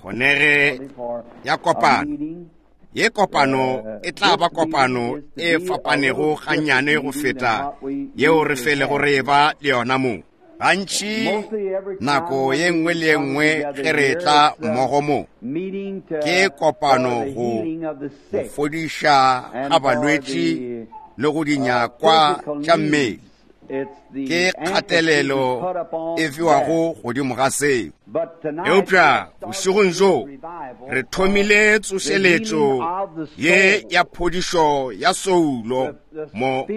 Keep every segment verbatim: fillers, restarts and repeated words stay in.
Kgonege ya kopano. Ye kopano e tla ba kopano e fapanego gannyane go feta yeo re felego re eba le yona mo. Gantši nako ye nngwe le ye nngwe ge re tla mmogo mo, ke kopano go go fodiša ga balwetši le go dinyakwa tša mmele. Ke kgatelelo e fiwago godimo ga seo. Eupša bošegong bjo re thomile tsošeletšo ye ya phodišo ya soulo, mo,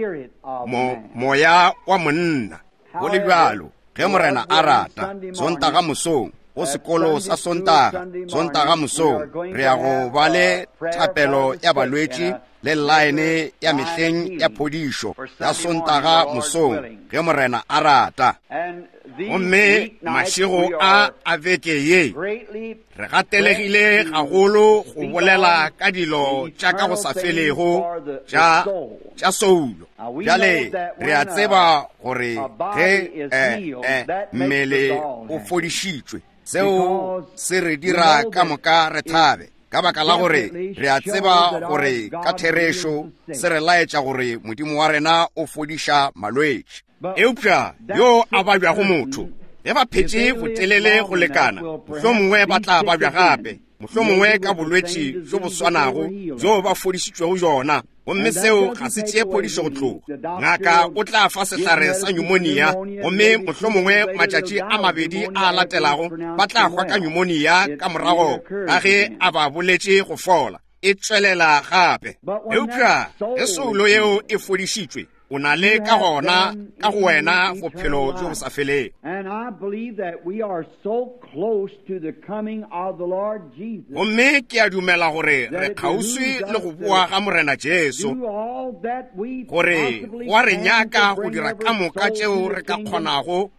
mo, moya wa monna. Go le bjalo, ge Morena a rata, Sontaga mosong, go sekolo sa Sontaga, Sontaga mosong, re ya go ba le thapelo ya balwetši le line ya mehleng ya phodišo ya Sontaga mosong, ge Morena a rata. Gomme mašego a a beke ye, re gatelegile gagolo go bolela ka dilo tša ka go sa felego tša tša soulo. Bjale re a tseba gore ge eh, eh, mmele o fodišitšwe, seo se re dira ka moka re thabe, ka baka la gore re a tseba gore ka therešo se re laetša gore Modimo wa rena o fodiša malwetši. Eupša yo a babjago motho, ge ba phetše botelele go lekana, mohlomongwe ba tla babja gape, mohlomongwe ka bolwetši bjo bo swanago bjo ba fodišitšwego bjona, gomme seo ga se tšee phodišo go tloga. Ngaka o tla fa sehlare sa pneumonia, gomme mohlomongwe matšatši a mabedi a latelago ba tla hwa ka pneumonia ka morago ga ge a ba boletše go fola. E tšwelela gape. Eupša ge soulo yeo e fodišitšwe, o na le ka gona ka go wena bophelo bjo bo sa felego. Gomme ke a dumela gore re kgauswi le go boa ga Morena Jesu, gore go a re nyaka go dira ka moka tšeo re ka kgonago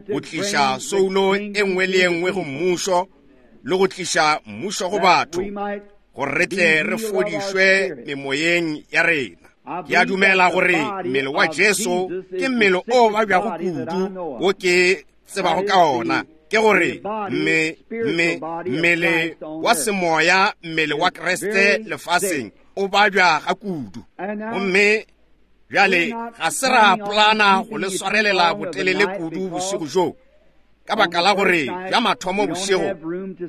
go tliša soulo e nngwe le e nngwe go mmušo, le go tliša mmušo go batho, gore re tle re fodišwe memoyeng ya rena. Ke a dumela gore mmele wa Jesu ke mmele o babjago kudu wo ke tsebago ka ona, ke gore mme, mme, mmele wa semoya, mmele wa Kriste lefaseng o babja ga kudu. Gomme bjale ga se ra polana go le swarelela botelele kudu bošego bjo, ka baka la gore bja mathomo bošego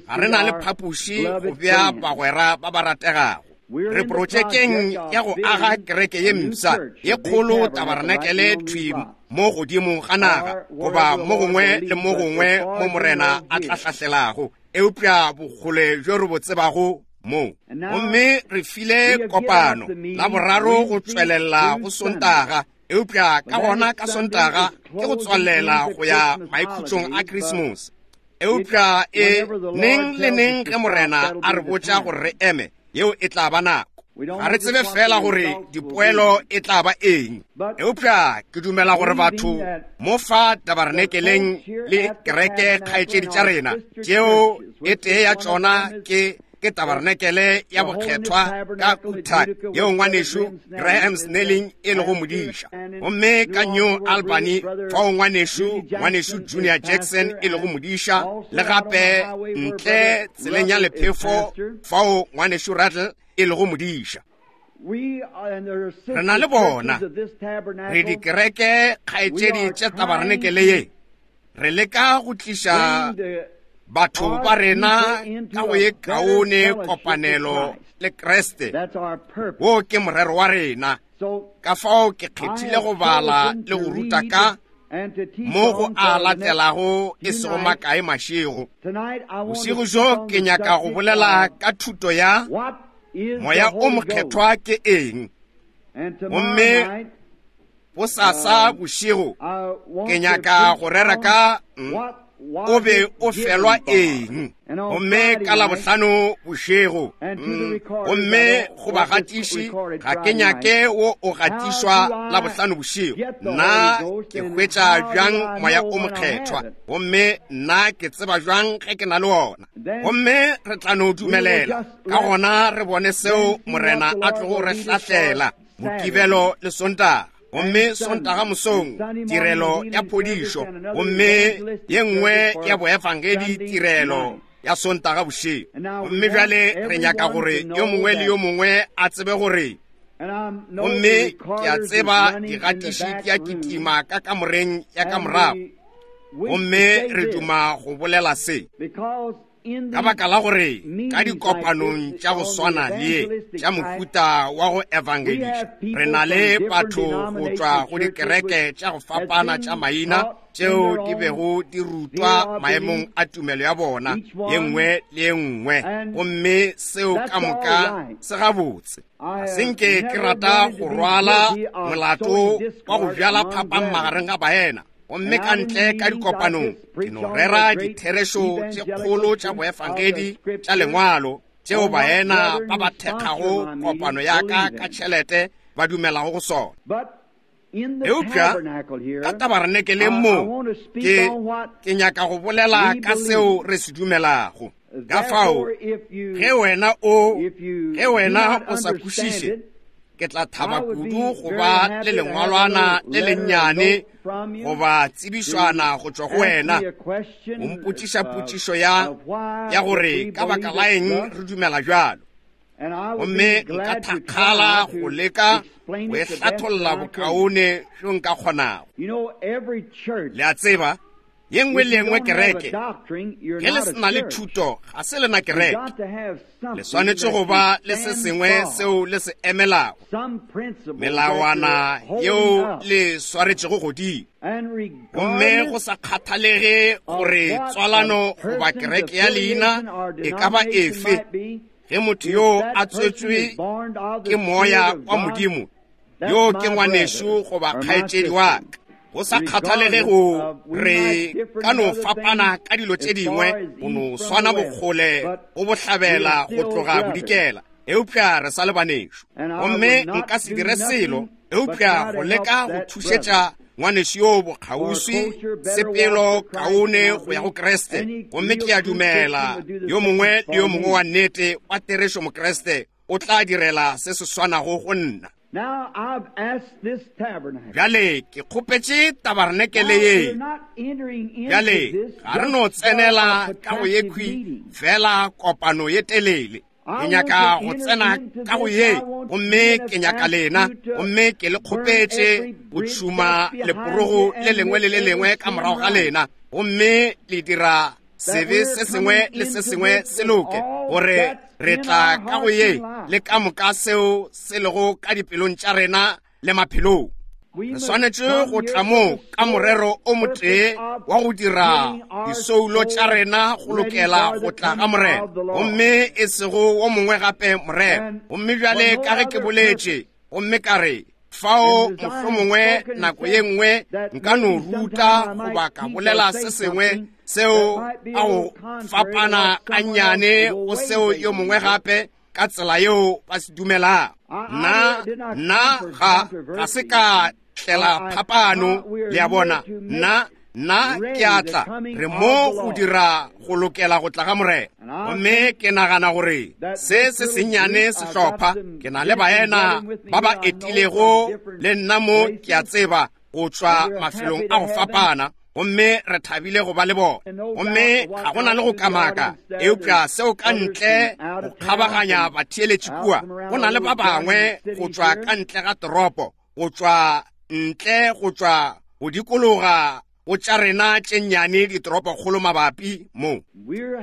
ga re na le phapoši go bea bagwera ba ba rategago. Re protšekeng ya go aga kereke ye mpsha ye kgolo, tabarenakele thwi mo godimo ga naga, goba mo gongwe le mo gongwe mo Morena a tla hlahlelago, eupša bokgole bjo re bo tsebago mo. Gomme re file kopano la boraro go tšwelela go Sontaga, eupša ka gona ka Sontaga ke go tswalela go ya maikhutšong a Christmas. Eupša e neng le neng ge Morena a re botša gore re eme, yeo e tla ba nako. Ga re tsebe fela gore dipoelo e tla ba eng, eupša ke dumela gore batho mo fa tabarenekeleng le kereke kgaetšedi tša rena, tšeo e tee ya tšona ke ke tabarenekele ya bokgethwa ka Utah, yeo ngwanešu Graham Snelling e lego modiša, gomme ka New Albany fao ngwanešu ngwanešu Junior Jackson e lego modiša, le gape ntle tseleng ya lephefo fao ngwanešu Rattle e lego modiša. Re na le bona, re dikereke kgaetšedi tša tabarenekele ye, re leka go tliša batho ba rena ka go ye kaone kopanelo le Kriste. Wo ke morero wa rena. Ka fao ke kgethile go bala le go ruta ka mo go a latelago e sego makae mašego. Bošego bjo ke nyaka go bolela ka thuto ya Moya o Mokgethwa ke eng. Gomme bosasa bošego ke nyaka go rera ka o be o felwa eng. Gomme ka Labohlano bošego, gomme go bagatiši ga ke nyake wo o gatišwa Labohlano bošego. Nna ke hwetša bjang Moya o Mokgethwa, gomme nna ke tseba bjang ge ke na le ona. Gomme re tla no dumelela ka gona re bone seo Morena a tlogo re hlahlela Mokibelo le Sontaga. Gomme Sontaga mosong tirelo ya phodišo, gomme ye nngwe ya boefangedi tirelo ya Sontaga bošego. Gomme bjale re nyaka gore yo mongwe le yo mongwe a tsebe gore, gomme ke a tseba digatiši di a kitima ka kamoreng ya ka morago, gomme re duma go bolela se ka baka la gore ka dikopanong tša go swana le ye tša mohuta wa go evangeliša, re na le batho go tšwa go dikereke tša go fapana tša maina tšeo di bego di rutwa maemong a tumelo ya bona ye nngwe le ye nngwe, gomme seo ka moka se gabotse. Ga se nke ke rata go rwala molato wa go bjala phapang magareng ga baena, gomme ka ntle ka dikopanong ke no rera ditherešo tše kgolo tša boefangedi tša lengwalo tšeo baena ba ba thekgago kopano ya ka ka tšhelete ba dumelago go sona. Eupša ka tabarenekeleng mo ke ke nyaka go bolela ka seo re se dumelago. Ka fao ge wena o ge wena o sa kwešiše, ke tla thaba kudu go ba le lengwalwana le lennyane goba tsebišwana go tšwa go wena, o mpotšiša potšišo ya ya gore ka baka la eng re dumela bjalo, gomme nka thakgala go leka go e hlatholla bokaone bjo nka kgonago. Le a tseba, ye nngwe le nngwe kereke, ge le se na le thuto, ga se lena kereke. Le swanetše go ba le se sengwe seo le se emelago, melawana yeo le swaretšego godimo. Gomme go sa kgathalege gore tswalano goba kereke ya leina e ka ba efe, ge motho yo a tswetšwe ke moya wa Modimo, yo ke ngwanešu goba kgaetšedi wa ka, go sa kgathalege go re ka no fapana ka dilo tše dingwe, go no swana bokgole go bohlabela go tloga bodikela, eupša re sa le banešu. Gomme nka se dire selo eupša go leka go thušetša ngwanešu yo bokgauswi sepelo kaone go ya go Kriste. Gomme ke a dumela yo mongwe le yo mongwe wa nnete wa therešo Mokriste o tla direla se se swanago go nna. Now I've asked this tabernacle. Bjale ke kgopetše tabarenekele ye. Bjale ga re no tsenela ka go yekhwi fela kopano ye telele. Ke nyaka go tsena ka go ye, gomme ke nyaka lena, gomme ke le kgopetše go tšhuma leporogo le lengwe le le lengwe ka morago ga lena, gomme le dira sebe se sengwe le se sengwe se loke, gore re tla ka go ye le ka moka seo se lego ka dipelong tša rena le maphelong. Re swanetše go tla mo ka morero o motee wa go dira disoulo tša rena go lokela go tla ga Morena, gomme e sego wo mongwe gape morero. Gomme bjale ka ge ke boletše, gomme ka re fao mohlomongwe nako ye nngwe nka no ruta goba ka bolela se sengwe seo a go fapana gannyane go seo yo mongwe gape ka tsela yeo ba se dumelago. Nna nna ga ga se ka tlela phapano, le a bona. Nna nna ke a tla re mo go dira go lokela go tla ga Morena. Gomme ke nagana gore se se sennyane sehlopha, ke na le baena ba ba etilego le nna mo, ke a tseba go tšwa mafelong a go fapana, gomme re thabile go ba le bona. Gomme ga go na le go kamaka, eupša seo ka ntle go kgabaganya batheeletši kua, go na le ba bangwe go tšwa ka ntle ga toropo, go tšwa ntle go tšwa go dikologa go tša rena tše nnyane ditoropokgolo mabapi mo.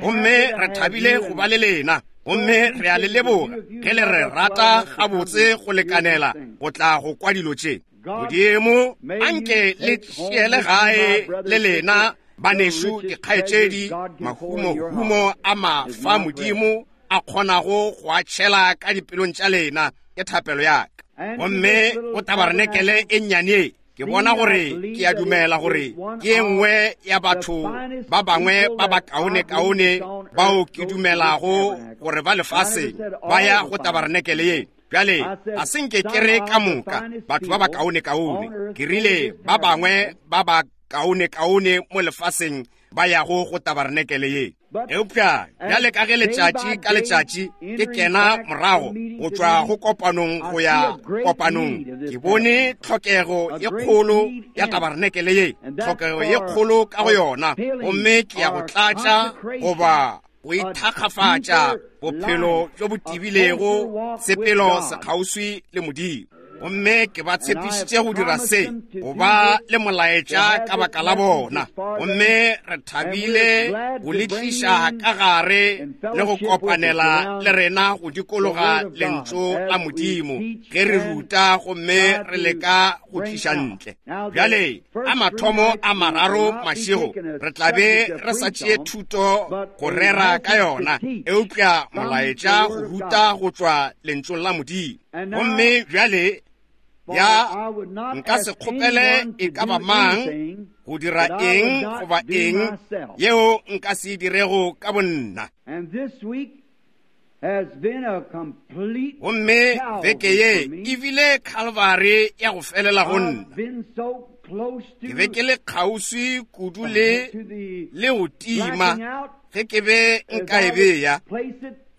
Gomme re thabile go ba le lena, gomme re a le leboga ge le re rata gabotse go lekanela go tla go kwa dilo tše. Modimo anke le tšeele gae le lena banešu dikgaetšedi mahumohumo a mafa Modimo a kgonago go a tšhela ka dipelong tša lena, ke thapelo ya ka. Gomme go tabarenekele e nnyane, ke bona gore ke a dumela gore ke e nngwe ya batho ba bangwe ba ba kaone-kaone bao ke dumelago gore ba lefaseng ba ya go tabarenekele ye. Bjale ga se nke ke re ka moka batho ba ba kaone-kaone, ke rile ba bangwe ba ba kaone-kaone mo lefaseng ba yago go tabarenekele ye. Eupša bjale ka ge letšatši ka letšatši ke kena morago go tšwa go kopanong go ya kopanong, ke bone tlhokego ye kgolo ya tabarenekele ye, tlhokego ye kgolo ka go yona, gomme ke ya go tlatša goba go ithakgafatša bophelo bjo bo tibilego, sepelo sekgauswi le Modimo. Gomme ke ba tshepišitše go dira se, go ba le molaetša ka baka la bona. Gomme re thabile go le tliša ka gare le go kopanela le rena go dikologa lentšu la Modimo ge re ruta gomme re leka go tliša ntle. Bjale a mathomo a mararo mašego re tla be re sa tšee thuto go rera ka yona, eupša molaetša go ruta go tšwa lentšung la Modimo. Gomme bjale ya nka se kgopele e ka ba mang go dira eng goba eng yeo nka se dirego ka bonna. Gomme beke ye e bile Calvary ya go felela go nna. Ke be ke le kgauswi kudu le le go tima ge ke be nka e beya,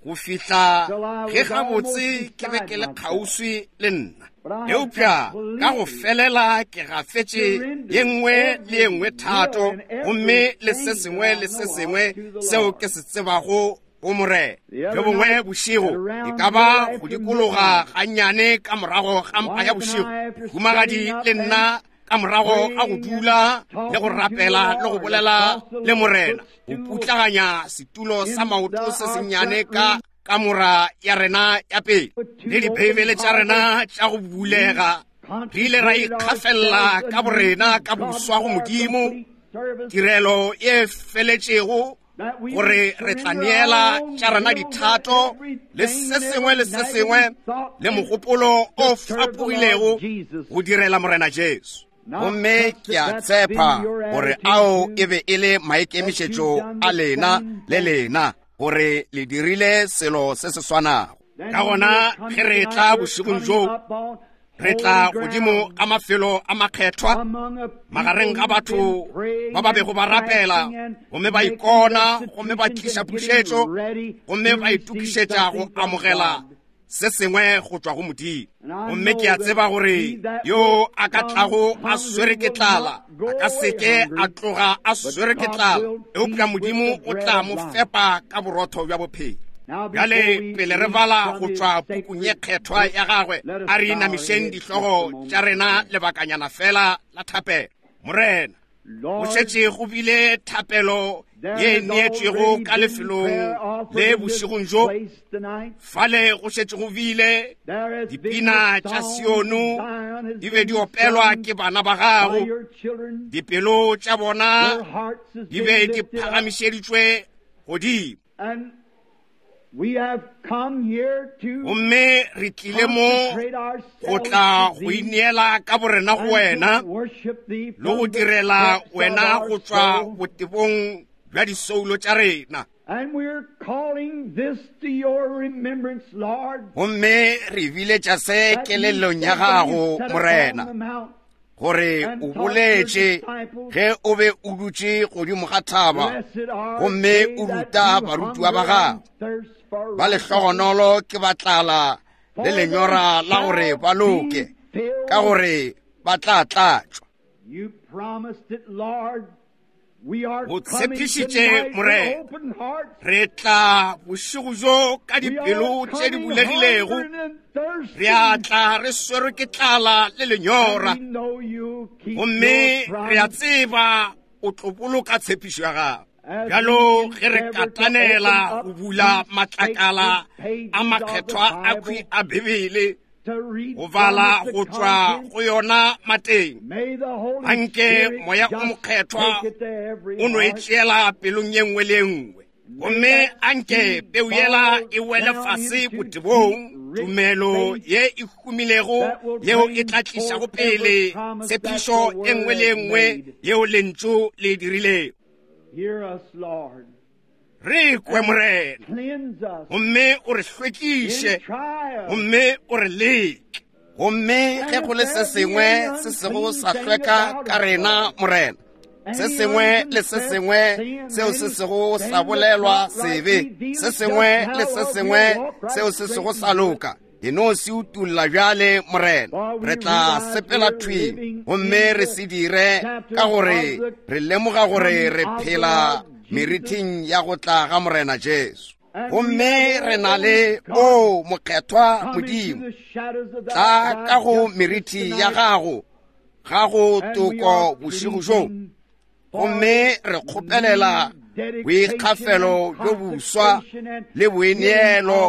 go fihla ge gabotse ke be ke le kgauswi le nna. Eupša ka go felela ke gafetše ye nngwe le ye nngwe thato, gomme le se sengwe le se sengwe seo ke se tsebago go Morena. Bjo bongwe bošego e ka ba go dikologa gannyane ka morago ga mpa ya bošego, humagadi le nna ka morago ga go dula le go rapela le go bolela le Morena, go putlaganya setulo sa maoto se sennyane ka kamora ya rena ya pele le dibeibele tša rena tša go bulega, re ile ra ikgafella ka borena ka boswa go Modimo, tirelo e feletšego, gore re tla neela tša rena dithato le se sengwe le se sengwe le mogopolo o fapogilego go direla Morena Jesu. Gomme ke a tshepa gore ao e be e le maikemišetšo a lena le lena, gore le dirile selo se se swanago. Ka gona ge re tla bošegong bjo, re tla godimo ga mafelo a makgethwa, magareng ga batho ba ba bego ba rapela gomme ba ikona, gomme ba tliša pušetšo, gomme ba itokišetša go amogela se sengwe go tšwa go Modimo. Gomme ke a tseba gore yo a ka tlago a swere ke tlala a ka seke a tloga a swere ke tlala, eupša Modimo o tla mo fepa ka borotho bja bophelo. Bjale pele re bala go tšwa pukung ye kgethwa ya gagwe, a re inamišeng dihlogo tša rena lebakanyana fela la thapelo. Morena, go šetše go bile thapelo ye neetšwego ka lefelong le bošegong bjo. Fale go šetše go bile dipina tša Siono di be di opelwa ke bana ba gago, dipelo tša bona di be di phagamišeditšwe godimo. Gomme re tlile mo go tla go ineela ka borena go wena le go direla wena go tšwa botebong bja disoulo tša rena. Gomme re biletša se kelellong ya gago, Morena, gore o boletše ge o be o dutše godimo ga thaba gomme o ruta barutiwa ba gago. Ba lehlogonolo ke ba tlala le lenyora la gore ba loke, ka gore ba tla tlatšwa. O tshepišitše, Morena, re tla bošego bjo ka dipelo tše di bulegilego, re a tla re swerwe ke tlala le lenyora, gomme re a tseba o tlo boloka tshepišo ya gago. Bjalo ge re katanela go bula matlakala a makgethwa a khwi a Bibele, go bala go tšwa go yona mateng, anke moya o mokgethwa o no e tšeela pelong ye nngwe le ye nngwe, gomme anke peu yela e wele fase botebong, tumelo ye e humilego yeo e tla tlišago pele tshepišo e nngwe le ye nngwe yeo lentšu le e dirilego. Re kwe, Morena, gomme o re hlwekiše, gomme o re leke. Gomme ge go le se sengwe se sego sa hlweka ka rena, Morena, se sengwe le se sengwe seo se sego sa bolelwa sebe, se sengwe le se sengwe seo se sego sa loka, e no se utulla bjale, Morena. Re tla sepela thwi gomme re se dire, ka gore re lemoga gore re phela merithing ya go tla ga Morena Jesu. Gomme re na le o mokgethwa Modimo, tla ka go merithi ya gago ga go toko bošego bjo. Gomme re kgopelela boikgafelo bjo boswa le boineelo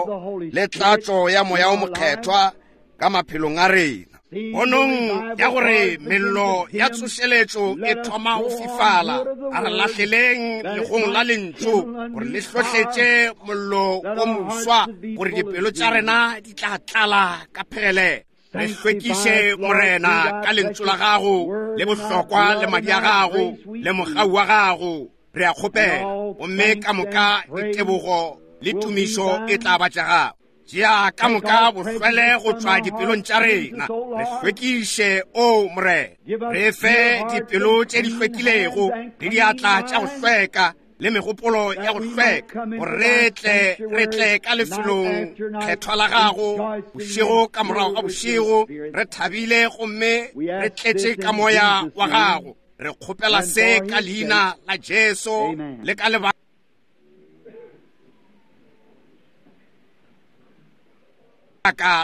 le tlatšo ya moya o mokgethwa ka maphelong a rena. Ponong ya gore mello ya tsošeletšo e thoma go fifala, a re lahleleng legong la lentšu gore le hlohletše mollo o moswa, gore dipelo tša rena di tla tlala ka phegelelo. Re hlwekiše Morena ka lentšu la gago le bohlokwa le madi a gago le mogau wa gago, re a kgopela. Gomme ka moka ditebogo le tumišo e tla ba tša gago. Tšea ka moka bohlwele go tšwa dipelong tša rena, re hlwekiše o Morena. Re fe dipelo tše di hlwekilego le diatla tša go hlweka le megopolo ya go hlweka, gore re tle re tle ka lefelong kgethwa la gago bošego ka morago ga bošego, re thabile gomme re tletše ka moya wa gago. Re kgopela se ka leina la Jesu le ka lebaka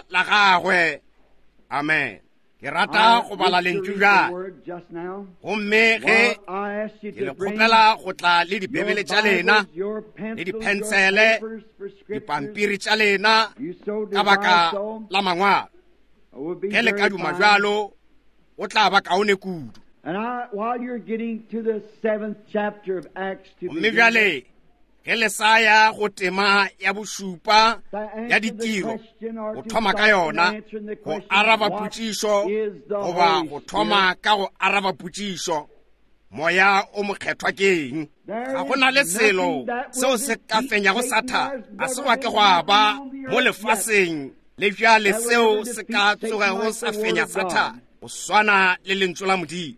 la gagwe. Amen. Ke rata go bala lentšu bjale. Gomme ge ke le kgopela go tla le dibebele tša lena le diphensele, dipampiri tša lena ka baka la mangwalo, ge le ka duma bjalo o tla ba kaone kudu. Gomme bjale ge le sa ya go tema ya bošupa ya ditiro, go thoma ka yona go araba potšišo, goba go thoma ka go araba potšišo, moya o mokgethwa ke eng? Ga go na le selo seo se ka fenyago Sathane. A se gwa ke gwa ba mo lefaseng le bjale seo se ka tsogego sa fenya Sathane, go swana le lentšu la Modimo.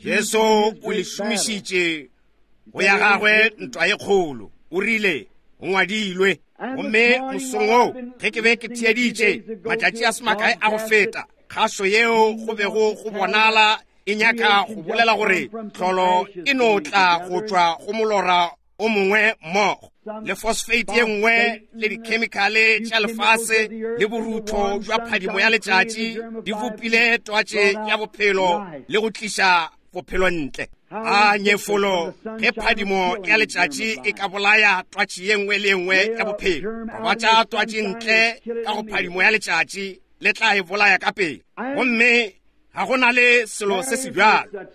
Jesu o le šomišitše go ya gagwe ntwa ye kgolo. O rile, go ngwadilwe. Gomme mosong woo ge ke be ke theeditše matšatši a se makae a go feta, kgašo yeo go bego go bonala e nyaka go bolela gore tlholo e no tla go tšwa go molora o mongwe mmogo le phosphate ye nngwe le dikhemikhale tša lefase le borutho bja phadimo ya letšatši di bopile twatše ya bophelo le go tliša bophelo ntle. A nyefolo ge phadimo ya letšatši e ka bolaya twatši ye nngwe le ye nngwe ya bophelo, gobatša twatši ntle ka go phadimo ya letšatši le tla e bolaya ka pele. Gomme ga go na le selo se se bjalo.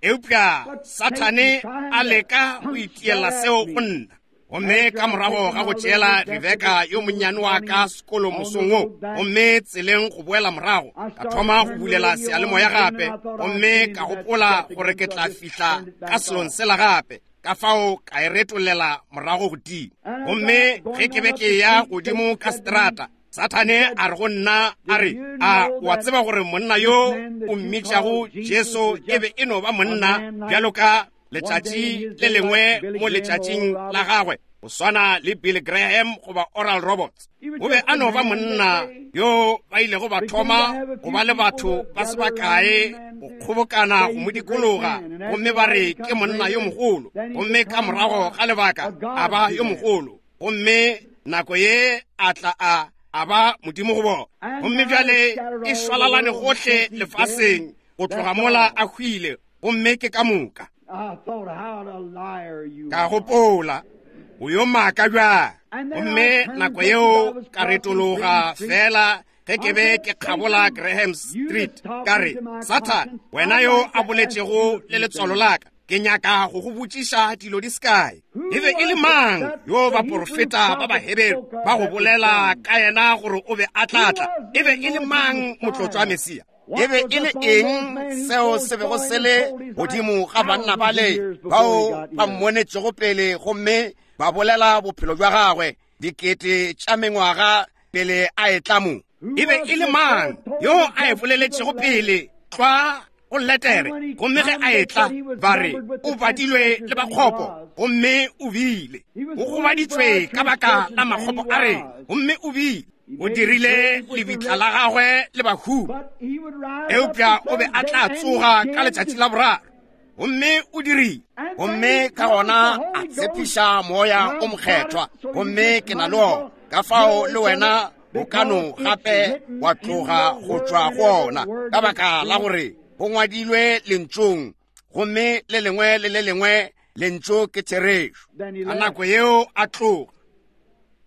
Eupša Sathane a leka go itiela seo go nna. Gomme ka morago ga go tšeela Rebeka yo monnyane wa ka sekolo mosong wo, gomme tseleng go boela morago, ka thoma go bulela seyalemoya gape, gomme ka gopola gore ke tla fihla ka selong sela gape, ka fao ka e retolela morago godimo. Gomme ge ke be ke ya godimo ka seterata, Sathane a re go nna a re, a wa tseba gore monna yo o mmitšago Jesu e be e no ba monna bjalo ka letšatši le lengwe mo letšatšing la gagwe, go swana le Billy Graham goba Oral Roberts. O be a no ba monna yo ba ilego ba thoma go ba le batho ba se bakae go kgobokana go mo dikologa, gomme ba re ke monna yo mogolo, gomme ka morago ga lebaka a ba yo mogolo, gomme nako ye a tla a a ba modimo go bona. Gomme bjale e šwalalane gohle lefaseng go tloga mola a hwile, gomme ke ka moka. Ka gopola o yo maaka bjang. Gomme nako yeo ka retologa fela ge ke be ke kgabola Graham Street, ka re, Sathane, wena yo a boletšego le letswalo la ka, ke nyaka go go botšiša dilo di se kae. E be e le mang yo baporofeta ba Baheberu ba go bolela ka yena gore o be a tla tla? E be e le mang motlotšwa Mesia? E be e le eng seo se bego se le godimo ga banna bale bao ba mmonetšego pele gomme ba bolela bophelo bja gagwe dikete tša mengwaga pele a etla mo? E be e le mang yo a e boleletšego pele tlwa go letere? Gomme ge a etla ba re o badilwe le bakgopo, gomme o bile o gobaditswe ka baka la makgopo a rena, gomme o bile o dirile lebitla la gagwe le bahu. Eupša o be a tla tsoga ka letšatši la boraro, Gomme o dirile. Gomme ka gona a tshepiša Moya o Mokgethwa. Gomme ke na le ona. Ka fao le wena o ka no gape wa tloga go tšwa go ona, ka baka la gore go ngwadilwe lentšong, gomme le lengwe le le lengwe lentšu ke therešo. Ka nako yeo a tloga.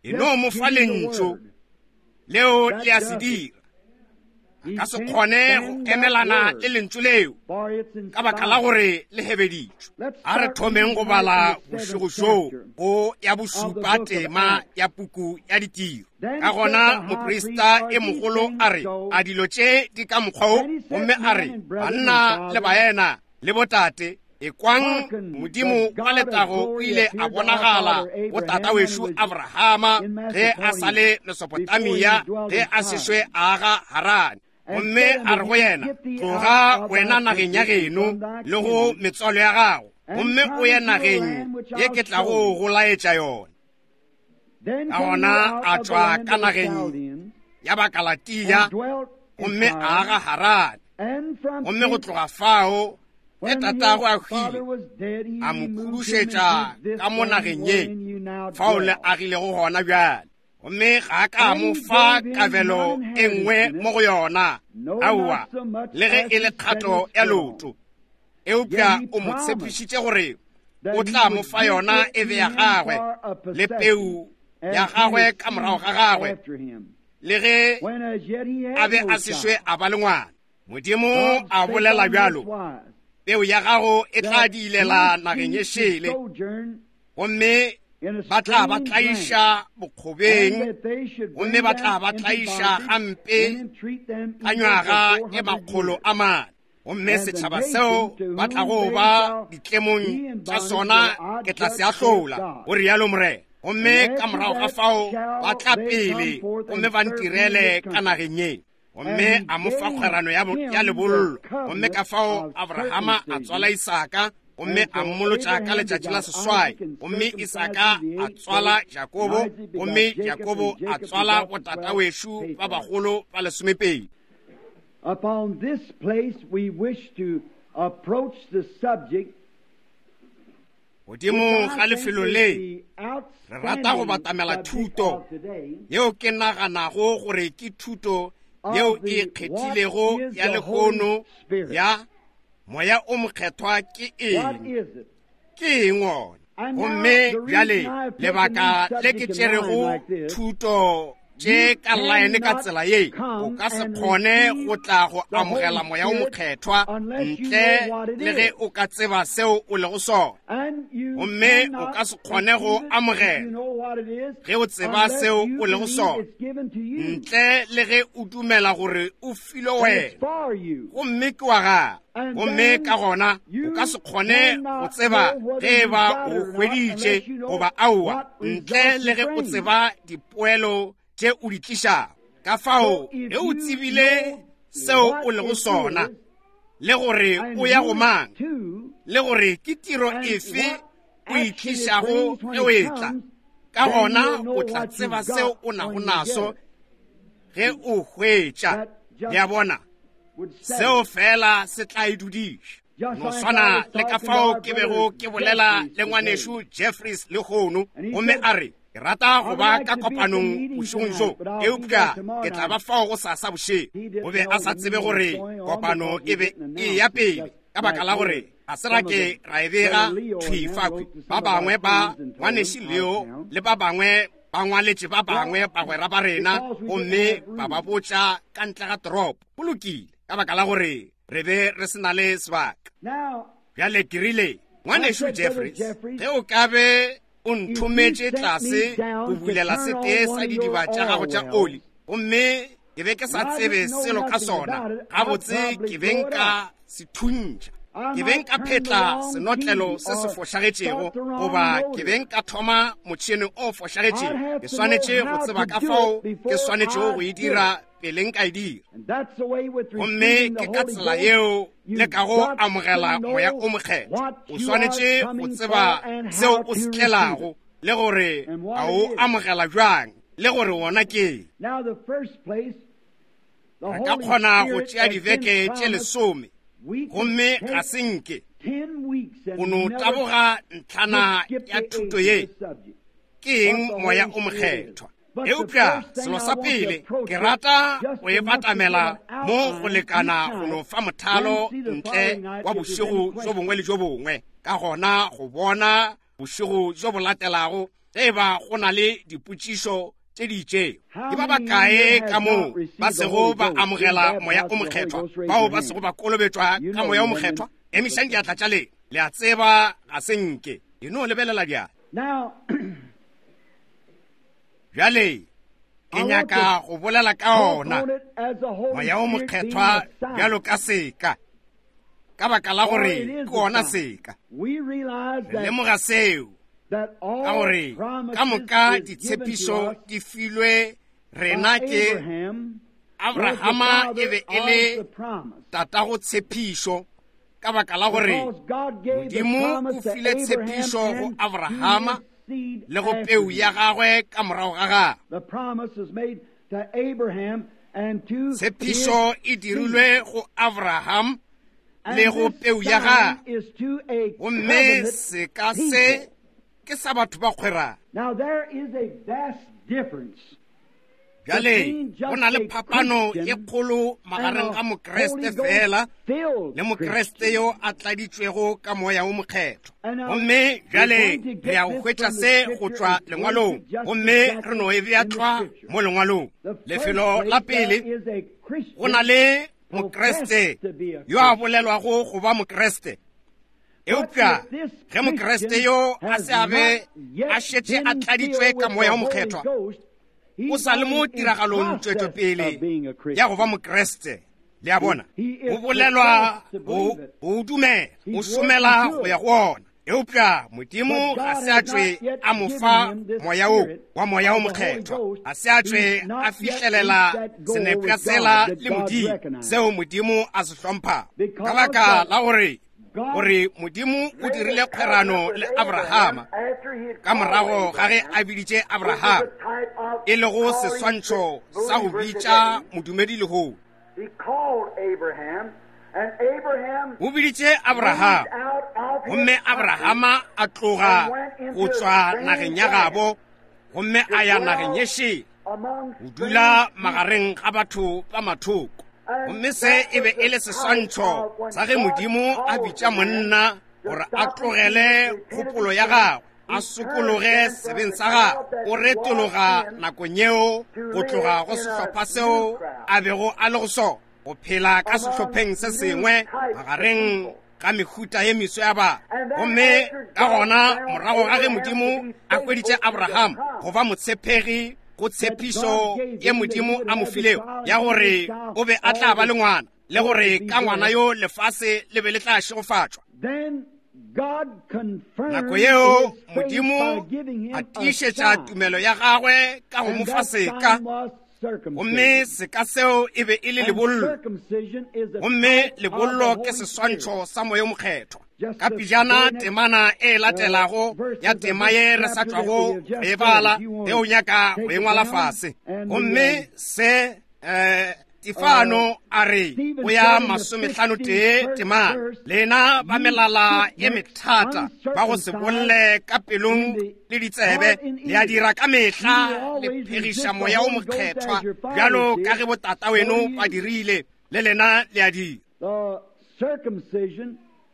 E no mo fa lentšu leo le a se dira. A ka se kgone go emelana le lentšu leo, ka baka la gore le hebeditšwe. A re thomeng go bala bošego bjo go ya bošupa tema ya puku ya Ditiro. Ka gona moprista e mogolo a re, a dilo tše di ka mokgwa wo? Gomme a re, banna le baena le botate, ekwang Modimo wa letago o ile a bonagala go tata wešo Abrahama ge a sa le Mesopotamia, ge a sešwe a aga Harane. Gomme a re go yena, tloga wena nageng ya geno le go metswalo ya gago, gomme o ye nageng ye ke tlago go laetša yona. Ka gona a tšwa ka nageng ya Bakalatia, gomme a aga Harane. Gomme go tloga fao ge tatago a hwile, a mo khudušetša ka mo nageng ye fao le agilego gona bjale. Gomme ga a ka mo fa kabelo e nngwe mo go yona, aowa, le ge e le kgato ya leoto. Eupša o mo tshepišitše gore o tla mo fa yona e be ya gagwe le peu ya gagwe ka morago ga gagwe, le ge a be a sešwe a ba le ngwana. Modimo a bolela bjalo, peu ya gago e tla diilela nageng e šele, gomme ba tla ba tlaiša bokgobeng, gomme ba tla ba tlaiša gampe ka nywaga e makgolo a mane. Gomme setšhaba seo ba tlago ba ditlemong tša sona ke tla se ahlola, go rialo Morena. Gomme ka morago ga fao ba tla pele gomme ba ntirele ka nageng ye. Gomme a mo fa kgwerano ya lebollo. Gomme ka fao Abrahama a tswala Isaka, gomme a mmolotša ka letšatši la seswai. Gomme Isaka a tswala Jakobo, gomme Jakobo a tswala botata wešo ba bagolo ba lesomepedi. Upon this place we wish to approach the subject. Godimo ga lefelo le re rata go batamela thuto yeo ke naganago gore ke thuto yeo e kgethilego ya lehono ya Moya o Mokgethwa ke eng? Ke eng wona? Gomme bjale lebaka le ke tšerego thuto tše ka laene ka tsela ye, o ka se kgone go tla go amogela Moya o Mokgethwa ntle le ge o ka tseba seo o lego sona. Gomme o ka se kgone go amogela ge o tseba seo o lego sona, ntle le ge o dumela gore o filwe wena, gomme ke wa gago. Gomme ka gona o ka se kgone go tseba ge e ba o hweditše goba aowa, ntle le ge o tseba dipoelo tše o di tlišago. Ka fao ge o tsebile seo o lego sona, le gore o ya go mang, le gore ke tiro efe o e tlišago ge o etla, ka gona o tla tseba seo o nago naso ge o hwetša. Le a bona, seo fela se tla e dudiša. No swana le ka fao ke bego ke bolela le ngwanešu Jeffries lehono, gomme a re, ke rata go ba ka kopanong bošegong bjo, eupša ke tla ba fao go sasa bošego. O be a sa tsebe gore kopano e be e ya pele, ka baka la gore ga se ra ke ra e bega thwi fakhwi. Ba bangwe ba ngwanešu Leo le ba bangwe ba ngwaletše ba bangwe bagwera ba rena, gomme ba ba botša ka ntle ga toropo. Go lokile, ka baka la gore re be re se na le sebaka. Bjale ke rile, ngwanešu Jeffries, ge o ka be o nthometše tlase go bulela setee sa didiba tša gago tša oli, gomme ke be ke sa tsebe selo ka sona, gabotse ke be nka se thuntšha, ke be nka phetla senotlelo se se fošagetšego, goba ke be nka thoma motšhene o fošagetšego. Ke swanetše go tseba ka fao ke swanetšego go e dira pele nka e dira. Gomme ke ka tsela yeo le ka go amogela Moya o Mokgethwa. O swanetše go tseba seo o se tlelago, le gore a o amogela bjang, le gore wona ke. Re ka kgona go tšea dibeke tše lesome, gomme ga se nke. go no taboga ntlhana ya thuto ye, ke eng Moya o Mokgethwa. Eupša selo sa pele ke rata go e batamela mo go lekana go no fa mothalo ntle wa bošego bjo bongwe le bjo bongwe, ka gona go bona bošego bjo bo latelago ge eba go na le dipotšišo tše di itšego. Ke ba bakae ka moo ba sego ba amogela Moya o Mokgethwa, bao ba sego ba kolobetšwa ka Moya o Mokgethwa? Emišang diatla tša lena. Le a tseba ga se nke. E no lebelela bjale. Bjale ke nyaka go bolela ka ona Moya o Mokgethwa bjalo ka seka, ka baka la gore ke ona seka. Re lemoga seo ka gore ka moka ditshepišo di filwe rena ke Abrahama, e be e le tatago tshepišo, ka baka la gore Modimo o file tshepišo go Abrahama le go peu ya gagwe ka morago ga gagwe. Tshepišo e dirilwe go Abraham le go peu ya gagwe, gomme seka se ke sa batho ba kgwerano. Bjale go na le phapano ye kgolo magareng ga Mokriste fela le Mokriste yo a tladitšwego ka Moya o Mokgethwa. Gomme bjale re ya go hwetša se go tšwa lengwalong, gomme re no e bea tlwa mo lengwalong. Lefelo la pele, go na le Mokriste yo a bolelwago go ba Mokriste. Eupša ge Mokriste yo a se a be a šetše a tladitšwe ka Moya o Mokgethwa, o sa le mo tiragalong tšwetšopele ya go ba Mokriste. Le a bona, o bolelwa go o dumela, o šomela go ya go ona. Eupša Modimo ga se a tšwe a mo fa moya wo wa Moya o Mokgethwa, ga se a tšwe a fihlelela senepša sela le Modimo seo Modimo a se hlomphago, ka baka la gore gore Modimo o dirile kgwerano le Abrahama ka morago ga ge a biditše Abrahama, e lego seswantšho sa go bitša modumedi lehono. O biditše Abrahama, gomme Abrahama a tloga go tšwa nageng ya gabo gomme a ya nageng ye šele, go dula magareng ga batho ba mathoko. Gomme se e be e le seswantšho sa ge Modimo a bitša monna gore a tlogele kgopolo ya gagwe, a sokologe sebeng sa gagwe. O retologa nakong yeo go tloga go sehlopha seo a bego a le go sona, go phela ka sehlopheng se sengwe magareng ga mehuta ye meso ya batho. Gomme ka gona morago ga ge Modimo a hweditše Abraham go ba motshepegi go tshepišo ye Modimo a mo filego ya gore o be a tla ba le ngwana, le gore ka ngwana yo lefase le be le tla šegofatšwa, nako yeo Modimo a tiišetša tumelo ya gagwe ka go mo fa seka, gomme seka seo e be e le lebollo, gomme lebollo ke seswantšho sa Moya o Mokgethwa. Ka pejana temana e latelago ya tema ye re sa tšwago go e bala, ge o nyaka go e ngwala fase. Gomme se um Stefano a re go ya masomehlano tee temana, lena ba melala e methata ba go se bolle ka pelong le ditsebe, le a dira ka mehla le phegiša Moya o Mokgethwa bjalo ka ge botata weno ba dirile, le lena le a dira.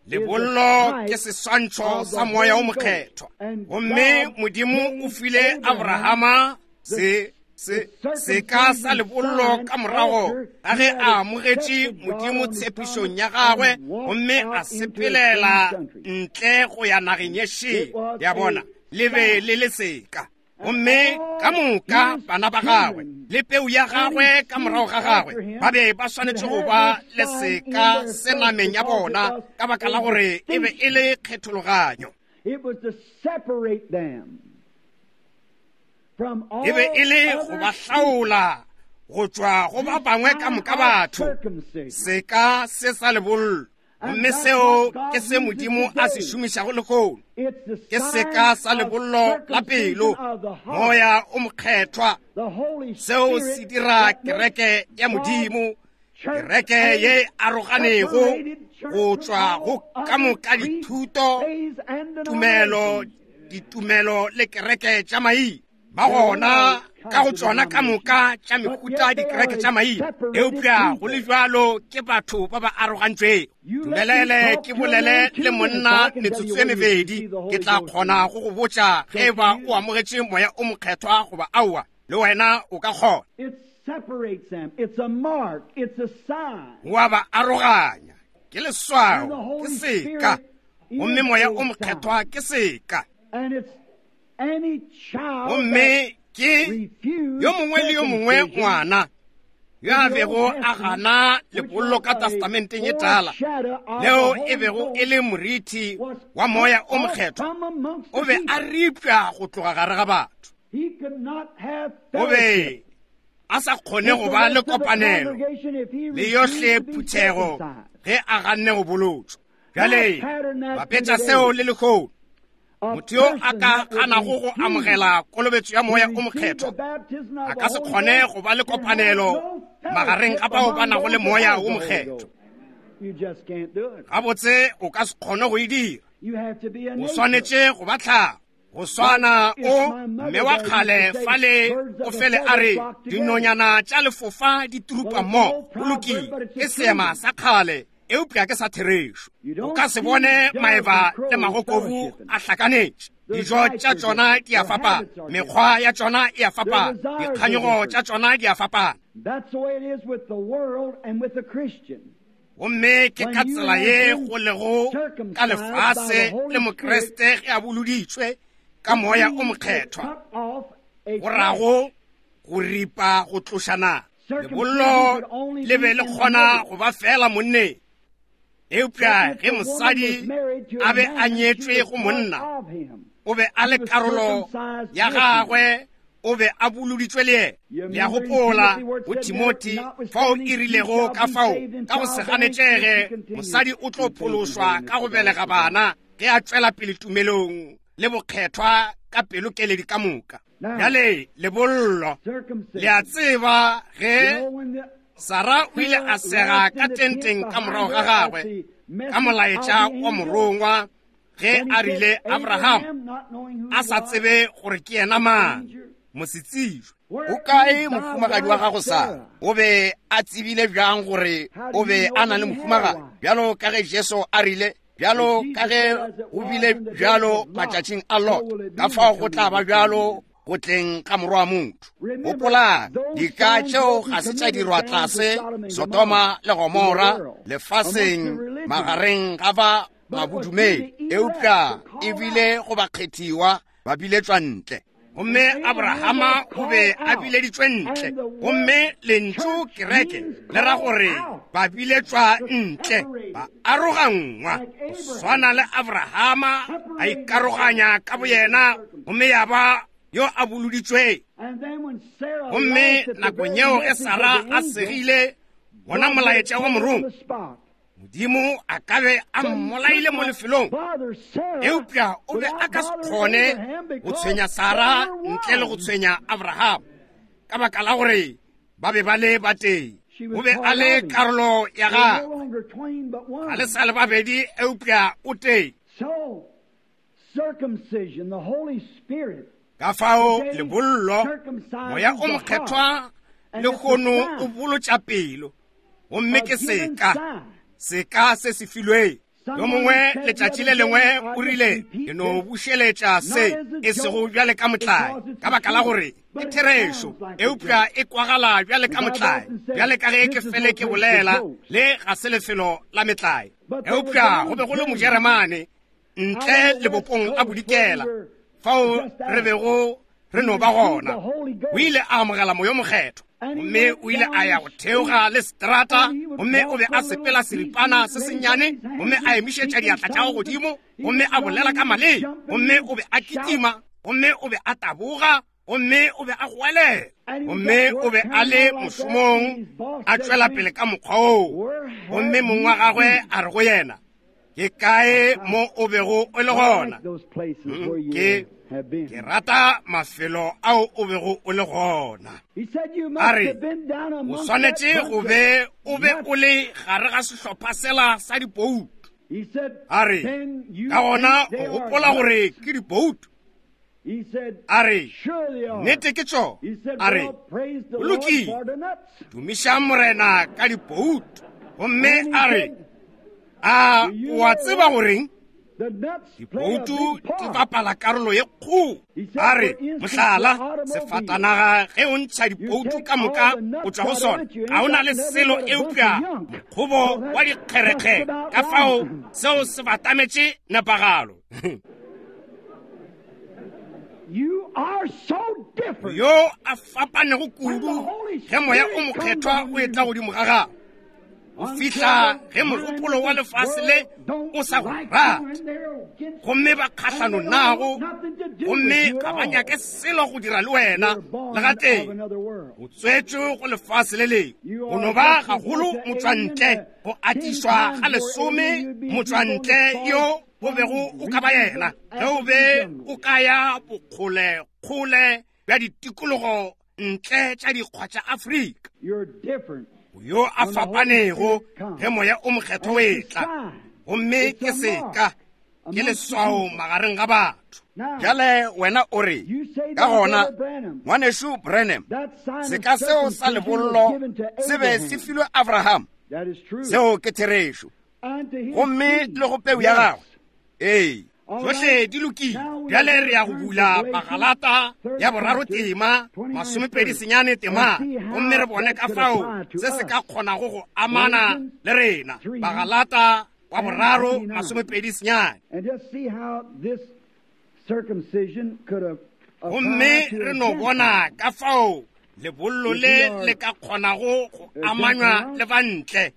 Lebollo ke seswantšho sa Moya o Mokgethwa, gomme Modimo o file Abrahama se se seka sa lebollo ka morago ga ge a amogetše Modimo tshepišong ya gagwe gomme a sepelela ntle go ya nageng ye šele. Ya bona, le be le le seka. Gomme ka moka bana ba gagwe le peu ya gagwe ka morago ga gagwe ba be ba swanetše go ba le seka se nameng ya bona, ka baka la gore e be e le kgethologanyo. E be e le go ba hlaola go tšwa go ba bangwe ka moka batho, seka se sa lebollo. Gomme seo ke se Modimo a se šomišago lehono, ke seka sa lebollo la pelo, Moya o Mokgethwa. Seo se dira kereke ya Modimo Kereke ye aroganego go tšwa go ka moka dithuto, tumelo, ditumelo le kereke tša maina. Ba gona ka go tšona ka moka tša mehuta dikereke tša maina, eupša go le bjalo ke batho ba ba arogantšwego. Dumelele ke bolele le monna metsotso e mebedi, ke tla kgona go go botša ge eba o amogetše moya o mokgethwa goba aowa, le wena o ka kgona. Wa ba aroganya, ke leswao, ke seka, gomme moya o mokgethwa ke seka. Gomme ke yo mongwe le yo mongwe ngwana yo a bego a gana lebollo ka testamenteng ye tala, leo e bego e le moriti wa moya o mokgethwa, o be a ripša go tloga gare ga batho. O be a sa kgone go ba le kopanelo le yohle phuthego ge a ganne go bolotšwa. Bjale bapetša seo le lehono. Motho yo a ka ganago go amogela kolobetšo ya moya o mokgethwa a ka se kgone go ba le kopanelo magareng ga bao ba nago le moya o mokgethwa. Gabotse o ka se kgone go e dira. O swanetše go ba tlhago. Go swana o mme wa kgale fale o fele a re dinonyana tša lefofa di turupa mmogo. Go lokile, ke seema sa kgale, eupša ke sa therešo. O ka se bone maeba le magokobu a hlakanetše. Dijo tša tšona di a fapana, mekgwa ya tšona e a fapana, dikganyogo tša tšona di a fapana. Gomme ke ka tsela ye go lego ka lefase le Mokreste ge a boloditšwe ka moya o mokgethwa, go rago go ripa go tlošana. Lebollo le be le kgona go ba fela monneng, eupša ge mosadi a be a nyetšwe go monna, o be a le karolo ya gagwe, o be a boloditšwe le yena. Le a gopola go Timothy fao e rilego ka fao ka go se ganetšege mosadi o tlo phološwa ka go belega bana ge a tšwela pele tumelong le bokgethwa ka pelokeledi ka moka. Bjale lebollo, le a tseba ge Sara o ile a sega ka tenteng ka morago ga gagwe ka molaetša wa morongwa ge a rile Abraham a sa tsebe gore ke yena mang, mosetsijwe. O kae mohumagadi wa gago Sara? O be a tsebile bjang gore o be a na le mohumagadi? Bjalo ka ge Jesu a rile, bjalo ka ge go bile bjalo matšatšing a Lot, ka fao go tla ba bjalo go tleng ga morwa wa motho. Gopolang, dika tšeo ga se tša dirwa tlase Sodoma le Gomora lefaseng magareng ga ba mabodumedi, eupša e bile go bakgethiwa ba biletšwa ntle. Gomme Abrahama o be a bileditšwe ntle, gomme lentšu kereke le ra gore ba biletšwa ntle, ba arogangwa. Go swana le Abrahama a ikaroganya ka boyena, gomme ya ba yo a boloditšwe. Gomme nakong yeo ge Sara a segile bona molaetša wa morongwa, Modimo a ka be a mmolaile mo lefelong, eupša o be a ka se kgone go tshwenya Sara ntle le go tshwenya Abraham, ka baka la gore ba be ba le batee. O be a le karolo ya gagwe, ga le sa le babedi, eupša o tee. Ka fao lebollo, moya o mokgethwa lehono o bolotša pelo, gomme ke seka, seka se se filweng. Yo mongwe letšatši le lengwe o rile, ke no bušeletša se e sego bjale ka motlae, ka baka la gore ke therešo, eupša e kwagala bjale ka motlae. Bjale ka ge ke fele ke bolela, le ga se lefelo la metlae. Eupša go be go le Mojeremane ntle lebopong la bodikela fao re bego re no ba gona. O ile a amogela moya o mokgethwa, gomme o ile a ya go theoga le strata, gomme o be a sepela seripana se sennyane, gomme a emišetša diatla tša gagwe godimo, gomme a bolela ka maleme, gomme o be a kitima, gomme o be a taboga, gomme o be a goelela, gomme o be a le mošomong a tšwela pele ka mokgwa oo. Gomme mong wa gagwe a re go yena, ke kae mo o bego o le gona? Ke have been. Ke rata mafelo ao o bego o le gona. He said you A must re, have been down o amongst swanetše that go bunch be of o be nuts. o le gare ga sehlopha sela sa dipoutu. He said, A re, then you ka gona think they o are gopola gore nuts. ke dipoutu. He said, A re, sure they are. nnete ke tšona. He said, A re, well, praise the go Lord lokile. for the nuts. Tumišang Morena ka dipoutu. Gomme And he a re, said, a Do you o a know tseba what? goreng the nuts play a dipoutu big di part. bapala karolo ye kgolo. He said, A re, for instance, mohlala, the automobile. sefatanaga ge o ntšha You dipoutu take ka moka all the nuts go tšwa go out of sona, it, you ga o ain't na got le nothing selo but a bunch of eupša junk. mokgobo So that's wa dikgerekgere. just about Ka fao right. seo se batametše nepagalo. You are so different. Yo a fapanego When the kudu Holy ge moya o Spirit comes mokgethwa on o etla you, godimo ga gago. Go fihla ge mogopolo wa lefase le o sa go rate, gomme ba kgahlano nago, gomme ga ba nyake selo go dira le wena le gatee. O tswetšwe go lefase le lengwe, o no ba gagolo motswantle go atišwa ga lesome motswantle yo o bego o ka ba yena ge o be o ka ya bokgolekgole bja ditikologo ntle tša dikgwa tša Afrika. You're different. Yo a fapanego ge moya o mokgethwa o etla, gomme ke seka, ke leswao magareng ga batho. Bjale wena o re, You say ka that, gona Brother Branham, ngwanešu Branham, that sign of seka seo sa circumcision was lebollo given to se be se Abraham. filwe Abraham. That is true. Seo ke therešo. And to his Gomme seed. le go peu ya Yes. gagwe. Ee. All Tšohle right. di lokile. Now we Bjale are re ya go going to bula turn to Bagalata Galatians, third ya boraro chapter, tema, twenty-nine masomepedi verse, senyane tema, and see how gomme re bone that ka could fao apply to se se ka us. kgonago go amana Galatians le rena. three Bagalata wa and boraro, twenty-nine. masomepedi senyane. And just see how this circumcision could have Gomme applied to re a no Gentile. bona ka fao lebollo If le we are le ka kgonago go a amanywa Gentile, le bantle,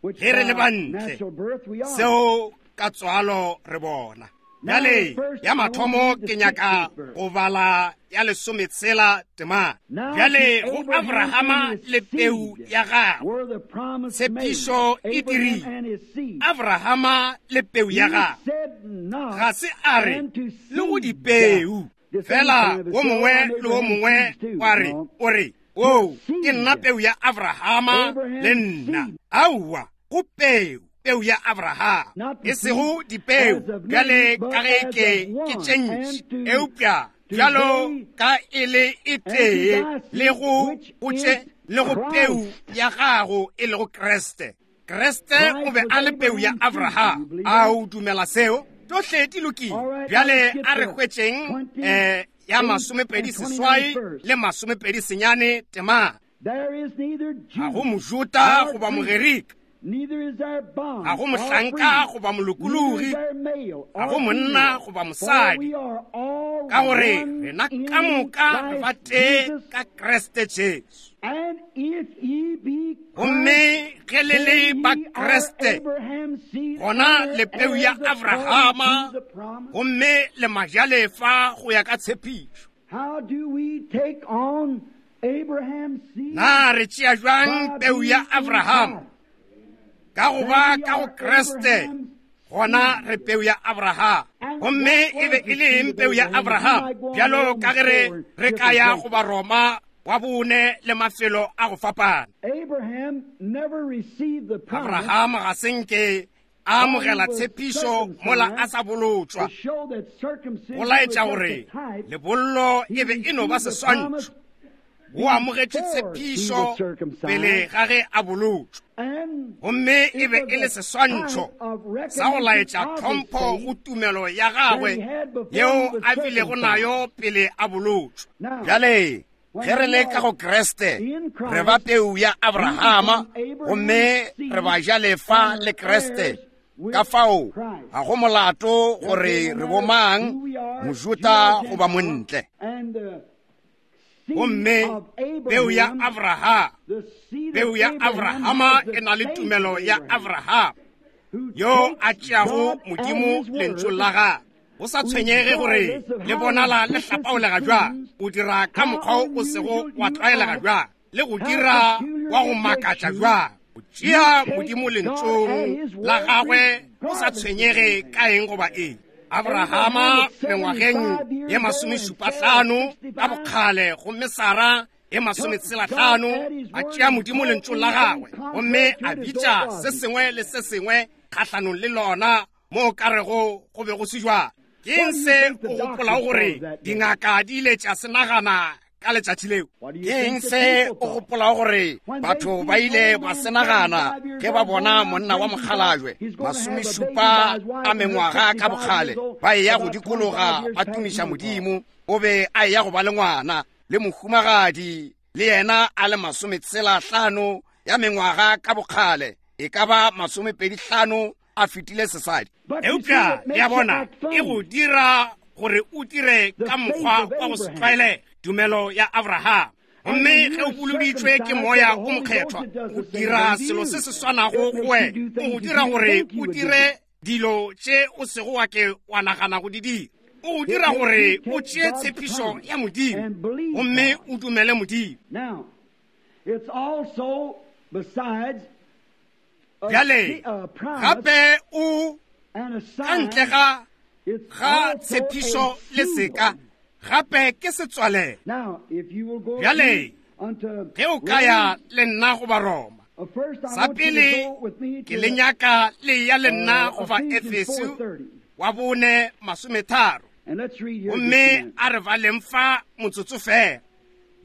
which ge re le by bantle, natural birth we are. seo ka tswalo re bona. Now, Bjale first, ya I want to mathomo read the ke nyaka sixteenth verse. go bala ya lesometshela temana. Now Bjale to go Abraham Abrahama and his le peu seed ya gagwe, were the promise made. tshepišo e Abraham dirilwe. and his seed. Abrahama le peu ya He gagwe, said not ga se a re and to le go seed. dipeu. The same Fela kind of a wo thing mongwe on le wo Abraham's mongwe seeds too. wa re, No. o re, oo, Seed. ke nna peu ya Abrahama Abraham's le nna. seed. Aowa, go peu, peu ya Abraham, Not the e sego seed dipeu, as of bjale many, but ka ge as ke of ke one, tše ntši, and to- eupša to bjalo thee ka e le e and to tee thy seed, le go which go tše is le go peu Christ. ya gago e lego Kriste. Kriste o Christ be was a le peu ya Abraham's seed. You Abraham. believe A that? o dumela seo? Tšohle di lokile. All right, Bjale let's get a re the hwetšeng twenty eh ya eight masomepedi and twenty-nine seswai verse. le masomepedi senyane temana. There is neither Ga go Jew Mojuta nor goba Greek, Mogerika, neither is there bond ga go or mohlanka free, goba neither is molokologi, there male ga or go monna female, goba for mosadi, we are all ka gore one rena in ka moka re ba Christ tee Jesus. ka Kriste Jesu. And if ye be Gomme Christ, ge le le then ba ye are Kriste, Abraham's seed gona and le peu ya heirs according Abrahama, to the promise. gomme le majalefa go ya ka tshepišo. How do we take on Abraham's seed? Na re tšea jwang By peu ya being in Abraham? Christ. Ka go ba Then we ka go are Kriste, Abraham's gona re peu ya Abraham. And Gomme what e be was e the le seed eng of peu ya Abraham? You Abraham? might go on Bjalo Romans ka ge re four and re ka different ya places. go ba Roma wa bone le mafelo a go fapana. Abraham never received the promise Abraham ga se nke a amogela While he was tshepišo mola a sa bolotšwa, to show that circumcision go was laetša just gore a type. lebollo He e be e no ba received the seswantšho. promise O amogetše before he tshepišo was circumcised. pele ga ge a bolotšwa, And gomme e it be was e le a seswantšho type of sa go recognition laetša of his tlhompho faith go tumelo ya gagwe that he had before yeo he was a bilego circumcised. nayo pele a bolotšwa. Now, Bjale when ge re we le ka go are Kriste, in Christ, re ba peu ya we Abrahama, become gomme Abraham's seed re ba jalefa and le Kriste. heirs with Ka fao Christ. ga go molato Therefore, gore no re matter bomang, who we are, Jew Mojuta or goba Gentile, montle. and the seed Gomme of peu ya Abraham, Abraham, the seed peu of ya Abraham Abrahama has the e na le faith tumelo of ya Abraham, Abraham who yo a takes tšeago God at Modimo his lentšu word, la gagwe. O sa tshwenyege gore regardless of le how bonala le vicious it hlapaolega bjang, seems, o dira ka how mokgwa o sego unusual wa you tlwaelega are, bjang, le go how dira peculiar wa go it makes makatša you, bjang. O you tšea take Modimo God at lentšong his la word gagwe o sa regardless of tshwenyege anything. ka eng goba eng. Abrahama mengwageng ye masomešupahlano ka bokgale gomme Sara e masometshelahlano a tšea Modimo lentšu la gagwe gomme a bitša se sengwe le se sengwe kgahlanong le lona mo ka rego go be go se jwalo. Ke eng se o gopolago gore dingaka di ile tša se nagana ka letšatši leo? Ke eng se o gopolago gore batho ba ile ba se nagana ge ba bona monna wa mokgalajwe masomešupa a mengwaga ka bokgale ba eya go dikologa ba tumiša Modimo, o be a eya go ba le ngwana le mohumagadi le yena a le masometshelahlano ya mengwaga ka bokgale, e ka ba masomepedi hlano a fetile sesadi. Eupša ya bona e go dira gore o dire ka mokgwa wa go se tlwaelege, tumelo ya Abraham. Gomme ge o boloditšwe ke moya o mokgethwa, o dira selo se se swanago go wena, o go dira gore o dire dilo tše o sego wa ke wa nagana go di dira. O go dira gore o tšee tshepišo ya Modimo gomme o dumele Modimo. Bjale gape o ka ntle ga ga tshepišo le seka, gape ke setswalelo. Bjale ge o ka ya le nna go ba Roma, sa pele ke le nyaka le ya le nna go ba Efeso wa bone masometharo, gomme a re baleng fa motsotso fela.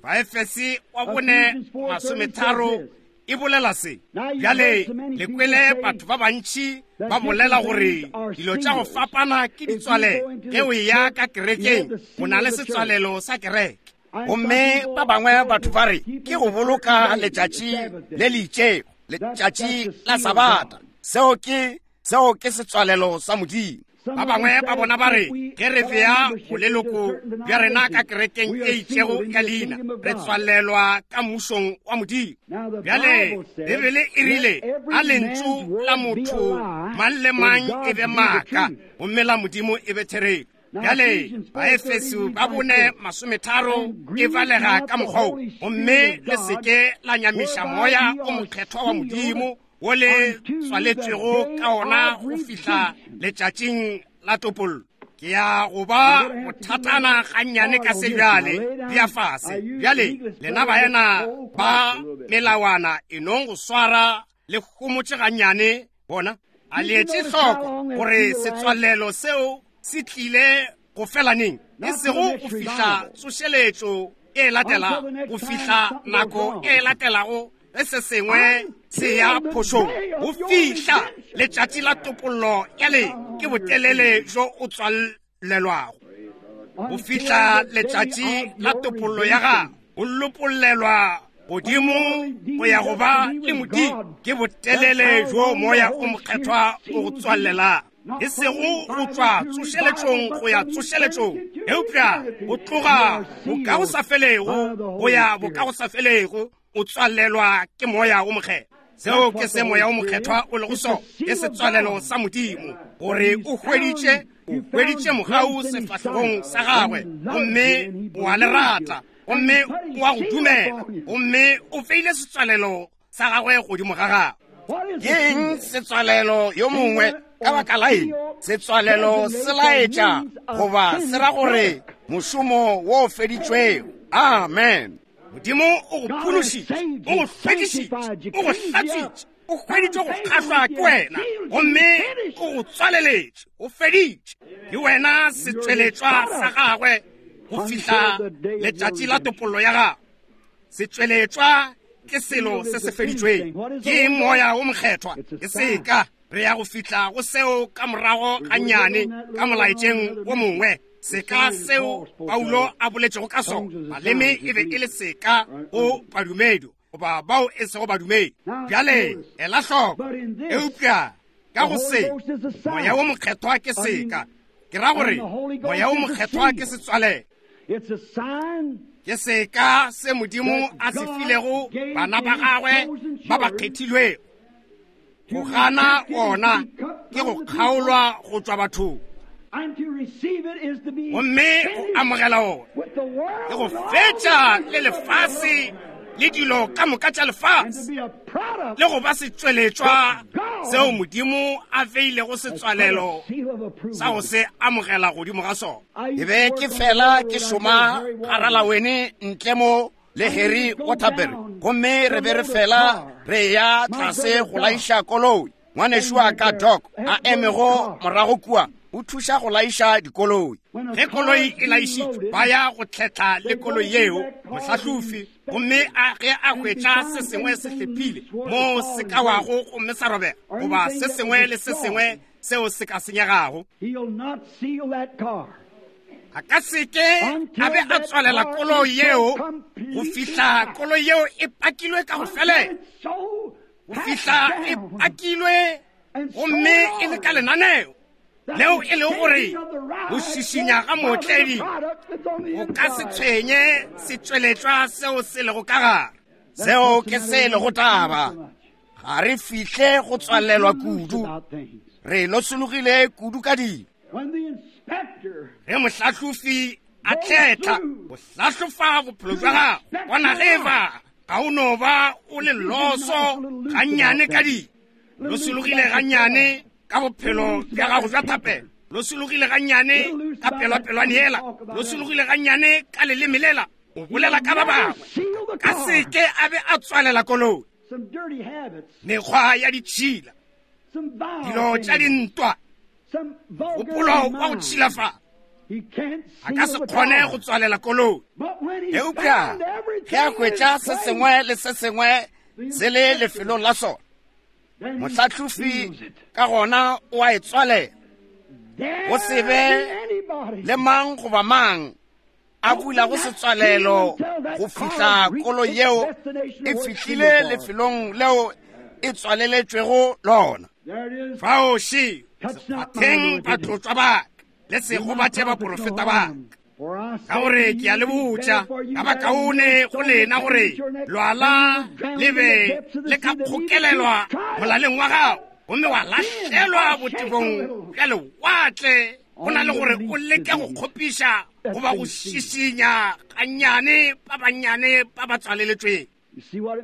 Ba Efese wa bone masometharo e bolela se. Bjale le kwele batho ba bantši ba bolela gore dilo tša go fapana ke ditswalelo. Ge o ya ka kerekeng o na le setswalelo sa kereke, gomme ba bangwe batho ba re ke go boloka letšatši le le itšego, letšatši la Sabata. Seo ke seo ke setswalelo sa Modimo. Ba bangwe ba bona ba re ge re bea boleloko bja rena ka kerekeng e itšego ya leina, re tswalelwa ka mmušong wa Modimo. Bjale Bibele e rile a lentšu la motho mang le mang e be maaka gomme la Modimo e be therešo. Bjale Baefeso ba bone masometharo e balega ka mokgwa wo, gomme le seke la nyamiša moya o mokgethwa wa Modimo wo le tswaletšwego ka ona go fihla letšatšing la topollo. Ke ya go ba bothatana gannyane ka se bjale bja fase. Bjale lena baena ba melawana e nong go swara le homotše gannyane bona. A le etše hloko gore setswalelo seo se tlile go fela neng, e sego go fihla tsošeletšo e latelago, go fihla nako e latelago ge se sengwe se ya phošong, go fihla letšatši la topollo ya le ke botelele bjo o tswalelwago, go fihla letšatši la topollo ya gago, o lopollelwa godimo go ya go ba le Modimo, ke botelele bjo moya o mokgethwa o go tswalelang, e sego go tšwa tsošeletšong go ya tsošeletšong, eupša go tloga bokagosafelego go ya bokagosafelego, o tswalelwa ke moya o mokgethwa. Seo ke se moya o mokgethwa o lego sona, ke setswalelo sa Modimo, gore o hweditše o hweditše mogau sefahlegong sa gagwe, gomme o a le rata, gomme o a go dumela, gomme o feile setswalelo sa gagwe godimo ga gagwe. Ke eng setswalelo yo mongwe? Ka baka la eng setswalelo se laetša goba se ra gore mošomo wo o feditšwego? Amen. Modimo o go phološitše, o go hlwekišitše, o go hlatswitše, o hweditše go kgahlwa ke wena, gomme o go tswaleletše, o feditše. Ke wena setsweletšwa sa gagwe go fihla letšatši la topollo ya gagwe. Setsweletšwa ke selo se se feditšweng, ke moya o mokgethwa, ke seka. Re ya go fihla go seo ka morago gannyane ka molaetšeng wo mongwe. Seka seo Paulo a boletšego ka sona, maleme e be e le seka go badumedi goba bao e sego badumedi. Bjale ela hloko, eupša ka go se moya wo mokgethwa ke seka. Ke ra gore moya wo mokgethwa ke setswalelo, ke seka se Modimo a se filego bana ba gagwe ba ba kgethilwego. Go gana ona ke go kgaolwa go tšwa bathong, gomme go amogela ona ke go fetša le lefase le dilo ka moka tša lefase, le go ba setsweletšwa Seo Modimo a beilego setswalelo sa go se amogela godimo ga sona. Ke be ke fela ke šoma garalawene ntle mo le Harry Waterbury, gomme re be re fela re ya tlase go laiša koloi. Ngwanešu wa ka Doc a emego morago kua o thuša go laiša dikoloi. Ge koloi e laišitšwe, ba ya go tlhetla le koloi yeo mohlahlofi, gomme a ge a hwetša se sengwe se hlephile mo se ka wago gomme sa robega, goba se sengwe le se sengwe seo se ka senyegago, a ka seke a be a tswalela koloi yeo go fihla koloi yeo e pakilwe ka go felela, go fihla e pakilwe gomme e le ka lenaneo leo e lego gore go šišinya ga mootledi go ka se tshwenye setšweletšwa seo se lego ka gare. Seo ke se lego taba. Ga re fihle go tswalelwa kudu, re losologile kudu ka dilo. Ge mohlahlofi a tletla go hlahlofa bophelo bja gago, bona ge ba ga o no ba o le loso gannyane ka dilo, losologile gannyane ka bophelo bja gago bja thapelo, losologile gannyane ka pelwapelwane yela, losologile gannyane ka leleme lela, o bolela ka ba bangwe, ka seke a be a tswalela koloi. Mekgwa ya ditšhila, dilo tša dintwa, gopolo wa go tšhilafa, a ka se kgone go tswalela koloi. Eupša ge a hwetša se sengwe le se sengwe se le lefelong la sona, mohlahlofi ka gona o a e tswalela. Go se be le mang goba mang a bulago setswalelo go fihla koloi yeo e fihlile lefelong leo e tswaleletšwego lona. Fao še sekgwatheng batlotšwa ba ka, le se gobatše baprofeta ba ka. Ka gore ke a le botša, ka ba kaone go lena gore lwala le be le ka kgokelelwa molaleng wa gago, gomme wa lahlelwa botebong bja lewatle, go na le gore o leke go kgopiša goba go šišinya gannyane ba bannyane ba ba tswaleletšweng.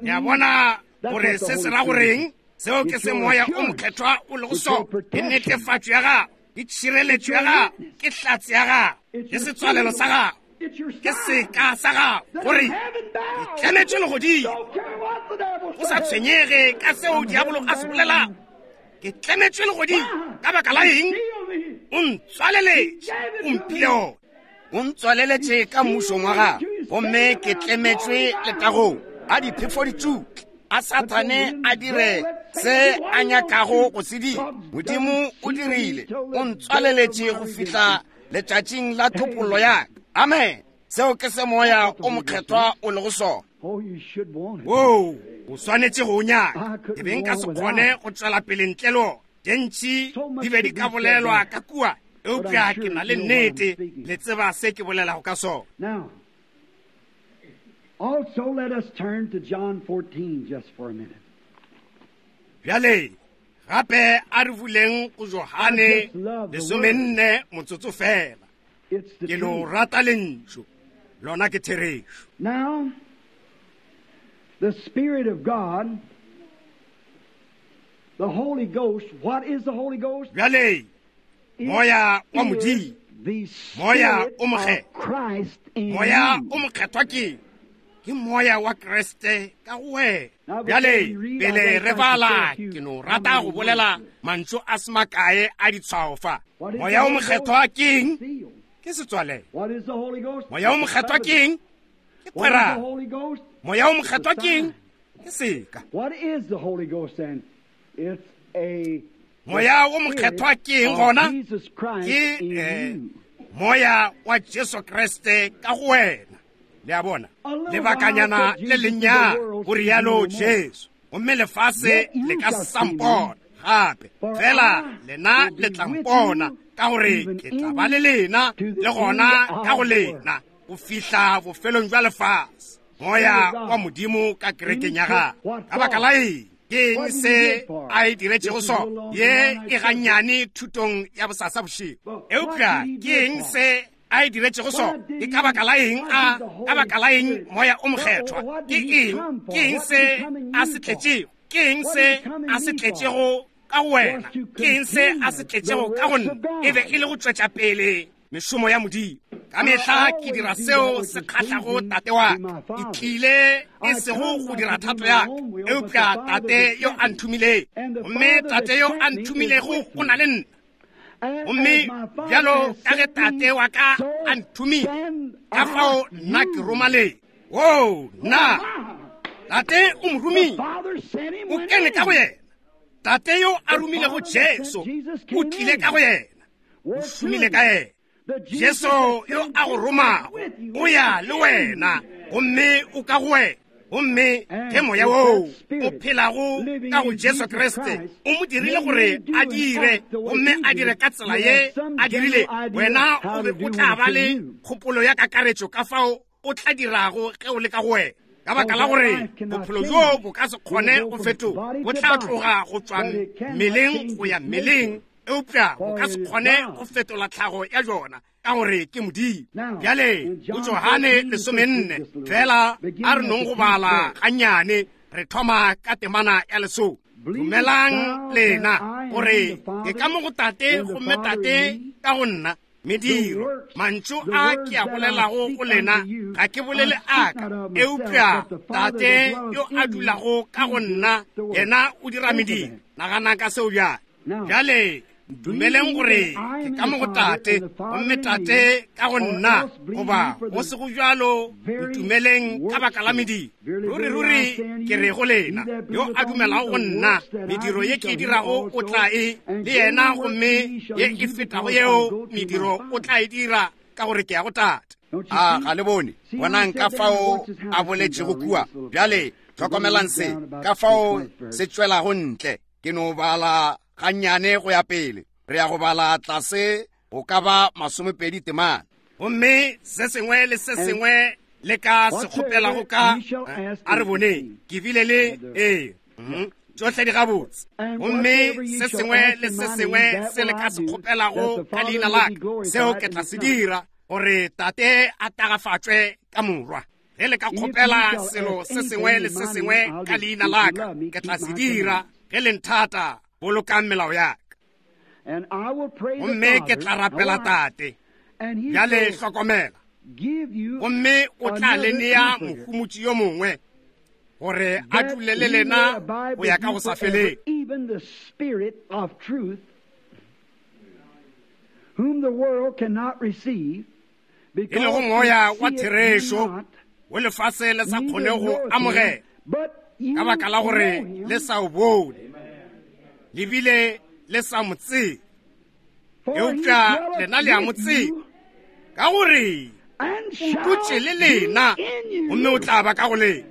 Le a bona gore se se ra goreng? Seo ke se Moya o Mokgethwa o lego sona. Ke netefatšo ya gago, ke tšhireletšo ya gago, ke hlatse ya gago, ke setswalelo sa gago, ke seka sa gago, gore ke tlemetšwe legodimo. O sa tshwenyege ka seo diabolo a se bolelago, ke tlemetšwe legodimo. Ka baka la eng? O ntswaleletše, o mphile ona. O ntswaleletše ka mmušong wa gago, gomme ke tlemetšwe letagong. A diphefo di tšutle, a Sathane a dire se a nyakago go se dira. Modimo o dirile, o ntswaleletše go fihla letšatšing la thopollo ya ka. Amen. Seo ke se Moya o Mokgethwa o lego sona. Woo, o swanetše go o nyaka. Ke be nka se kgone go tšwela pele ntle le ona. Tše ntši di be di ka bolelwa ka kua, eupša ke na le nnete le tseba se ke bolelago ka sona. Also, let us turn to John fourteen just for a minute. Bjale, gape a re buleng go Johane lesomenne motsotso fela. Ke lo rata lentšu, lona ke therešo. Now, the Spirit of God, the Holy Ghost, what is the Holy Ghost? Bjale, Moya wa Modimo, Moya o Mokgethwa, Moya o Mokgethwa ke ke Moya wa Kriste ka go wena. Bjale, pele re bala, ke no rata go bolela mantšu a se makae a ditshwao fa. Moya o Mokgethwa ke eng? Ke setswalelo. Moya o Mokgethwa ke eng? Ke kgwerano. Moya o Mokgethwa ke eng? Ke seka. Moya o Mokgethwa ke eng gona? Ke eh, Moya wa Jesu Kriste ka go wena. Le a bona, lebakanyana le lennyane, go rialo Jesu, gomme lefase le ka sa mpona gape, fela lena le tla mpona, ka gore ke tla ba le lena le gona ka go lena go fihla bofelong bja lefase. Moya wa Modimo ka kerekeng ya gagwe. Ka baka la eng? Ke eng se a e diretšego sona? Ye e gannyane thutong ya bosasa bošego. Eupša ke eng se a e diretšego sona? Ke ka baka la eng a ka baka la eng Moya o Mokgethwa? Ke eng? Ke eng se a se tletšego? Ke eng se a se tletšego ka go wena. Ke eng se a se tletšego ka go nna? E be e le go tšwetša pele mešomo ya Modimo. Ka mehla ke dira seo se kgahlago tate wa ka. Ke tlile e sego go dira thato ya ka, eupša tate yo a nthomilego. Gomme tate yo a nthomilego o na le nna. Gomme bjalo ka ge tate wa ka a nthomile, ka fao nna ke roma le. Oo, nna tate o mo romile, o kene ka go yena. Tate yo a romilego Jesu o tlile ka go yena, o šomile ka yena. Jesu yo a go romago o ya le wena, gomme o ka go wena. Gomme ge moya woo o phelago ka go Jesu Kriste o mo dirile gore a dire, gomme a dire ka tsela ye a dirile, wena o be o tla ba le kgopolo ya kakaretšo ka fao o tla dirago ge o le ka go wena. Ka baka la gore bophelo bjo bo ka se kgone go fetoga, bo tla tloga go tšwa mmeleng go ya mmeleng, eupša bo ka se kgone go fetola tlhago ya jona, ka gore ke Modimo. Bjale go Johane lesomenne fela a re nong go bala gannyane, re thoma ka temana ya lesome. Dumelang lena gore ke ka mo go tate, gomme tate ka go nna. Mediro, mantšu a ke a bolelago go lena ga ke bolele a ka, eupša tate yo a dulago ka go nna yena o dira mediro. Nagana ka seo bjale. Bjale dumeleng gore ke ka mo go tate, gomme tate ka go nna, goba go se go bjalo ntumeleng ka baka la mediro. Ruri ruri ke re go lena, yo a dumelago go nna, mediro ye ke e dirago o tla e le yena, gomme ye e fetago yeo mediro o tla e dira, ka gore ke ya go tate. A ga le bone? Bonang ka fao a boletšego kua. Bjale hlokomelang se, ka fao se tšwelago ntle. Ke no bala gannyane go ya pele. Re ya go bala tlase go ka ba masomepedi temana. Gomme se sengwe le se sengwe le ka se kgopelago ka, a re boneng, ke bile le ee tšohle di gabotse. Gomme se sengwe le se sengwe se le ka se kgopelago ka leina la ka, seo ke tla se dira, gore tate a tagafatšwe ka morwa. Ge le ka kgopela selo se sengwe le se sengwe ka leina la ka, ke tla se dira. Ge le nthata, bolokang melao ya ka. Gomme ke tla rapela tate. Bjale hlokomela. Gomme o tla le nea mohumotši yo mongwe, gore a dule le lena go ya ka go sa feleng. E lego moya wa therešo wo lefase le sa kgone go amogela, ka baka la gore le sa o bone, le bile le sa mo tsebe. Eupša lena le a mo tseba, ka gore o dutše le lena, gomme o tla ba ka go lena.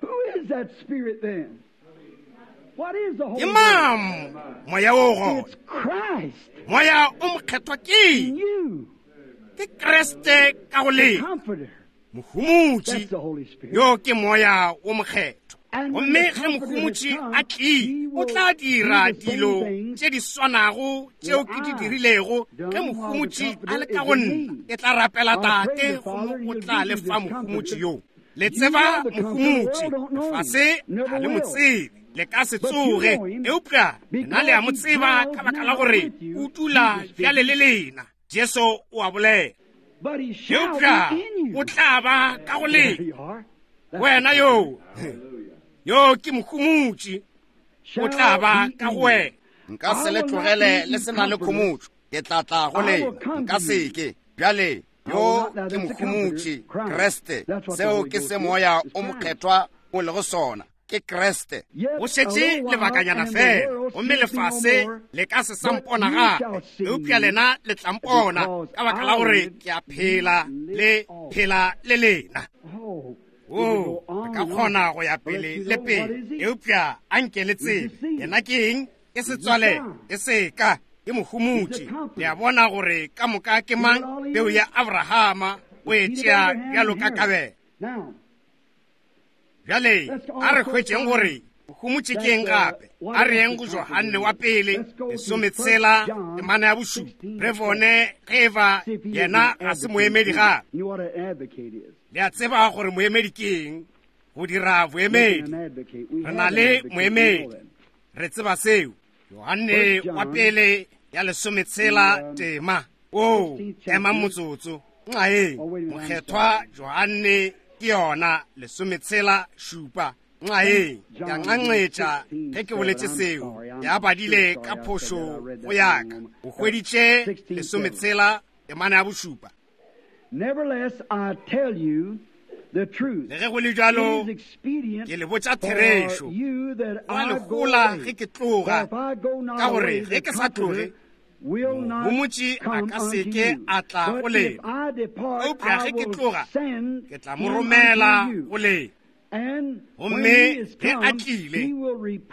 Ke mang moya wo gona? Moya o mokgethwa ke ke Kriste ka go lena, mohumotši yo ke moya o mokgethwa. Gomme ge mohumotši a tlile, o tla dira dilo tše di swanago tšeo ke di dirilego. Ge mohumotši a le ka go nna, ke tla rapela tate, gomme o tla le fa mohumotši yo. Le tseba mohumotši, lefase ga le mo tsebe, le ka se tsoge, eupša nna le a mo tseba ka baka la gore o dula bjale le lena. Jesu o a bolela. Eupša o tla ba ka go lena. Wena yo, yo ke mohumotši, o tla ba ka go wena. Nka se le tlogele le se na le khomotšo, ke tla tla go lena. Nka se ke. Bjale yo ke mohumotši, Kriste. Seo ke se moya o mokgethwa o lego sona, ke Kriste. Go šetše lebakanyana fela, gomme lefase le ka se sa mpona gape, eupša lena le tla mpona, ka baka la gore ke a phela, le phela le lena. Oo, re ka kgona go ya pele le pele, eupša a nke le tsebe yena ke eng? Ke setswale, ke seka, ke mohumotši. Le a bona gore ka moka ke mang? Peu ya Abrahama o e tšea bjalo ka kabelo. Bjale a re hwetšeng gore mohumotši ke eng gape. A re yeng go Johane wa pele lesometshela temana ya bošupa, re bone ge eba yena ga se moemedi gape. Le a tseba gore moemedi ke eng? Go dira boemedi. Re na le moemedi, re tseba seo. Yohane wa pele ya lesometshela tema. O ema motsotso. Nxae mokgethwa Yohane ke yona lesometshela šupa. Nxae ya nxanxetša ge ke boletše seo. Ya badile ka phošo go yaka. O hweditše lesometshela temana ya bošupa. Nevertheless, I tell you the truth. Le ge go le bjalo, ke le botša therešo. Go a le hola ge ke tloga, ka gore ge ke sa tloge, Mohomotši a ka se ke a tla go lena. Eupša ge ke tloga, ke tla mo romela go lena. Gomme ge a tlile,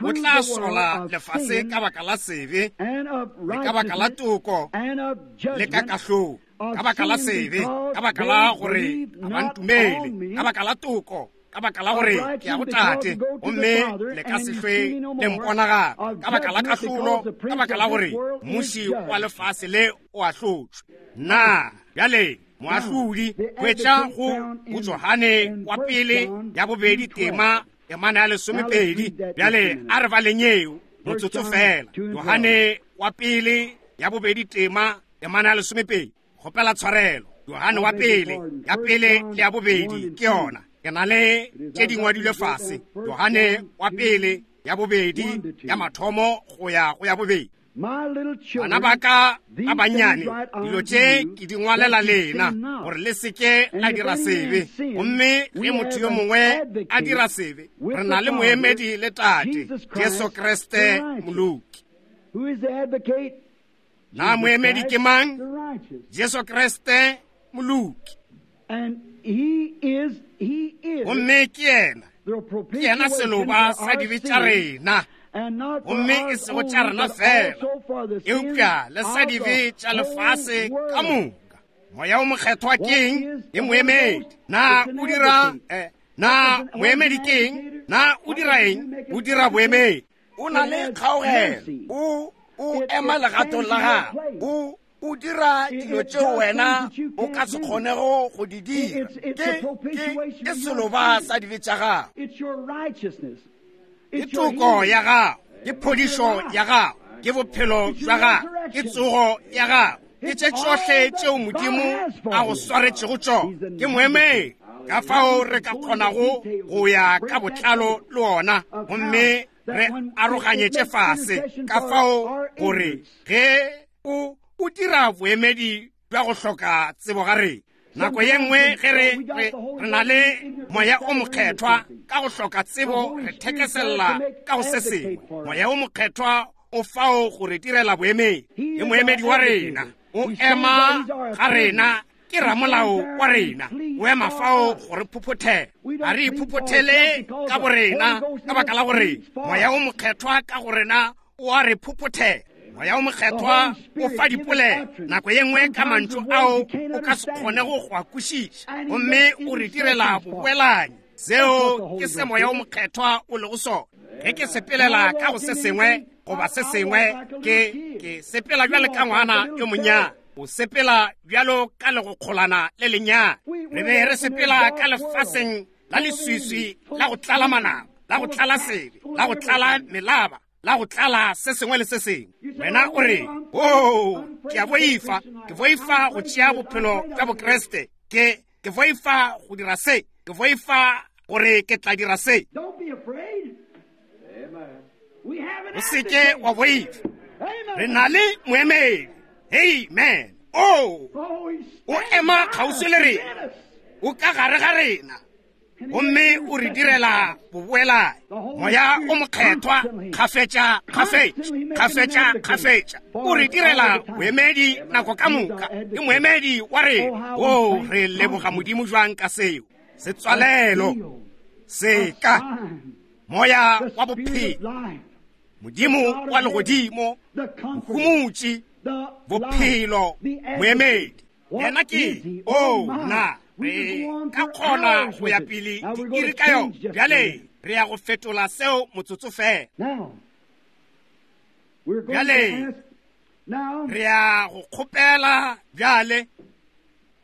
o tla sola lefase ka baka la sebe, le ka baka la toko, le ka kahlolo. Ka baka la sebe, ka baka la gore ga ba ntumele, ka baka la toko, ka baka la gore ke ya go tate, gomme le ka se hlwe le mpona gape, ka baka la kahlolo, ka baka la gore mmuši wa lefase le o ahlotšwe. Na bjale moahlodi hwetša go go Johane wa pele ya bobedi tema temana ya lesomepedi. Bjale a re baleng eo motsotso fela. Johane wa pele ya bobedi tema temana ya lesomepedi. Kgopela tshwarelo. Johane wa pele ya pele le ya bobedi ke yona. Ke na le tše di ngwadilwe fase. Johane wa pele ya bobedi ya mathomo go ya go ya bobedi. Bana ba ka ba bannyane, dilo tše ke di ngwalela lena gore le se ke la dira sebe. Gomme ge motho yo mongwe a dira sebe, re na le moemedi le Tate, Jesu Kriste moloki. Na moemedi ke mang? Jesu Kriste moloki. Gomme ke yena, ke yena seloba sa dibe tša rena, gomme e sego tša rena fela, eupša le sa dibe tša lefase ka moka. Moya o mokgethwa ke eng? Ke moemedi. Na o dira eh, na moemedi ke eng? Na o dira eng? O dira boemedi. O na le kgaogelo. O o ema legatong la gago. O o dira dilo tšeo wena o ka se kgonego go di dira. Ke ke ke seloba sa dibe tša gago. Ke toko ya gago, ke phodišo ya gago, ke bophelo bja gago, ke tsogo ya gago, ke tše tšohle tšeo Modimo a go swaretšego tšona. Ke moemedi. Ka fao re ka kgonago go ya ka botlalo le ona, gomme re aroganyetše fase. Ka fao gore ge o o dira boemedi bja go hloka tsebo ga rena. Nako ye nngwe ge re re re na le moya o mokgethwa, ka go hloka tsebo re thekesella ka go se sengwe. Moya o mokgethwa o fao go re direla boemedi. Ke moemedi wa rena, o ema ga rena, ke ramolao wa rena, o ema fao go re phophothela. Ga re iphophothele ka borena, ka baka la gore moya o mokgethwa ka go rena o a re phophothela. Moya o mokgethwa o fa dipolelo nako ye nngwe ka mantšu ao o ka se kgonego go a kwešiša, gomme o re direla boboelanyi. Seo ke se moya o mokgethwa o lego sona. Ge ke sepelela ka go se sengwe goba se sengwe, ke ke sepela bjalo ka ngwana yo monnyane. O sepela bjalo ka legokgolana le lennyane. Re be re sepela ka lefaseng la leswiswi la go tlala manaba, la go tlala sebe, la go tlala melaba, la go tlala se sengwe le se sengwe. Wena o re, oo, ke a boifa, ke boifa go tšea bophelo bja Bokriste, ke ke boifa go dira se, ke boifa gore ke tla dira se. O se ke wa boifa. Re na le moemedi. Amen. Oh, o ema kgauswi le rena, o ka gare ga rena, gomme o re direla boboelanyi. Moya o mokgethwa kgafetša kgafetša kgafetša kgafetša o re direla boemedi nako ka moka. Ke moemedi wa rena. O re leboga Modimo jwang ka seo. Setswalelo seka moya wa bophelo, Modimo wa legodimo, mohomotši, bophelo, moemedi. Yena ke o na re ka kgona go ya pele diiri ka yona. Bjale re ya go fetola seo motsotso fela. Bjale re ya go kgopela bjale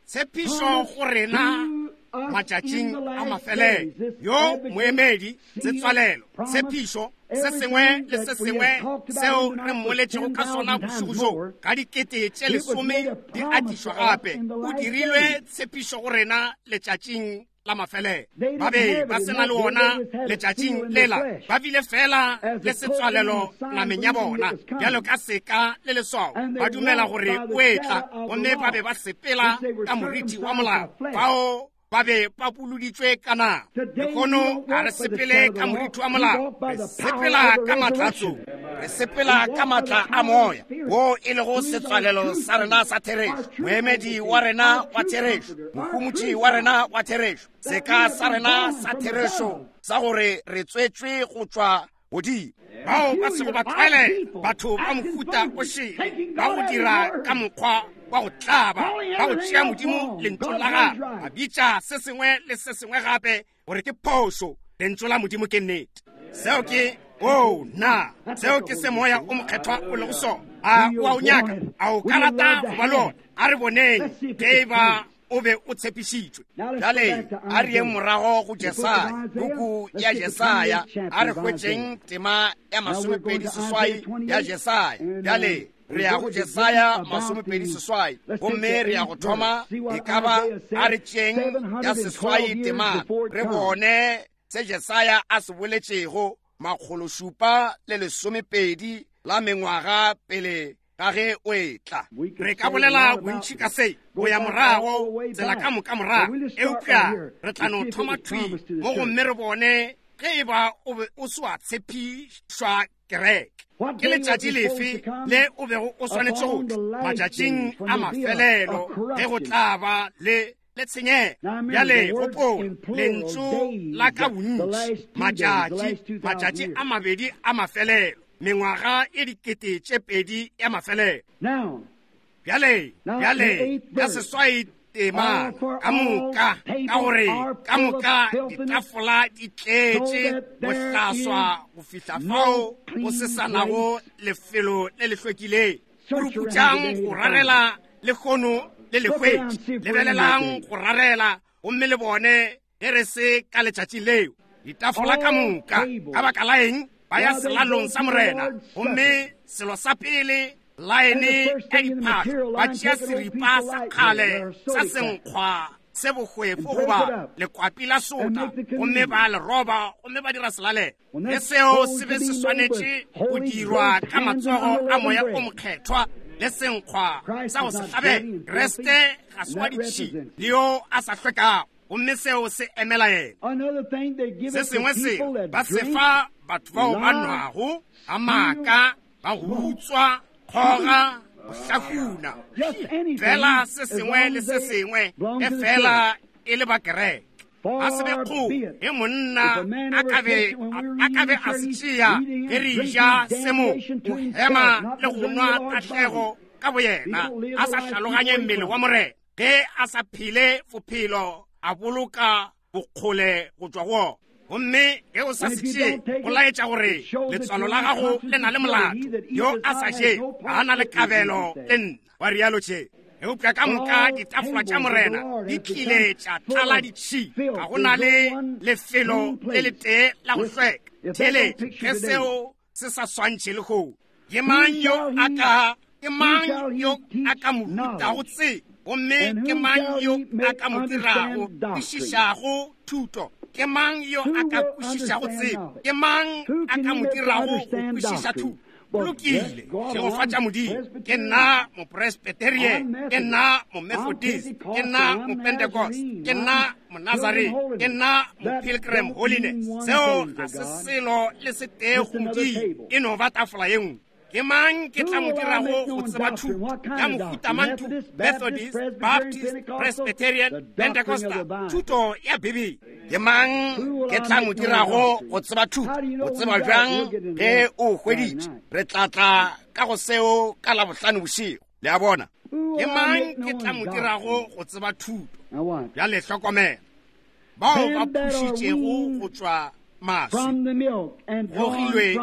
tshepišo go rena matšatšing a mafelelo. Yo moemedi, setswalelo, tshepišo, se sengwe le se sengwe seo re mmoletšego ka sona bošego bjo ka dikete tše lesome di atišwa gape, o dirilwe tshepišo go rena letšatšing la mafelelo. Ba be ba se na le wona letšatšing lela, ba bile fela le setswalelo nameng ya bona bjalo ka seka le leswao, ba dumela gore o etla, gomme ba be ba sepela ka moriti wa molao. Bao ba be ba puluditšwe ka nama. Lehono ga re sepele ka moriti wa molao, re sepela ka matlatso, re sepela ka matla a moya wo e lego setswalelo sa rena sa therešo, moemedi wa rena wa therešo, mohumotši wa rena wa therešo, seka sa rena sa therešo sa gore re tswetšwe go tšwa godimo. Bao ba sego ba tlwaele batho ba mohuta o šele, ba go dira ka mokgwa wa go tlaba, ba go tšea Modimo lentšu la gagwe, ba bitša se sengwe le se sengwe gape gore ke phošo. Lentšu la Modimo ke nnete. Seo ke o na, seo ke se moya o mokgethwa o lego sona. A o a o nyaka? A o ka rata go ba le ona? A re boneng ge e ba o be o tshepišitšwe. Bjale a re yeng morago go Jesaya, puku ya Jesaya, a re hwetšeng tema ya masomepedi seswai ya Jesaya. Bjale re ya go Jesaya masomepedi seswai, gomme re ya go thoma e ka ba a re tšeng ya seswai tema, re bone se Jesaya a se boletšego makgolo šupa le lesomepedi la mengwaga pele ga ge o etla. Re ka bolela bontši ka se go ya morago, tsela ka moka morago, eupša re tla no thoma thwi mo gomme re bone ge e ba o be o se wa tshepišwa kereke. Ke letšatši lefe le o bego o swanetše go tla? Matšatšing a mafelelo ge go tla ba le le tshenyego. Bjale gopola lentšu la ka bontši, matšatši, matšatši a mabedi a mafelelo, mengwaga e dikete tše pedi ya mafelelo. Bjale, bjale ya seswai tema ka moka, ka gore ka moka ditafola di tletše bohlaswa go fihla fao go se sa nago lefelo le le hlwekileng. Puruputšang go rarela lehono le le hwetše, lebelelang go rarela gomme le bone ge re se ka letšatši leo. Ditafola ka moka, ka baka la eng? Ba ya selalong sa Morena, gomme selo sa pele laene ya diphahlo, ba tšea seripa sa kgale sa senkgwa se bohwefo goba lekwapi la sota, gomme ba le roba gomme ba dira selalelo. Le seo se be se swanetše go dirwa ka matsogo a moya o mokgethwa le senkgwa sa go se hlabela. Kriste ga se wa ditšhila le yo a sa hlwekago, gomme seo se emela yena. Se sengwe se ba se fa batho bao ba nwago, ba maaka, ba go utswa, kgoga, go hlafuna, fela se sengwe le se sengwe e fela e le ba kereke. A se be kgo ge monna a ka be a ka be a se tšea ge re ja se mo go hema le go nwa tahlego ka boyena, a sa hlaloganye mmele wa Morena, ge a sa phele bophelo a boloka bokgole go tšwa go ona. Gomme ge o sa se tšee, go laetša gore letswalo la gago le na le molato. Yo a sa je ga a na le kabelo le nna, wa rialo tše. Eupša ka moka ditafola tša Morena di tlile tša tlala ditšhila, ga go na le lefelo le letee la go hlweka. Theeletša ge seo se sa swantšhe lehono. Ke mang yo a ka ke mang yo a ka mo rutago tsebo? Gomme ke mang yo a ka mo dirago kwešišago thuto? Ke mang yo a ka kwešišago tsebo? Ke mang a ka mo dirago go kwešiša thuto? Lokile, šegofatša Modimo. Ke nna mopresbyterian, ke nna momethodist, ke nna mopentecost, ke nna monazarene, ke nna mopilgrim holiness. Seo ga se selo le se tee go Modimo, e no ba tafola ye nngwe. Ke mang ke tla mo dirago go tseba thuto ya mohuta mang thuto? Methodist, Baptist, Presbyterian, Pentecostal, thuto ya Bibele. Ke mang ke tla mo dirago go tseba thuto? O tseba bjang ge o hweditše? Re tla tla ka go seo ka Labohlano bošego. Le a bona? Ke mang ke tla mo dirago go tseba thuto? Bjale hlokomela. Bao ba phušitšego go tšwa maswi, gogilwe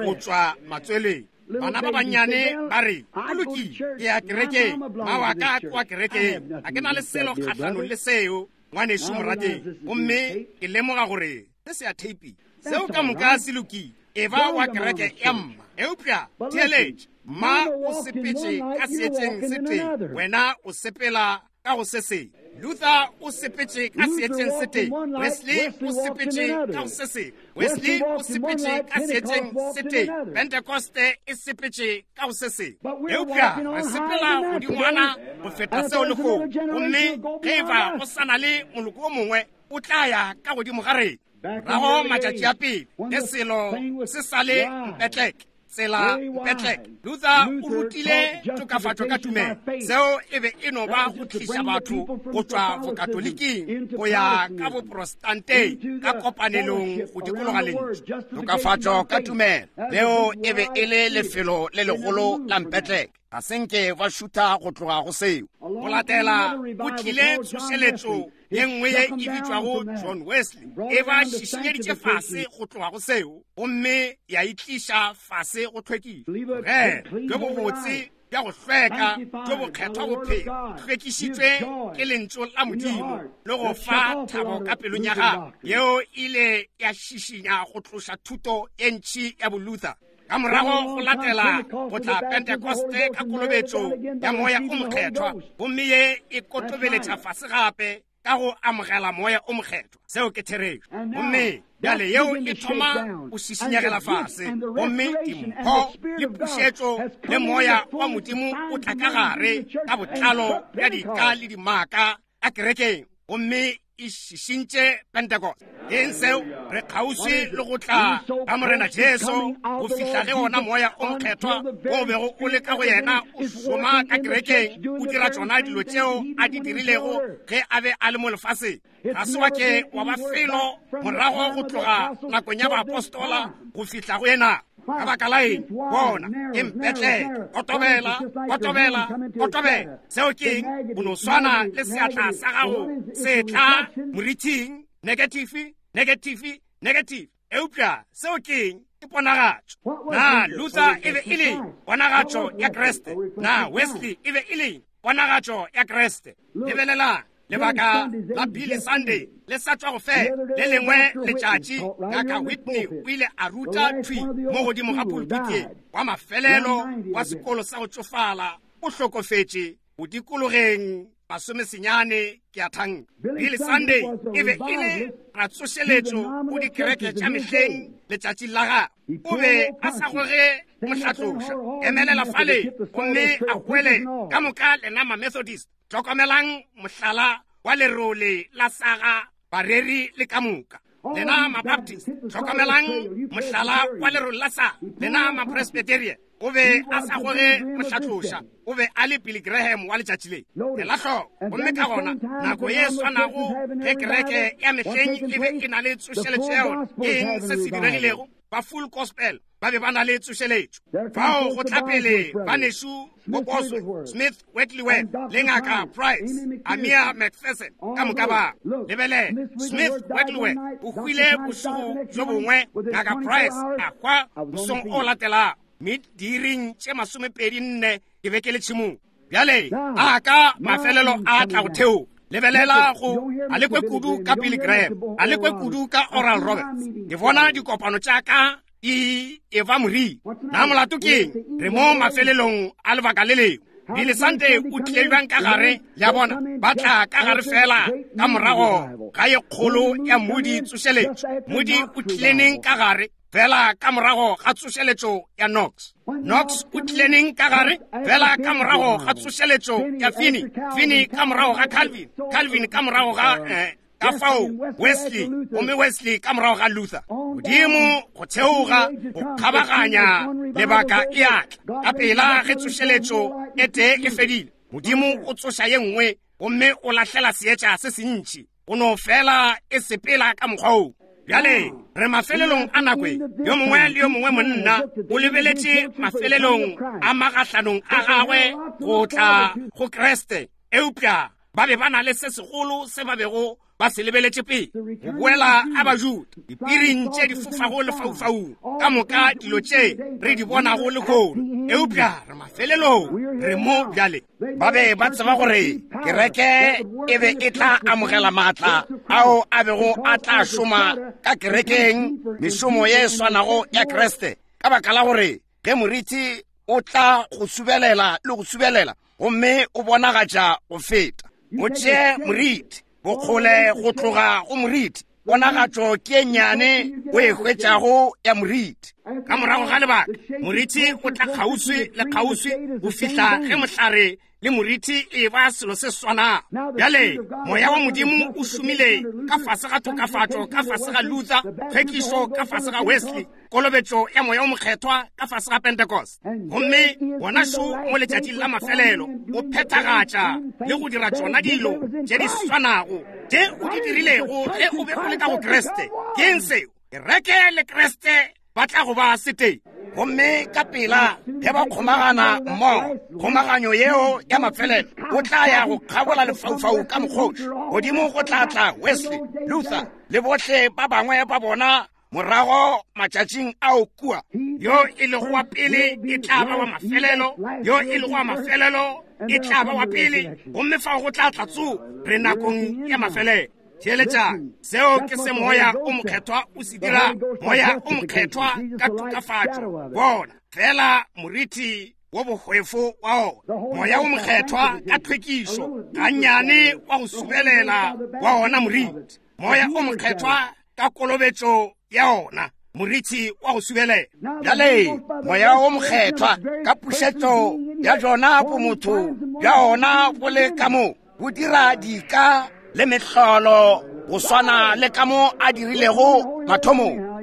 go tšwa matsweleng. Bana ba bannyane ba re, go lokile, ke ya kerekeng, mma wa ka ke wa kerekeng, ga ke na le selo kgahlanong le seo, Ngwanešu morategi, gomme ke lemoga gore se se a theipi. Seo ka moka se lokile. E ba wa kereke ya mma. Eupša theeletša, mma o sepetše ka seetšeng se tee, wena o sepela ka go se sengwe. Luther o sepetše ka seetšeng se tee, Wesley o sepetše ka go se sengwe, Wesley o sepetše ka seetšeng se tee, Pentecoste e sepetše ka go se sengwe. Eupša re sepela godingwana go feta seo lehono, gomme ge e ba go sa na le moloko o mongwe o tla ya ka godimo ga rena. Morago matšatši a pele ge selo se sa le mpetleke, tsela mpetleke, Luther o rutile tokafatšo ka tumelo. Seo e be e no ba go tliša batho go tšwa bokatoliking go ya ka boprotestanteng ka kopanelong go dikologa lentšu. Tokafatšo ka tumelo, leo e be e le lefelo le legolo la mpetleke. Ga se nke ba šutha go tloga go seo. Go latela go tlile tsošeletšo ye nngwe ye e bitšwago John Wesley, e ba šišinyeditše fase go tloga go seo, gomme ya e tliša fase go tlhwekišo. Ge bjo bobotse bja go hlweka bjo bokgethwa bophelo hlwekišitšwe ke lentšu la Modimo le go fa thabo ka pelong ya gago, yeo ile ya šišinya go tloša thuto e ntši ya Boluther. Ka morago go latela go tla Pentecoste ka kolobetšo ya moya o mokgethwa, gomme ye e kotobeletša fase gape ka go amogela moya o mokgethwa. Seo ke therešo. Gomme bjale yeo e thoma go šišinyegela fase, gomme dimpho le pušetšo le moya wa Modimo o tla ka gare ka botlalo bja dika le dimaka a kerekeng, gomme e šišintše Pentecost. Eng seo? Re kgauswi le go tla ga Morena Jesu go fihla ge ona moya o mokgethwa o bego o le ka go yena o šoma ka kerekeng, o dira tšona dilo tšeo a di dirilego ge a be a le mo lefaseng. Ga se wa ke wa ba felo morago go tloga nakong ya baapostola go fihla go yena. Ka baka la eng? Bona, ke mpetleke, kotobela, kotobela, kotobela. Seo ke eng? O no swana le seatla sa gago se tla morithing, negative, negative, negative. Eupša seo ke eng? Ke ponagatšo. Na Luther e be e le ponagatšo ya Kriste? Na Wesley e be e le ponagatšo ya Kriste? Lebelelang lebaka la Billy Sunday le sa tšwa go fela. Le lengwe letšatši Ngaka Whitney o ile a ruta thwi mo godimo ga pulpiteng wa mafelelo wa sekolo sa go tšofala o hlokofetše go dikologeng masomesenyane ke a thanka. Billy Sunday e be e le ratsošeletšo go dikereke tša mehleng letšatšing la gagwe. O be a sa goge mohlatloša, emelela fale gomme a hwele ka moka lena ma-Methodist. Hlokomelang mohlala wa lerole la saga bareri le ka moka. Lena ma-Baptist, hlokomelang mohlala wa lerole la saga lena ma-Presbyterian. O be a sa goge mohlatloša, o be a le Billy Graham wa letšatši le. Ela hloko, gomme ka gona nako ye swanago ge kereke ya mehleng e be e na le tsošeletšo ya yona, ke eng se se diregilego? Ba full gospel ba be ba na le tsošeletšo. Fao go tla pele banešu bo Bosworth, Smith Wigglesworth le Ngaka Price, Amia McPherson, ka moka ba. Lebelela, Smith Wigglesworth o hwile bošego bjo bongwe, Ngaka Price a hwa mosong o latelago. Mme diiring tše masomepedi nne ke be ke le tšhemong. Bjale a ka mafelelo a tla go theo. Lebelela go a lekwe kudu ka Billy Graham, a lekwe kudu ka Oral Roberts. Ke bona dikopano tša ka di eba moriri. Na molato ke eng? Re mo mafelelong a lebaka le lengwe. Billy Sunday o tlile bjang ka gare? Le a bona, ba tla ka gare fela ka morago ga ye kgolo ya Moody tsošeletšo. Moody o tlile neng ka gare? Fela ka morago ga tsošeletšo ya Knox. Knox o tlile neng ka gare? Fela ka morago ga tsošeletšo ya Finney. Finney ka morago ga Calvin. Calvin ka morago ga eh, ka fao Wesley, gomme Wesley ka morago ga Luther. Modimo go theoga go kgabaganya lebaka e a tla. Ka pela ge tsošeletšo e tee e fedile, Modimo o tsoša ye nngwe gomme o lahlela seetša se sentši. Go no fela e sepela ka mokgwa woo. Bjale re mafelelong a nako e. Yo mongwe le yo mongwe monna o lebeletše mafelelong a magahlanong a gagwe go tla go Kriste, eupša ba be ba na le se segolo se ba bego ba ba se lebeletše pele go boela a Bajuda dipiring tše di fofago lefaufaung ka moka dilo tše re di bonago lehono eupša re mafelelong re mo bjale. Ba be ba tseba gore kereke e be e tla amogela maatla ao a bego a tla šoma ka kerekeng mešomo ye e swanago ya Kriste ka baka la gore ge moriti o tla go subelela le go subelela gomme o bonagatša go feta. O tšee moriti bokgole go tloga go moriti ponagatšo ke e nnyane o e hwetšago ya moriti. Ka morago ga lebaka moriti o tla kgauswi le kgauswi go fihla ge mohlare le moriti e ba selo se swanago. Bjale moya wa Modimo o šomile ka fase ga tokafatšo ka fase ga Luther, tlhwekišo ka fase ga Wesley, kolobetšo ya moya o mokgethwa ka fase ga Pentecost. Gomme wona šo mo letšatšing la mafelelo o phethagatša le go dira tšona dilo tše di swanago tše o di dirilego ge o be o le ka go Kriste. Ke eng seo? Kereke le Kriste ba tla go ba setee. Gomme ka pela ge ba kgomagana mmogo kgomaganyo yeo ya mafelelo o tla ya go kgabola lefaufau ka mokgoši godimo go tla tla Wesley, Luther le bohle ba bangwe ba bona morago matšatšing ao kua. Yo e lego wa pele e tla ba wa mafelelo, yo e lego wa mafelelo e tla ba wa pele, gomme fao go tla tla tsogo. Re nakong ya mafelelo. Theeletšang, seo ke se moya o mokgethwa o se dira. Moya o mokgethwa ka tokafatšo bona fela moriti wo bohwefo wa ona. Moya o mokgethwa ka tlhwekišo gannyane wa go subelela wa ona moriti. Moya o mokgethwa ka kolobetšo ya ona moriti wa go subelela. Bjale moya o mokgethwa ka pušetšo ya jona bomotho bja ona bo le ka mo bo dira dika le mehlolo go swana le ka mo a dirilego mathomong.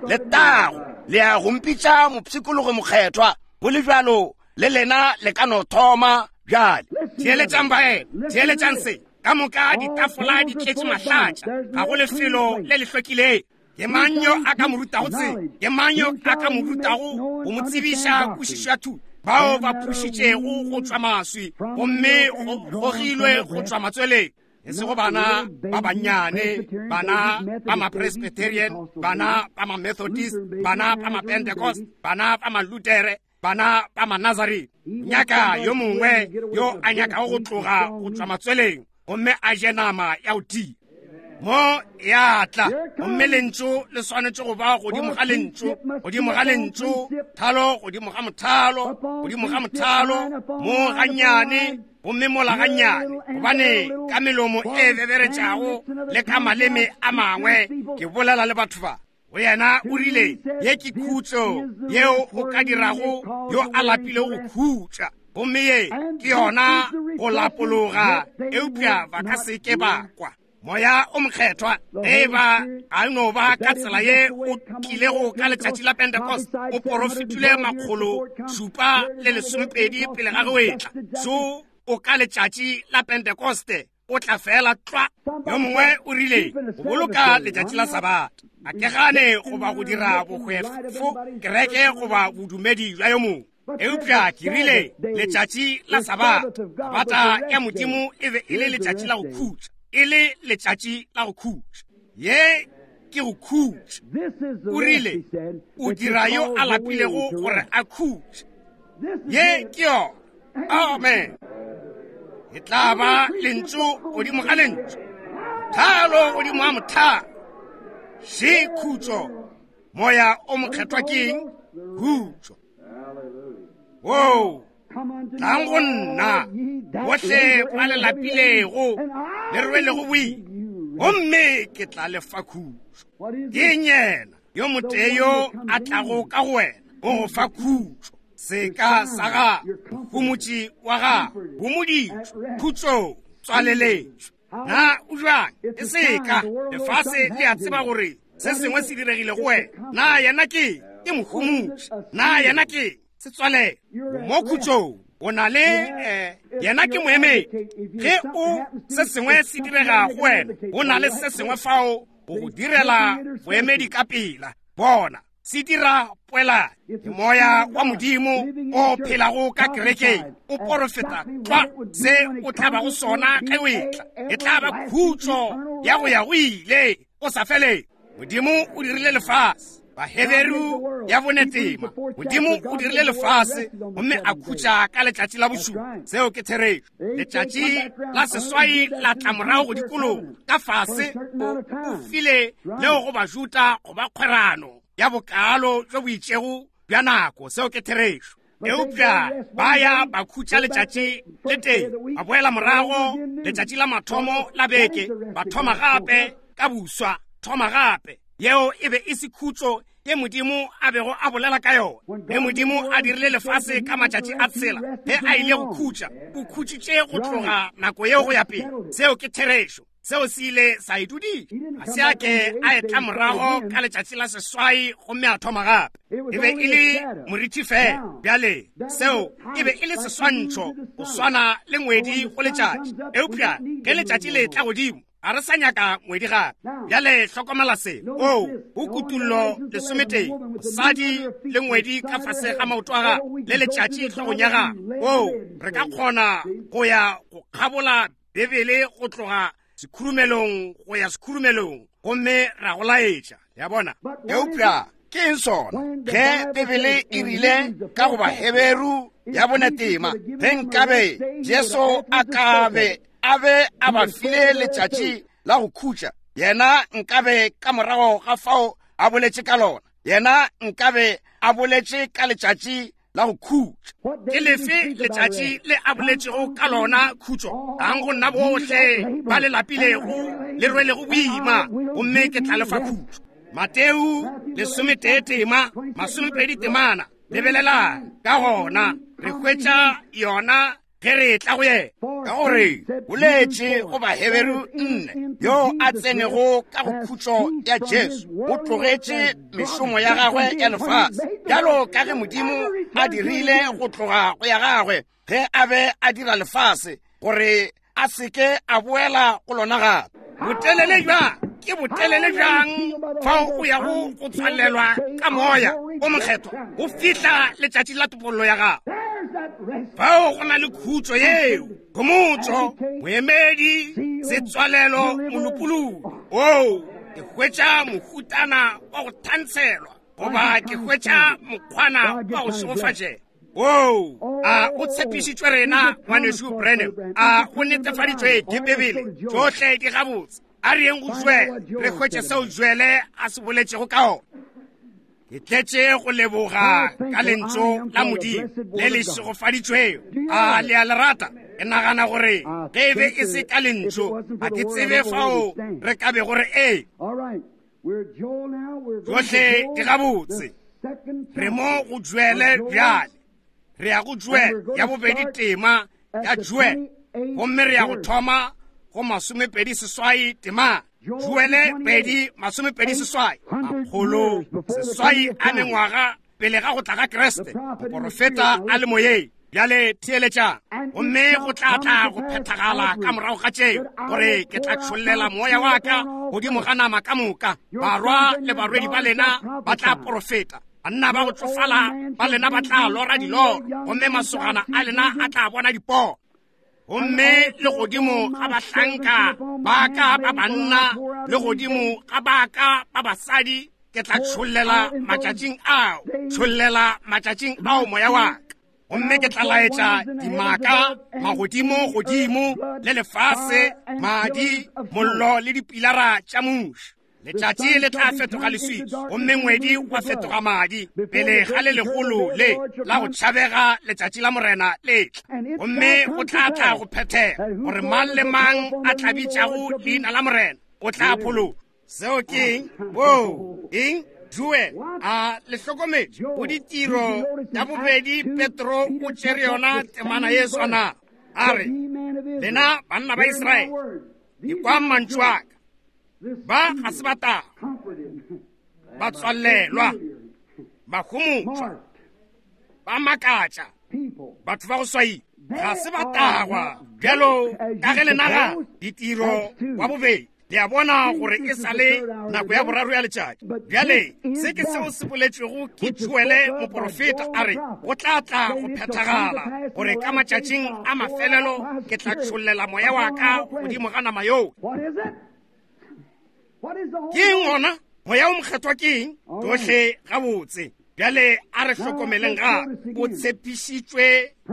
Letago le ya go mpitša mopshikologo mokgethwa go le bjalo le lena le ka no thoma bjale. Theeletšang baena, theeletšang se ka moka ditafola di tletše mahlatša, ga go lefelo le le hlwekileng. Ke mang yo a ka mo rutago tsebo? Ke mang yo a ka mo rutago go mo tsebiša kwešišo ya thuto? Bao ba phušitšego go tšwa maswi gomme go gogilwe go tšwa matsweleng, e sego bana ba bannyane, bana ba ma-Presbyterian, bana ba ma-Methodist, bana ba ma-Pentecost, bana ba ma-Lutere, bana ba ma-Nazarene. Nyaka yo mongwe yo a nyakago go tloga go tšwa matsweleng gomme a je nama ya go tia. Mo ya tla gomme lentšu le swanetše go ba godimo ga lentšu, godimo ga lentšu, thalo godimo ga mothalo, godimo ga mothalo, mo gannyane gomme mola gannyane, gobane ka melomo e beberetšago le ka maleme a mangwe ke bolela le batho ba. Go yena o rile, ye ke khutšo yeo o ka dirago yo a lapilego go khutša, gomme ye ke yona go lapologa, eupša ba ka se ke ba kwa. Moya o mokgethwa e ba a no ba ka tsela ye o tlilego ka letšatši la Pentecost, o porofetile makgolo šupa le lesomepedi pele ga ge o etla. So o ka letšatši la Pentecoste o tla fela tlwa. Yo mongwe o rile go boloka letšatši la Sabata, a ke gane goba go dira bohwefo kereke goba bodumedi bja yo mongwe, eupša ke rile letšatši la Sabata, Sabata ya Modimo e be e le letšatši la go khutša, e le letšatši la go khutša. Ye ke go khutša. O rile o dira yo a lapilego gore a khutše. Ye ke yona. Amen. E tla ba lentšu godimo ga lentšu, mothalo godimo ga mothalo. Še khutšo. Moya o mokgethwa ke eng? Khutšo. Woo, tlang go nna bohle ba le lapilego le rwelego boima, gomme ke tla le fa khutšo. Ke yena yo motee yo a tlago ka go wena o go fa khutšo. Seka sa gago, homotši wa gago, homoditšwe, khutšo, tswaleletšwe. Na o jwang? E seka lefase le a tseba gore se sengwe se diregile go wena. Na yena ke ke mohomotši? Na yena ke setswalelo? Mo khutšong o na le eh, yena ke moemedi. Ge o se sengwe se direga go wena, o na le se sengwe fao go go direla boemedi ka pela. Bona Se dira poelano. Ke moya wa Modimo o phelago ka kerekeng, o porofeta tlwa se o tla bago sona ge o etla. E tla ba khutšo ya go ya go ile o sa feleng. Modimo o dirile lefase, Baheberu ya bonetema. Modimo o dirile lefase gomme a khutša ka letšatši la bošupa. Seo ke therešo. Letšatši la seswai la tla morago go dikologa ka fase, o, o file leo go Bajuda go ba kgwerano ya bokalo bjo bo itšego bja nako. Seo ke therešo. Eupša ba ya ba khutša letšatši le tee, ba boela morago letšatši la mathomo la beke, ba thoma gape ka buswa, thoma gape. Yeo e be e se khutšo ye Modimo a bego a bolela ka yona. Ge Modimo a dirile lefase ka matšatši a tshela, ge a ile go khutša, o khutšitše go tloga nako yeo go ya pele. Seo ke therešo. Seo se ile sa e dudiša. Ga se a ke a etla morago ka letšatši la seswai gomme a thoma gape. E be e le morithi fela. Bjale seo e be e le seswantšho go swana le ngwedi go letšatši. Eupša ge letšatši le tla godimo, ga re sa nyaka ngwedi gape. Bjale hlokomela se. O, o kutullo lesometee, mosadi le ngwedi ka fase ga maoto a gagwe, le letšatši hlogong ya gagwe. O, re ka kgona go ya go kgabola Bibele go tloga sekhurumelong go ya sekhurumelong, gomme ra go laetša. Le a bona? Eupša ke eng sona? Ge Bibele e rile ka go Baheberu ya bonetema, ge nkabe Jesu a ka be a be a ba file letšatši la go khutša, yena nkabe ka morago ga fao a boletše ka lona, yena nkabe a boletše ka letšatši la go khutša. Ke lefe letšatši le a boletšego ka lona khutšo? Ang go nna bohle ba le lapilego le rwelego boima, gomme ke tla le fa khutšo. Mateo lesometee tema masomepedi temana. Lebelelang ka gona re hwetša yona ge re tla go yena. Ka gore boletše go Baheberu nne, yo a tsenego ka go khutšo ya Jesu, o tlogetše mešomo ya gagwe ya lefase, bjalo ka ge Modimo a dirile go tloga go ya gagwe ge a be a dira lefase, gore a seke a boela go lona gape. Botelele bjang? Ke botelele bjang fao o yago go tswalelwa ka moya o mokgethwa go fihla letšatši la topollo ya gago? Fao go na le khutšo yeo, khomotšo, moemedi, setswalelo, molopolodi. Oo, ke hwetša mohutana wa go thantshelwa, goba ke hwetša mokgwana wa go šegofatšega. Oo, a o tshepišitšwe rena, ngwanešu Branham? A o netefaditšwe ke Bibele? Tšohle di gabotse. A re yeng go Joele, re hwetše seo Joele a se boletšego ka ona. Ke tletše go leboga ka lentšu la Modimo le le šegofaditšwego. A le a le rata? Ke nagana gore ge e be e se ka lentšu, ga ke tsebe fao re ka bego re ee. Tšohle di gabotse. Re mo go Joele bjale. Re ya go Joele ya bobedi tema ya Joele, gomme re ya go thoma go masomepedi seswai tema. Joele pedi masomepedi seswai, makgolo seswai a mengwaga pele ga go tla ga Kriste, moporofeta a le moyeng. Bjale theeletšang, gomme go tla tla go phethagala ka morago ga tšeo, gore ke tla tšhollela moya wa ka godimo ga nama ka moka. Barwa le barwedi ba lena ba tla porofeta, banna ba go tsofala ba lena ba tla lora diloro, gomme masogana a lena a tla bona dipono. Gomme le godimo ga bahlanka ba ka ba banna, le godimo ga ba ka ba basadi, ke tla tšhollela matšatšing ao, tšhollela matšatšing ao moya wa ka. Gomme ke tla laetša dimaka magodimo godimo le lefase, madi, mollo le dipilara tša muši. Letšatši le tla fetoga leswiswi, gomme ngwedi wa fetoga madi, pele ga le legolo le la go tšhabega letšatši la Morena le tla. Gomme go tla tla go phethega gore mang le mang a tla bitšago leina la Morena o tla phološwa. Seo ke eng? Oo, eng? Joel, a le hlokometše go ditiro ya bobedi Petro o tšere yona temana ye swana. A re, lena banna ba Israele, ekwang mantšu a ka. Ba ga se ba taga, ba tswalelwa, ba homotšwa, ba makatša, batho ba go swaiwa. Ga se ba tagwa bjalo ka ge le naga. Ditiro wa bobedi Le a bona gore e sa le nako ya boraro ya letšatši. Bjale se ke seo se boletšwego ke Joele moporofeta, a re go tla tla go phethagala gore ka matšatšing a mafelelo ke tla tšhollela moya wa ka godimo ga nama yo. Ke eng gona? Moya o mokgethwa ke eng? Tsohle gabotse. Bjale a re hlokomeleng gape, o tshepišitšwe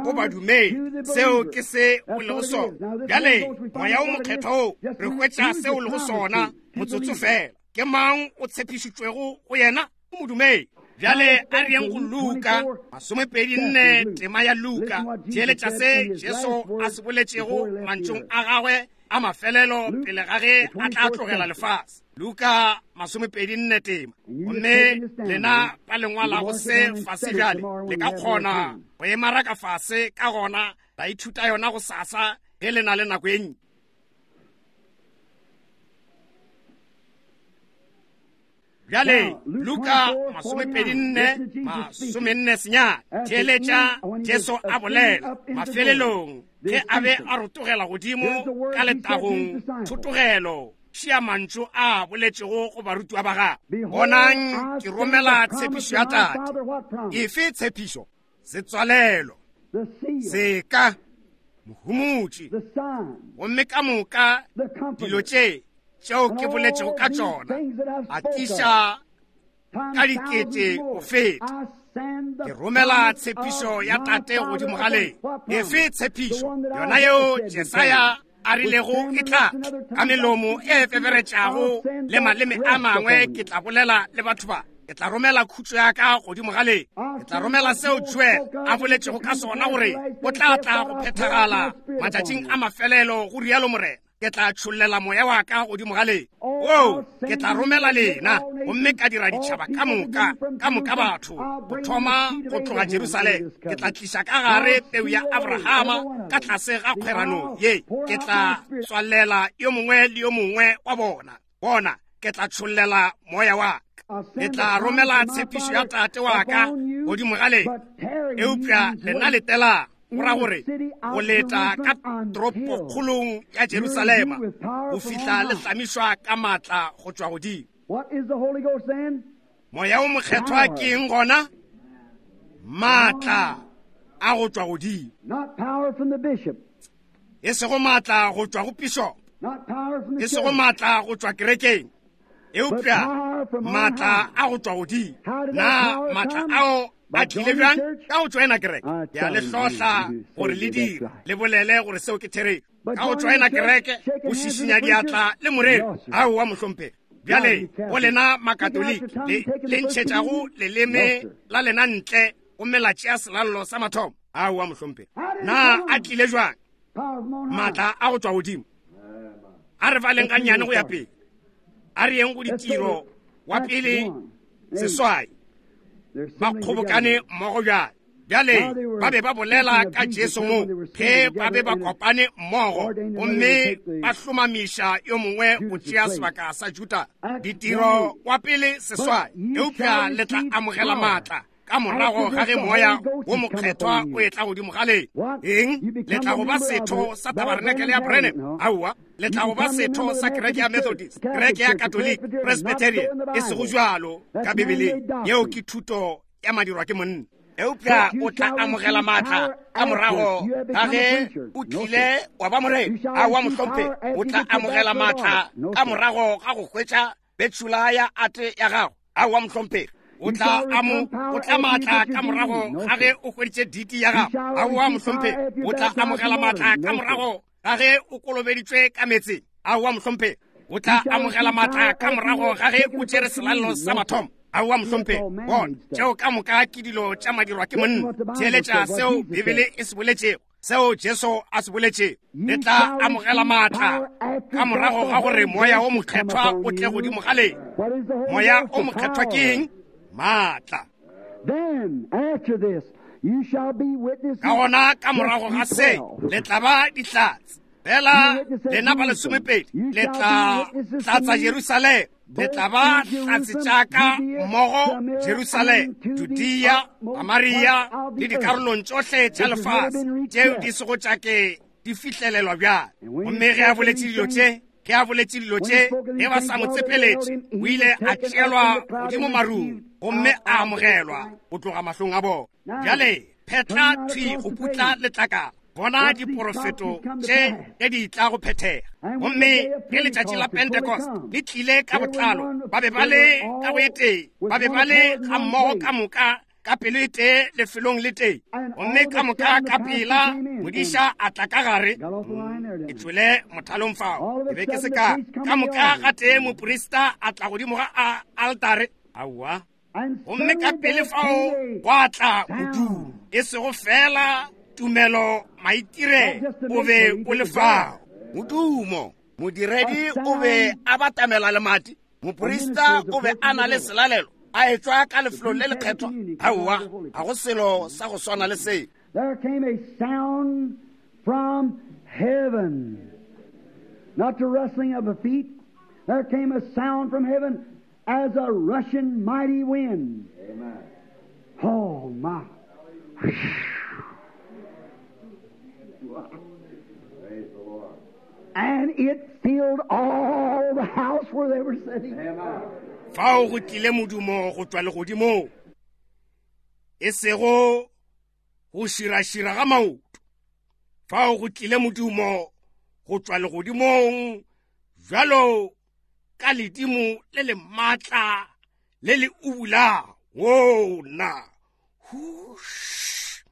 go badumedi, seo ke se o lego sona. Bjale moya o mokgethwa o re hwetša seo o lego sona motsotso fela. Ke mang o tshepišitšwego go yena? O modumedi. Bjale a re yeng go Luka masomepedi nne tema ya Luka. Theeletša se Jesu a se boletšego mantšong a gagwe a mafelelo pele ga ge a tla tlogela lefase. Luka masomepedi nne tema. Gomme lena ba lengwalago se fase bjale le ka kgona go e maraka fase, ka gona la ithuta yona go sasa ge le na le nako e ntši. Bjale Luka masomepedi nne masomenne senyane. Theeletša Jesu a bolela mafelelong ge a be a rotogela godimo ka letagong thotogelo, šia mantšu a boletšego go barutiwa ba gagwe. Bonang, ke romela tshepišo ya Tate. Efe tshepišo? Setswalelo, seka, mohumotši, gomme ka moka dilo tše tšeo ke boletšego ka tšona a tliša ka dikete go feta. Ke romela tshepišo ya Tate godimo ga lena. Efe tshepišo? Yona yeo Jesaya a rilego e tla ka melomo e feberetšago le maleme a mangwe ke tla bolela le batho ba. Ke tla romela khutšo ya ka godimo ga lena. Ke tla romela seo Joel a boletšego ka sona gore o tla tla go phethagala matšatšing a mafelelo, go rialo Morena. Ke tla tšhollela moya wa ka godimo ga lena. Oo, ke tla romela lena gomme ka dira ditšhaba ka moka, ka moka batho, go thoma go tloga Jerusalema. Ke tla tliša ka gare peu ya Abrahama ka tlase ga kgwerano ye. Ke tla tswalela yo mongwe le yo mongwe wa bona. Bona, ke tla tšhollela moya wa ka. Ke tla romela tshepišo ya Tate wa ka godimo ga lena. Eupša lena letelang, go ra gore go leta ka toropokgolong ya Jerusalema go fihla le hlamišwa ka maatla go tšwa godimo. Moya o mokgethwa ke eng gona? Maatla a go tšwa godimo. E sego maatla go tšwa go pišopo, e sego maatla go tšwa kerekeng, eupša maatla a go tšwa godimo. Na maatla ao a tlile bjang? Ka go tšoena kereke. Ke a le hlohla gore le dire, le bolele gore seo ke therešo. Ka go tšoena kereke, go šišinya diatla le moreri. Aowa mohlomphegi. Bjale go lena makatoliki le le ntšhetšago leleme la lena ntle gomme la tšea selallo sa mathomo. Aowa mohlomphegi. Na a tlile jwang? Maatla a go tšwa godimo. A re baleng gannyane go ya pele. A re yeng go ditiro wa pele seswai. Ba kgobokane mmogo bjale. Bjale ba be ba bolela ka Jesu mo ge ba be ba kopane mmogo gomme ba hlomamiša yo mongwe go tšea sebaka sa Juda. Ditiro wa pele seswai. Eupša le tla amogela maatla ka morago ga ge moya wo mokgethwa o etla godimo ga lena. Eng? Le tla go ba setho sa tabarenakele ya Branham? Aowa. Le tla go ba setho sa kereke ya Methodist, kereke ya Catholic, Presbyterian? E sego jwalo ka Bibeleng. Yeo ke thuto ya madirwa ke monna. Eupša o tla amogela maatla ka morago ga ge o tlile wa ba morena. Aowa mohlomphegi. O tla amogela maatla ka morago ga go hwetša betšhula ya ate ya gago. Aowa mohlomphegi. O tla amo o tla maatla ka morago ga ge o hweditše diti ya gago. Aowa mohlomphegi. O tla amogela maatla ka morago ga ge o kolobeditšwe ka meetseng. Aowa mohlomphegi. O tla amogela maatla ka morago ga ge o tšere selallo sa mathomo. Aowa mohlomphegi. Bona, tšeo ka moka ke dilo tša madirwa ke monna. Theeletša seo Bibele e se boletšego, seo Jesu a se boletšego. Le tla amogela maatla ka morago ga gore moya o mokgethwa o tle godimo ga lena. Moya o mokgethwa ke eng? Maatla. Ka gona ka morago ga se le tla ba dihlatse. Fela lena ba lesomepedi le tla tlatsa Jerusalema. Le tla ba hlatse tša ka mmogo Jerusalema, Judea, Samaria le dikarolong tšohle tša lefase tšeo di sego tša ke di fihlelelwa bjale. Gomme ge a boletše dilo tše, Ge a boletše dilo tše, ge ba sa mo tsepeletše, o ile a tšeelwa godimo marung gomme a amogelwa go tloga mahlong a bona. Bjale phetla thwi go putla letlakala, bona diporofeto tše ge di tla go phethega. Gomme ge letšatši la Pentecost le tlile ka botlalo, ba be ba le ka go e tee, ba be ba le ga mmogo ka moka ka pelo e tee lefelong le tee. Gomme ka moka ka pela modiša a tla ka gare. Ke tšwele mothalong fao, ke be ke se ka. Ka moka ga tee moprista a tla godimo ga altare. Aowa. Gomme ka pele fao gwa tla modumo, e sego fela tumelo maitire o be o le fao. Modumo, modiredi o be a batamela lemati, moprista o be a na le selalelo, a etšwa ka lefelong le lekgethwa. Aowa, ga go selo sa go swana le se. There came a sound from heaven, not the rustling of the feet. There came a sound from heaven as a rushing mighty wind. Amen. Oh my. Praise the Lord. And it filled all the house where they were sitting. Amen. Fao go tlile modumo go tšwa legodimong, e sego go širašira ga maoto. Fao go tlile modumo go tšwa legodimong bjalo ka ledimo le le maatla le le ubulago. Wona hush,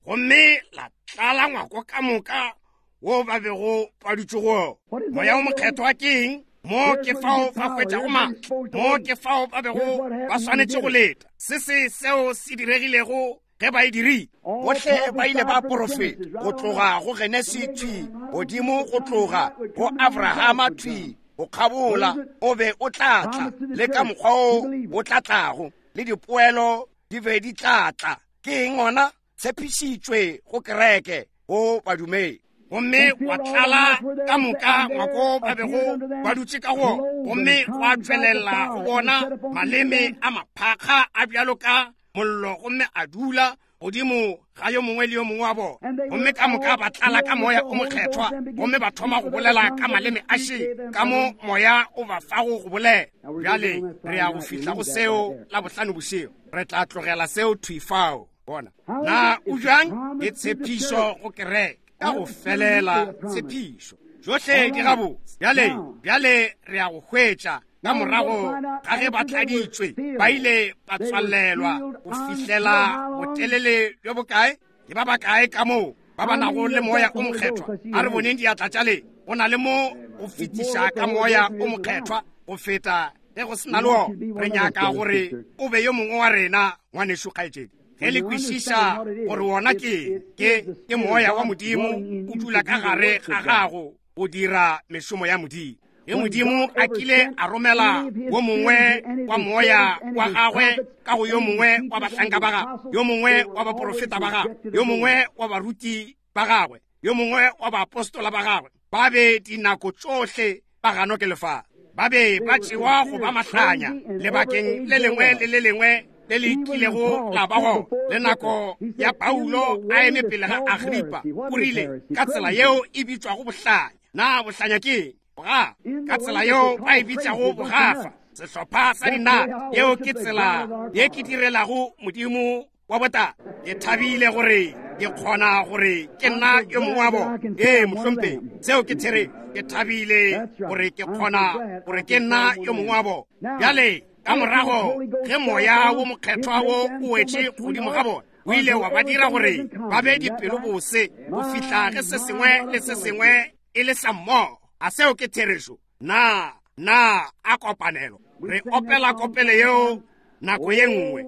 gomme la tlala ngwako ka moka wo ba bego ba dutše go. Moya o mokgethwa ke eng? Mo ke fao ba hwetšago maatla, mo ke fao ba bego ba swanetše go leta. Se se seo se diregilego ge ba e dirile. Bohle ba ile ba porofeta go tloga go Genesi thwi godimo go tloga go Abrahama thwi go kgabola, o be o tla tla le ka mokgwa o o tla tlago, le dipoelo di be di tla tla. Ke eng ona? Tshepišitšwe go kereke, go badumedi. Gomme wa tlala ka moka ngwako ba bego ba dutše ka go, gomme gwa tšwelela go bona maleme a maphakga a bjalo ka mollo, gomme a dula godimo ga yo mongwe le yo mongwe wa bona. Gomme ka moka ba tlala ka moya o mokgethwa, gomme ba thoma go bolela ka maleme a šele, ka mo moya o ba fago go bolela. Bjale re ya go fihla go seo la bohlano bošego. Re tla tlogela seo thwi fao. Bona na o bjang? Ke tshepišo go kereke ka go felela, tshepišo tšohle di gabotse. Bjale bjale re ya go hwetša ka morago ga ge ba tladitšwe, ba ile ba tswalelwa go fihlela botelele bjo bokae? Ke ba bakae ka moo ba ba nago le moya o mokgethwa? A re boneng diatla tša le. Go na le mo go fetiša ka moya o mokgethwa go feta ge go sena le wona. Re nyaka gore o be yo mongwe wa rena, ngwanešu kgaetšedi. Ge le kwešiša gore wona ke ke ke moya wa Modimo o dula ka gare ga gago go dira mešomo ya Modimo. Ge Modimo a kile a romela wo mongwe wa moya wa gagwe ka go yo mongwe wa bahlanka ba gagwe, yo mongwe wa baporofeta ba gagwe, yo mongwe wa baruti ba gagwe, yo mongwe wa baapostola ba gagwe, ba be dinako tšohle ba ganwa ke lefase, ba be ba tšewa go ba mahlanya lebakeng le lengwe le le lengwe le le kilego la ba gona. Le nako ya Paulo a eme pele ga Agripa, o rile ka tsela yeo e bitšwago bohlanya. Na bohlanya ke eng? Bogafa. Ka tsela yeo ba e bitšago bogafa, sehlopha sa dinaka. Yeo ke tsela ye ke direlago Modimo wa botata. Ke thabile gore ke kgona gore ke nna yo mongwe wa bona. Ee, mohlomphegi, seo ke therešo. Ke thabile gore ke kgona gore ke nna yo mongwe wa bona. Bjale ka morago ge moya wo mokgethwa wo o wetše godimo ga bona, o ile wa ba dira gore ba be dipelo bose go fihla ge se sengwe le se sengwe e le sa mmogo. A seo ke therešo? Na na a kopanelo. Re opela kopelo yeo nako ye nngwe.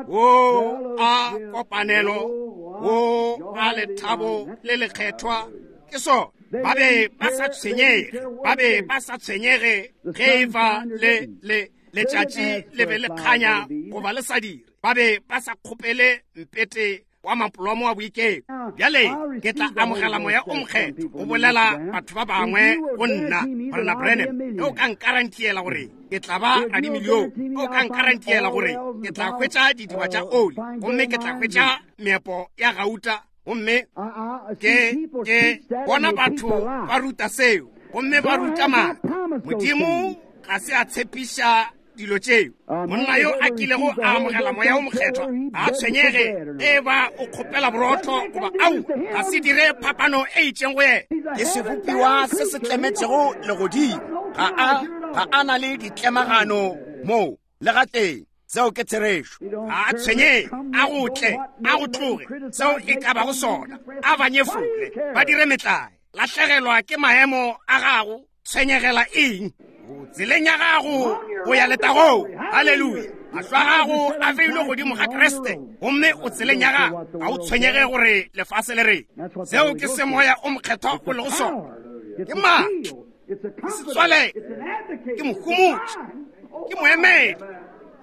O a kopanelo, o a lethabo le lekgethwa. Ke so ba be ba sa tshwenyege, ba be ba sa tshwenyege ge e ba le le letšatši le be le kganya goba le sa dire. Ba be ba sa kgopele mpete wa mapolomo wa boiketlo. Bjale ke tla amogela moya o mokgethwa go bolela batho ba bangwe go nna. Morena Branham, ge o ka nkarantiela gore ke tla ba radimilione, ge o ka nkarantiela gore ke tla hwetša didiba tša oli, gomme ke tla hwetša meepo ya gauta, gomme ke ke bona batho ba ruta seo, gomme ba ruta maaka. Modimo ga se a tshepiša dilo tšeo. Monna yo a kilego a amogela moya o mokgethwa a tshwenyege e ba o kgopela borotho goba au, ga se dire phapano e itšeng go yena. Ke sebopiwa se se tlemetšego legodimo, ga a ga a na le ditlemagano moo le gatee. Seo ke therešo. Ga a tshwenyege, a go tle, a go tloge, seo e ka bago sona, a ba nyefole, ba dire metlae, lahlegelwa ke maemo a gago, tshwenyegela eng? O tseleng ya gago go ya letagong. Haleluya. Mahlo a gago a beilwe godimo ga Kriste, gomme o tseleng ya gago. Ga o tshwenyege gore lefase le reng. Seo ke se moya o mokgethwa o lego sona. Ke maatla, ke setswalelo, ke mohomotši, ke moemedi,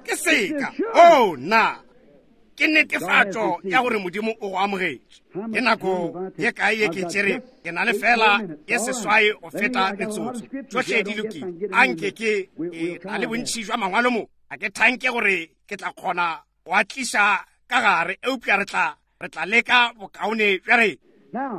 ke seka. Oh, nna ke netefatšo ya gore Modimo o go amogetše. Ke nako ye kae ye ke tšere? Ke na le fela ye seswai go feta metsotso. Tšohle di lokile. A nke ke na le bontši jwa mangwalo mo. A ke thanke gore ke tla kgona go a tliša ka gare, eupša re tla re tla leka bokaone bja rena.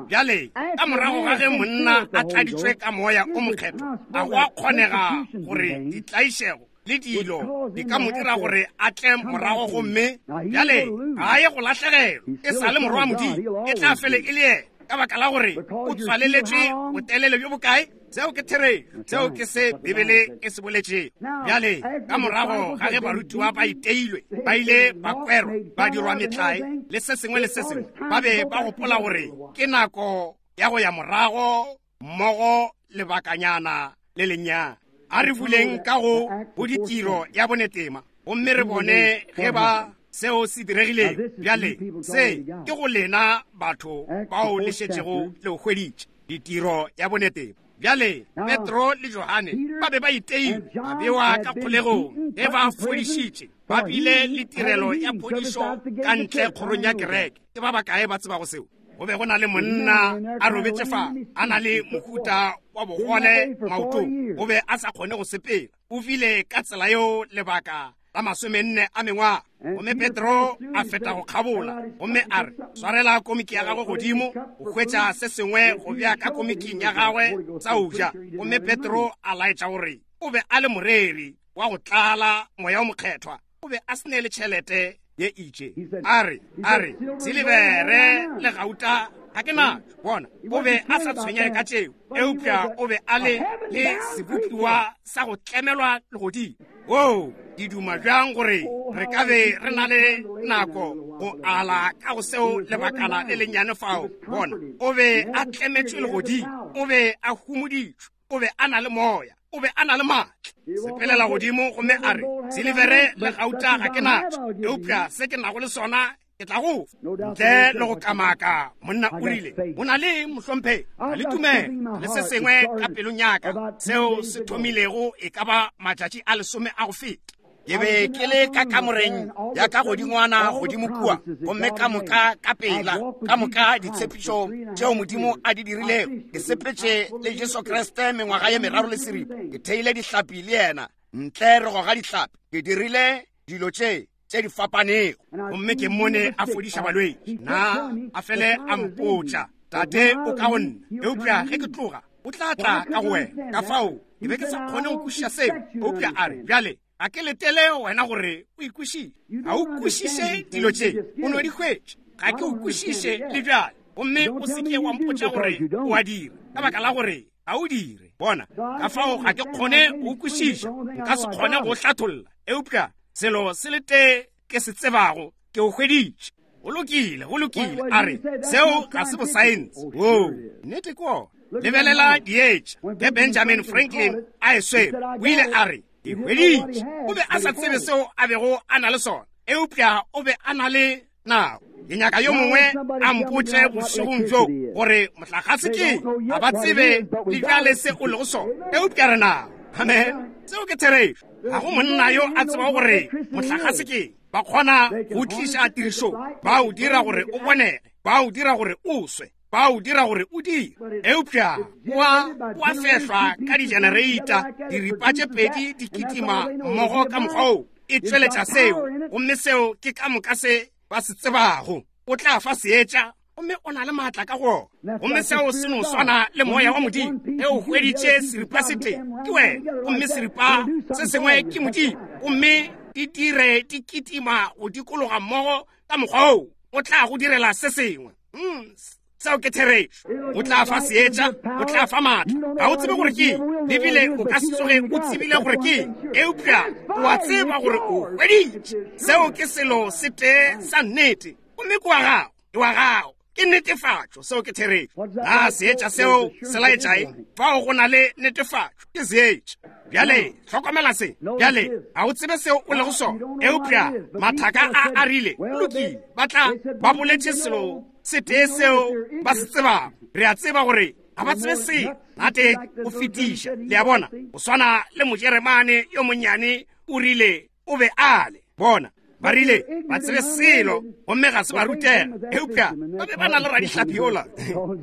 Bjale ka morago ga ge monna a tladitšwe ka moya o mokgethwa, a go a kgonega gore ditlaišego le dilo di ka mo dira gore a tle morago, gomme bjale ga a ye go lahlegelwa. E sa le morwa wa Modimo, e tla fele e le yena, ka baka la gore o tswaleletšwe botelele bjo bokae. Seo ke therešo, seo ke se Bibele e se boletšego. Bjale ka morago ga ge barutiwa ba iteilwe, ba ile ba kwerwa, ba dirwa metlae le se sengwe le se sengwe, ba be ba gopola gore ke nako ya go ya morago mmogo lebakanyana le lennyane. A re buleng ka go go ditiro ya bonetema, gomme re bone ge ba seo se diregilego. Bjale se ke go lena batho bao le šetšego le hweditše ditiro ya bonetema. Bjale Petro le Johane ba be ba iteilwe, ba bewa ka kgolegong ge ba fodišitše, ba bile le tirelo ya phodišo ka ntle kgorong ya kereke. Ke ba bakae ba tsebago seo? Go be go na le monna a robetše fa, a na le mohuta wa bogole maotong, o be a sa kgone go sepela. O bile ka tsela yeo lebaka la masomenne a mengwaga. Gomme Petro a feta go kgabola, gomme a re, swarela komiki ya gagwe godimo, o hwetša se sengwe go bea ka komiking ya gagwe sa o ja. Gomme Petro a laetša gore o be a le moreri wa go tlala moya o mokgethwa, o be a se ne le tšhelete ye itše. A re, a re, silibere le gauta ga ke natšo. Bona, o be a sa tshwenyege ka tšeo, eupša o be a le le sebopiwa sa go tlemelwa legodimo. Oo, ke duma bjang gore re ka be re na le nako go ala ka go seo lebakana le lennyane fao. Bona, o be a tlemetšwe legodimo, o be a humoditšwe, o be a na le moya, o be a na le maatla. Sepelela godimo gomme a re, silibere le gauta ga ke natšo, eupša se ke nago le sona ke tla go fa. Ntle le go kamaka, monna o rile, o na le mohlomphegi, a le tumelo le se sengwe ka pelong ya ka seo se thomilego e ka ba matšatši a lesome a go feta. Ke be ke le ka kamoreng ya ka godingwana godimo kua, gomme ka moka ka pela, ka moka ditshepišo tšeo Modimo a di dirilego. Ke sepetše le Jesu Kriste mengwaga ye meraro le seripa. Ke theile dihlapi le yena, ntle re goga dihlapi. Ke dirile dilo tše tše di fapanego, gomme ke mmone a fodiša balwetši. Na a fele a mpotša, Tate o ka go nna, eupša ge ke tloga o tla tla ka go wena. Ka fao ke be ke sa kgone go kwešiša seo, eupša a re, bjale a ke letele wena gore o ikwešiše. Ga o kwešiše dilo tše, o no di hwetše. Ga ke o kwešiše le bjale, gomme o se ke wa mpotša gore o a dira, ka baka la gore ga o dire. Bona, ka fao ga ke kgone go kwešiša, nka se kgone go hlatholla, eupša selo se le tee ke se tsebago, ke o hweditše. Go lokile, go lokile. A re, seo ga se bosaense. Oo, nnete ke ona. Lebelela dietša ge Benjamin Franklin a e swere, o ile a re, ke hweditše. O be a sa tsebe seo a bego a na le sona, eupša o be a na le nao. Ke nyaka yo mongwe a mpotše bošegong bjo gore mohlagase ke ga ba tsebe le bjale se o lego sona, eupša re nao. Amen. Seo ke therešo. Ga go monna yo a tsebago gore mohlagase ke. Ba kgona go tliša tirišong, ba o dira gore o bonege, ba o dira gore o swe, ba o dira gore o dire, eupša wa wa fehlwa ka di-generator, diripa tše pedi di kitima mmogo ka mokgwa oo, e tšweletša seo, gomme seo ke ka moka se ba se tsebago. O tla fa seetša gomme o na le maatla ka go ona. Gomme seo se no swana le moya wa Modimo. Ge o hweditše seripa se tee, ke wena, gomme seripa se sengwe ke Modimo, gomme di dire di kitima go dikologa mmogo ka mokgwa oo, o tla go direla se sengwe. Mm, seo ke therešo. O tla fa seetša, o tla fa maatla. Ga o tsebe gore ke eng, le bile o ka se tsoge o tsebile gore ke eng, eupša o a tseba gore o hweditše. Seo ke selo se tee sa nnete, gomme ke wa gago, ke wa gago. Ke netefatšo, seo ke therešo. Na seetša seo se laetša eng? Fao go na le netefatšo, ke seetša. Bjale, hlokomela se. Bjale, ga o tsebe seo o lego sona, eupša mathaka a a rile, lokile, ba tla ba boletše selo se tee seo ba se tsebago. Re a tseba gore ga ba tsebe selo, nate o fetiša. Le a bona, o swana le Mojeremane yo monnyane o rile o be a le. Bona, ba rile ba tsebe selo gomme ga se ba rutega, eupša ba be ba na le radihlapi yola,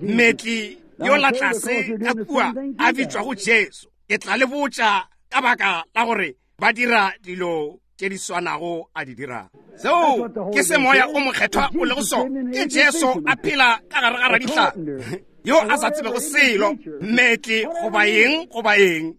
mmetli yola tlase ka kua a bitšwago Jesu. Ke tla le botša ka baka la gore ba dira dilo tše di swanago a di dirang. Seo ke se moya o mokgethwa o lego sona. Ke Jesu a phela ka gare ga radihlapi yo a sa tsebego selo, mmetli goba eng goba eng,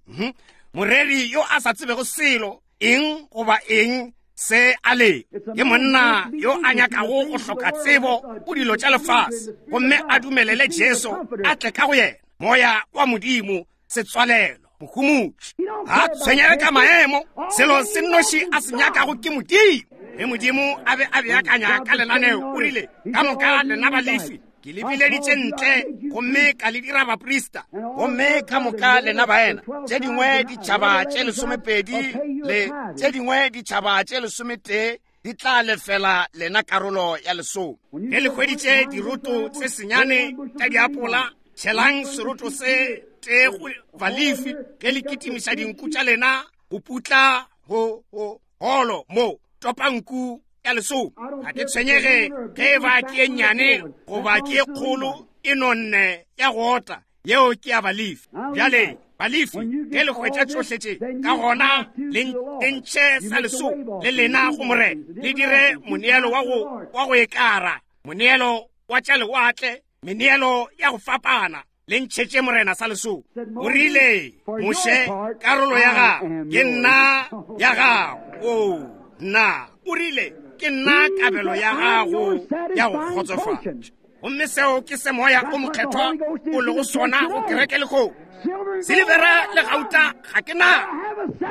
moreri yo a sa tsebego selo, eng goba eng se a le. Ke monna yo a nyakago go hloka tsebo go dilo tša lefase, gomme a dumelele Jesu a tle ka go yena, moya wa Modimo, setswalelo, mohumotši. Ga tshwenyege ka maemo, selo se nnoši a se nyakago ke Modimo. Ge Modimo a be a beakanya ka lenaneo, o rile, ka moka lena Balefi ke le bileditše ntle gomme ka le dira baprista, gomme ka moka lena baena, tše dingwe ditšhaba tše lesomepedi le tše dingwe ditšhaba tše lesometee di tla lefela lena karolo ya lesome. Ge le hweditše diroto tse senyane tša diapola, tšhelang seroto se tee go Balefi. Ge le kitimiša dinku tša lena go putla go go holo mo, topa nku ya lesome. Ga ke tshwenyege ge e ba ke e nnyane goba ke e kgolo, e nonne ya go ota, yeo ke ya Balefi. Bjale Balefi, ge le hwetša tšohle tše, ka gona le ntšhe sa lesome le lena go Morena, le dire moneelo wa go wa go ekara, moneelo wa tša lewatle, meneelo ya go fapana, le ntšhetše Morena sa lesome. O rile, Moshe, karolo ya gago ke nna ya gago. O nna, o rile, ke nna kabelo ya gago ya go kgotsofatša. Gomme seo ke se moya o mokgethwa o lego sona go kereke lehono. Silivera le gauta ga ke na,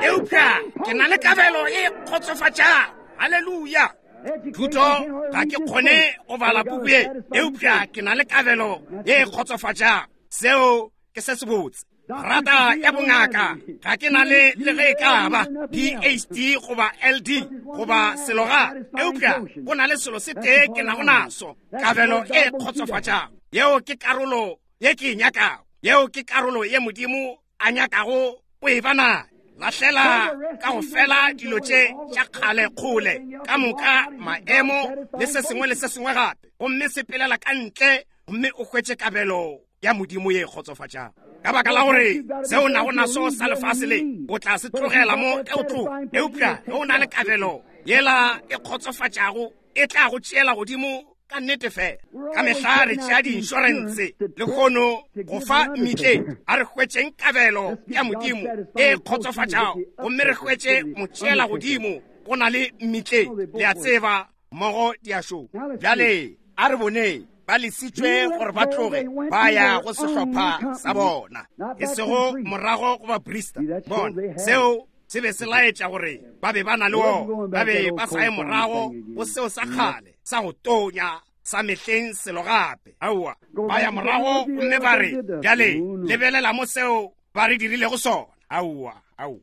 eupša ke na le kabelo e kgotsofatšago. Haleluya. Thuto ga ke kgone go bala puku ye, eupša ke na le kabelo ye kgotsofatšago. Seo ke se sebotse. Rata ya bongaka ga ke na le le ge e ka ba P H D goba L D goba selo ga, eupša go na le selo se tee ke nago naso, kabelo e kgotsofatšago. Yeo ke karolo ye ke e nyakago, yeo ke karolo ye Modimo a nyakago o e ba nayo. Lahlela ka go fela dilo tše tša kgale kgole ka moka, maemo le se sengwe le se sengwe gape, gomme sepelela ka ntle gomme o hwetše kabelo ya Modimo ye kgotsofatšago. Ka baka la gore seo nago naso sa lefase le o tla se tlogela mo ge o tloga, eupša ge o na le kabelo yela e kgotsofatšago, e tla go tšeela godimo ka nnete fela. Ka mehla re tšea di-insurance lehono go fa mmetleng, a re hwetšeng kabelo ya Modimo e kgotsofatšago, gomme re hwetše motšeela godimo go na le mmetleng. Le a tseba mmogo di a šoma. Bjale a re boneng ba lesitšwe gore ba tloge ba ya go sehlopha sa bona, e sego morago go baprista. Bona, seo se be se laetša gore ba be ba na le ona, ba be ba sa ye morago go seo sa kgale sa go tonya sa mehleng selo gape. Aowa, ba ya morago gomme ba re, bjale lebelela mo seo ba re dirilego sona. Aowa, aowa,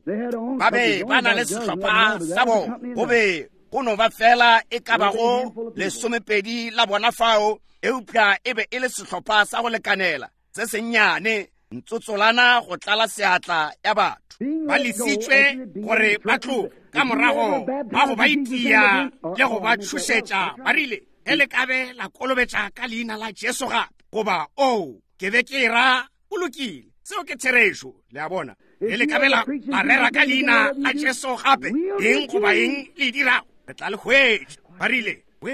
ba be ba na le sehlopha sa bona, go be go no ba fela e ka bago lesomepedi la bona fao, eupša e be e le sehlopha sa go lekanela se sennyane, ntsotsolana go tlala seatla ya batho. Ba lesitšwe gore ba tloge ka morago ba go ba itia le go ba tšhošetša. Ba rile, ge le ka be la kolobetša ka leina la Jesu gape, goba o ke be ke ra, o lokile. Seo ke therešo, le a bona. Ge le ka be la rera ka leina la Jesu gape, eng goba eng le dirago, re tla le hwetša. Ba rile, we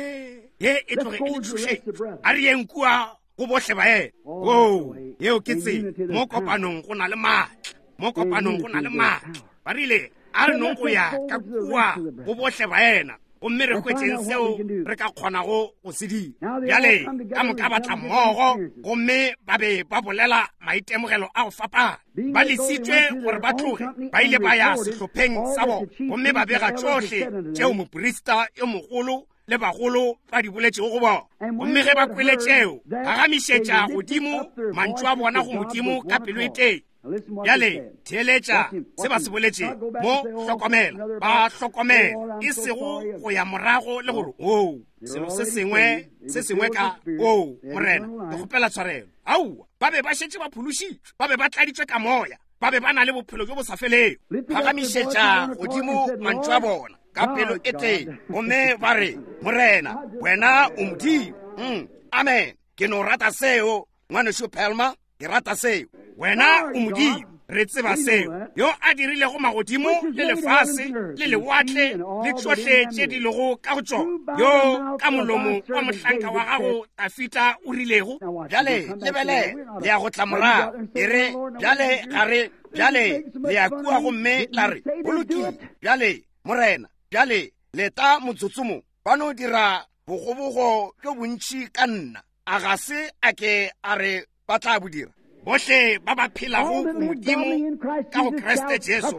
Ye e tloge e le tšhošetšo. A re yeng kua go bohle ba ena. Oo, yeo ke tsela. Mo kopanong go na le maatla. Mo kopanong go na le maatla. Ba rile a re nong go ya ka kua go bohle ba ena, gomme re hwetšeng seo re ka kgonago go se dira. Bjale ka moka ba tla mmogo, gomme ba be ba bolela maitemogelo a go fapana. Ba lesitšwe gore ba tloge, ba ile ba ya sehlopheng sa bona, gomme ba bega tšohle tšeo moprista yo mogolo le bagolo ba di boletšego go bona. Gomme ge ba kwele tšeo, phagamišetša godimo mantšu a bona go Modimo ka pelo e tee. Bjale theeletša se ba se boletšego mo, hlokomela, ba hlokomela, e sego go ya morago le gore oo selo se sengwe se sengwe ka oo Morena ke kgopela tshwarelo. Aowa, ba be ba šetše ba phološitšwe, ba be ba tladitšwe ka moya, ba be ba na le bophelo bjo bo sa felego. Phagamišetša godimo mantšu a bona ka pelo e tee, gomme ba re, Morena, wena o Modimo. Mm, amen. Ke no rata seo, ngwanešu Palmer, ke rata seo. Wena o Modimo, re tseba seo, yo a dirilego magodimo le lefase le lewatle le tšohle tše di lego ka go tšona, yo ka molomo wa mohlanka wa gago Dafida o rilego. Bjale lebelela, le ya go tla morago, e re bjale ga re, bjale le ya kua gomme la re, go lokile, bjale Morena, bjale leta motsotso mo, ba no dira bogobogo bjo bontši ka nna. A ga se a ke a re ba tla bo dira? Bohle ba ba phelago go Modimo ka go Kriste Jesu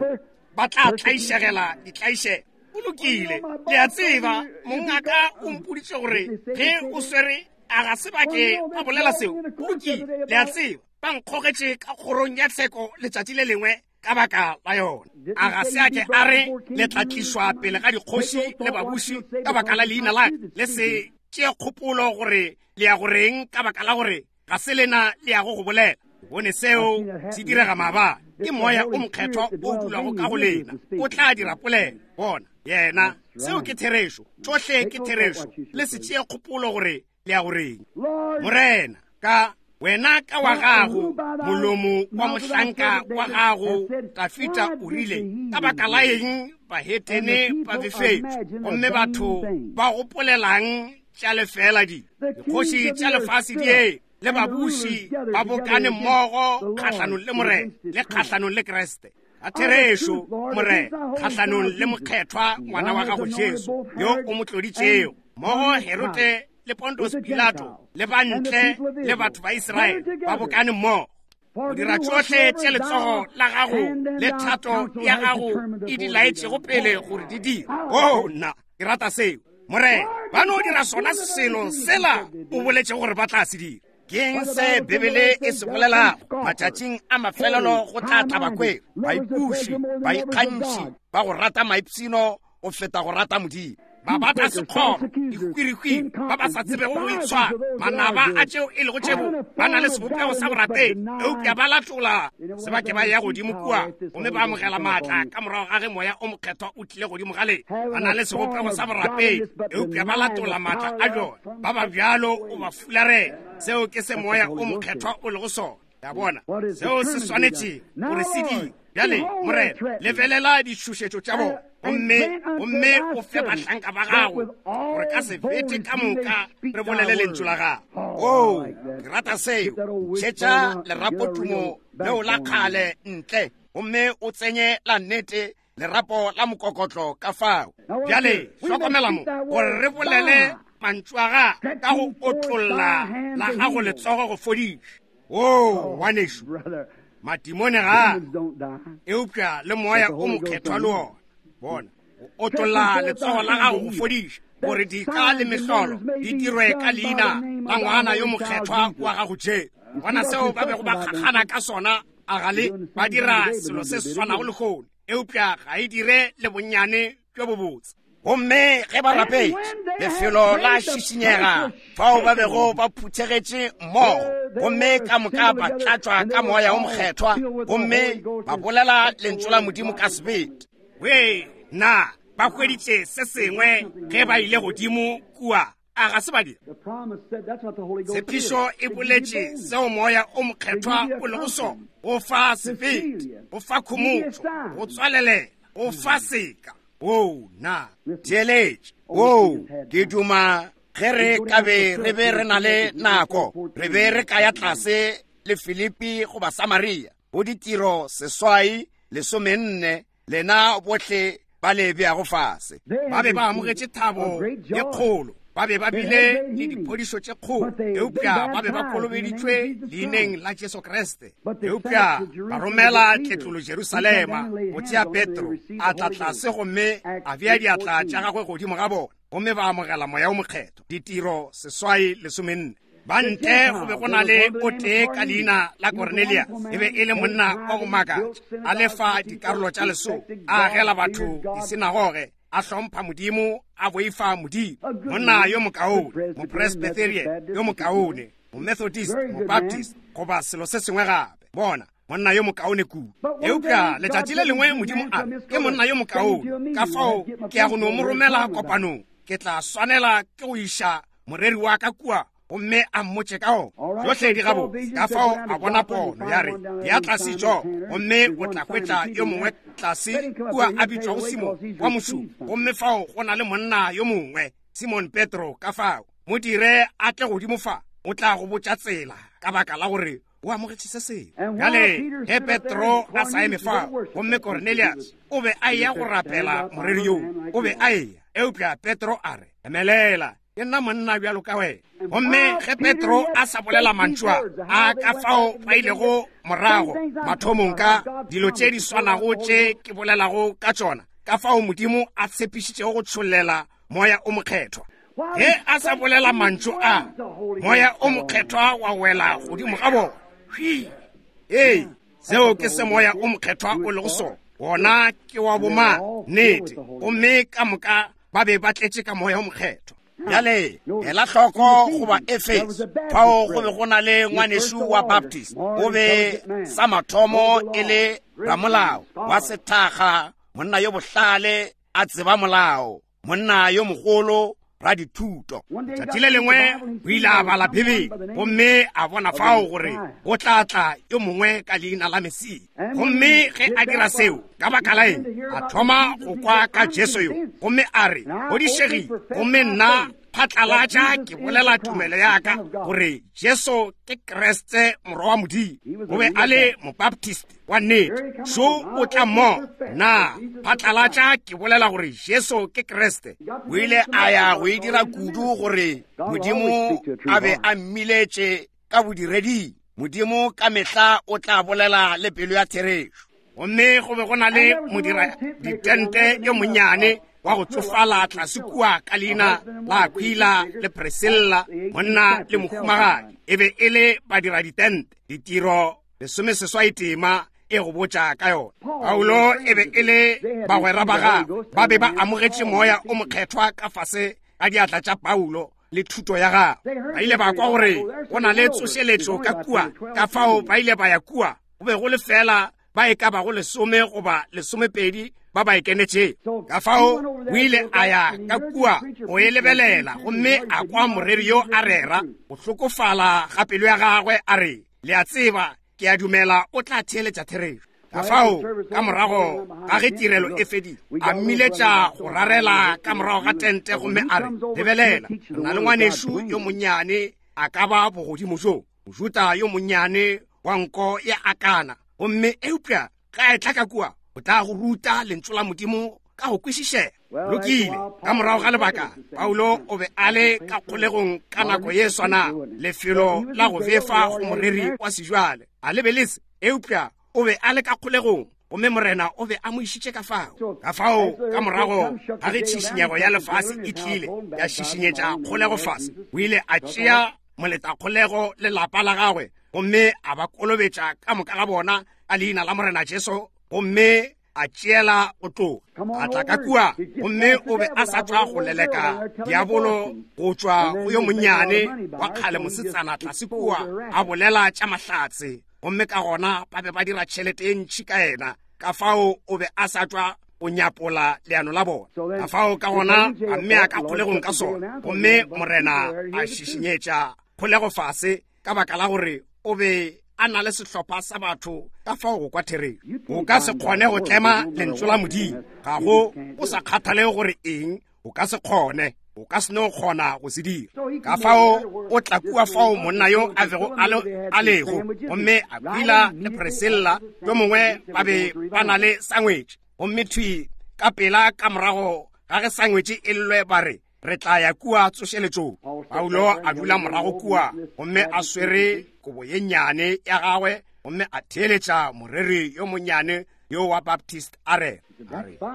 ba tla tlaišegela ditlaišego. Go lokile, le a tseba, mongaka o mpoditše gore ge o swere, a ga se ba ke ba bolela seo. Go lokile, le a tseba, ba nkgogetše ka kgorong ya tsheko letšatši le lengwe ka baka la yona. A ga se a ke a re le tla tlišwa pele ga dikgoši le babuši ka baka la leina la le se tšee kgopolo gore le ya goreng, ka baka la gore ga se lena le yago go bolela. Bone seo se direga maabane. Ke moya o mokgethwa o dulago ka go lena, o tla dira polelo. Bona yena, seo ke therešo, tšohle ke therešo. Le se tšee kgopolo gore le ya goreng. Morena, ka wena ka wa gago molomo wa mohlanka wa gago Dafida o rile, ka baka la eng bahetene ba befetšwe, gomme batho ba gopolelang tša lefela di dikgoši tša lefase di e le babuši ba bokane mmogo kgahlanong le Morena le kgahlanong le Kriste. A therešo, Morena, kgahlanong le mokgethwa ngwana wa gago Jesu yo o mo tloditšego, mmogo Herode le Pontus Pilato le bantle le batho ba Israele ba bokane mmogo go dira tšohle tše letsogo la gago le thato ya gago e di laetšego pele gore di dire. Oh nna, ke rata seo. Morena, ba no dira sona selo sela o boletšego gore ba tla se dira. Keng se Bibele e se bolelago? Matšatšing a mafelelo go tla tla bakweri, baipuši, baikgantšhi, ba go rata maipshino go feta go rata Modimo, ba bata sekgoro, dikwirikwiri, ba ba sa tsebego go itshwara, manaba a tšeo e lego tšebo, ba na le sebopego sa borapedi, eupša ba latola sebake ba ya godimo kua gomme ba amogela maatla ka morago ga ge moya o mokgethwa o tlile godimo ga lena. Ba na le sebopego sa borapedi, eupša ba latola maatla a bjona. Ba ba bjalo o ba fularela. Seo ke se moya o mokgethwa o lego sona. Ya bona seo se swanetše gore se dire. Bjale Morena, lebelela ditšhošetšo tša bona, gomme gomme o fe bahlanka ba gago gore ka sebete ka moka re bolele lentšu la gago. Oo, ke rata seo. Šetša lerapotumo leo la kgale ntle, gomme o tsenye la nnete lerapo la mokokotlo ka fao. Bjale hlokomela mo gore re bolele mantšu a gago ka go otlolla la gago letsogo go fodiša. Oo, ngwanešu, madimone ga eupša le moya o mokgethwa le ona. Bona, o otlolla letsogo la gago go fodiša, gore dika le mehlolo di dirwe ka leina la ngwana yo mokgethwa wa gago Jesu. Bona seo ba bego ba kgakgana ka sona, a ga le ba dira selo se se swanago lehono, eupša ga e dire le bonnyane bjo bobotse. Gomme ge ba rapetše, lefelo la šišinyega fao ba bego ba phuthegetše mmogo, gomme ka moka ba tlatšwa ka moya o mokgethwa, gomme ba bolela lentšu la Modimo ka sebete. We na ba hweditše se sengwe ge ba ile godimo kua? A ga se ba dira? Tshepišo e boletše seo moya o mokgethwa o lego sona, go fa sebete, go fa khomotšo, go tswalelela, go fa seka. Oo, na theeletše. Oo, ke duma Ge re ka be re be re na le nako, re be re ka ya tlase le Filipi goba Samaria, go ditiro seswai lesomenne, lena bohle ba le beago fase. Ba be ba amogetše thabo ye kgolo, ba be ba bile le diphodišo tše kgolo, eupša ba be ba kolobeditšwe leineng la Jesu Kriste. Eupša ba romela tletlolo Jerusalema go tšea Petro, a tla tlase gomme a bea diatla tša gagwe godimo ga bona, gomme ba amogela moya o mokgethwa. Ditiro seswai lesomenne. Ba ntle go be go na le o tee ka leina la Cornelius, e be e le monna wa go makatša, a lefa dikarolo tša lesome, a agela batho disinagoge, a hlompha Modimo, a boifa Modimo. Monna yo mokaone, mopresbyterian yo mokaone, momethodist, mobaptist, goba selo se sengwe gape. Bona, monna yo mokaone kudu. Eupša letšatši le lengwe Modimo a re, ke monna yo mokaone, ka fao ke ya go no mo romela kopanong. Ke tla swanela ke go iša moreri wa ka kua gomme a mmotše ka ona. Tšohle di gabotse. Ka fao a bona pono ya re, ya tlase jo, gomme o tla hwetša yo mongwe tlase kua a bitšwago Simon wa mošomo, gomme fao go na le monna yo mongwe, Simon Petro, ka fao mo dire a tle godimo fa, o tla go botša tsela, ka baka la gore o amogetše se sengwe. Bjale ge Petro a sa eme fao, gomme Cornelius o be a eya go rapela moreri yoo, o be a eya, eupša Petro a re, emelela, ke nna monna bjalo ka wena. Gomme ge Petro a sa bolela mantšu a, a ka fao ba ilego morago mathomong ka dilo tše di swanago tše ke bolelago ka tšona, ka fao Modimo a tshepišitšego go tšhollela moya o mokgethwa. Ge a sa bolela mantšu a, moya o mokgethwa wa wela godimo ga bona. Hwi! Ee, seo ke se moya o mokgethwa o lego sona. Wona ke wa boma nnete, gomme ka moka ba be ba tletše ka moya o mokgethwa. Bjale ela hloko goba Efeso, fao go be go na le ngwanešu wa Baptist, o be sa mathomo e le ramolao wa sethaga, monna yo bohlale, a tseba molao, monna yo mogolo, radithuto. Tšatši le lengwe o ile a bala Bibele, gomme a bona fao gore go tla tla yo mongwe ka leina la Mesia. Gomme ge a dira seo, ka baka la eng, a thoma go kwa ka Jesu yo, gomme a re, kgodišegile, gomme nna phatlalatša ke bolela tumelo ya ka gore Jesu ke Kriste morwa wa Modimo. O be a le mobaptist wa nnete. Šo o tla mo, na phatlalatša ke bolela gore Jesu ke Kriste. O ile a ya go e dira kudu gore Modimo a be a mmiletše ka bodireding. Modimo ka mehla o tla bolela le pelo ya therešo. Gomme go be go na le modira ditente yo monnyane wa go tsofala tlase kua ka leina la Aquila le Priscilla, monna le mohumagadi. E be e le badira ditente. Ditiro lesome seswai tema e go botša ka yona. Paulo e be e le bagwera ba gagwe, ba be ba amogetše moya o mokgethwa ka fase ga diatla tša Paulo le thuto ya gagwe. Ba ile ba kwa gore go na le tsošeletšo ka kua, ka fao ba ile ba ya kua. Go be go le fela ba e ka bago lesome goba lesomepedi ba ba ikenetšego. Ka fao o ile a ya ka kua go e lebelela, gomme a kwa moreri yo a rera go hlokofala ga pelo ya gagwe, a re, le a tseba, ke a dumela o tla theeletša therešo. Ka fao ka morago ga ge tirelo e fedile, a mmiletša go rarela ka morago ga tente, gomme a re, lebelela, re na le ngwanešu yo monnyane a ka ba bogodimo jo, Mojuta yo monnyane wa nko ya akana, gomme eupša ga e tla ka kua, o tla go ruta lentšu la Modimo ka go kwešišega. Lokile, ka morago ga lebaka, Paulo o be a le ka kgolegong ka nako ye swanago, lefelo la go befa go moreri wa sejwale. A le be le se, eupša o be a le ka kgolegong, gomme Morena o be a mo išitše ka fao. Ka fao ka morago ga ge tšhišinyego ya lefase e tlile ya šišinyetša kgolego fase, o ile a tšea moletakgolego le lapa la gagwe, gomme a ba kolobetša ka moka ga bona ka leina la Morena Jesu, gomme a tšeela go tloga. A tla ka kua, gomme o be a sa tšwa go leleka diabolo go tšwa go yo monnyane wa kgale mosetsana tlase kua, a bolela tša mahlatse, gomme ka gona ba be ba dira tšhelete e ntši ka yena. Ka fao o be a sa tšwa go nyapola leano la bona. Ka fao ka gona a mmea ka kgolegong ka sona, gomme Morena a šišinyetša kgolego fase ka baka la gore o be a na le sehlopha sa batho ka fao go kwa therešo. O ka se kgone go tlema lentšu la Modimo, ga go o sa kgathale gore eng, o ka se kgone. O ka se no kgona go se dira. Ka fao o tla kua fao monna yo a bego a lego, gomme Aquila le Priscilla yo mongwe ba be ba na le sangwetše. Gomme thwi ka pela ka morago ga ge sangwetše e llwe ba re re tla ya kua tsošeletšong. Paulo a dula morago kua gomme a swere kobo ye nnyane ya gagwe gomme a theeletša moreri yo monnyane yo wa Baptist a re,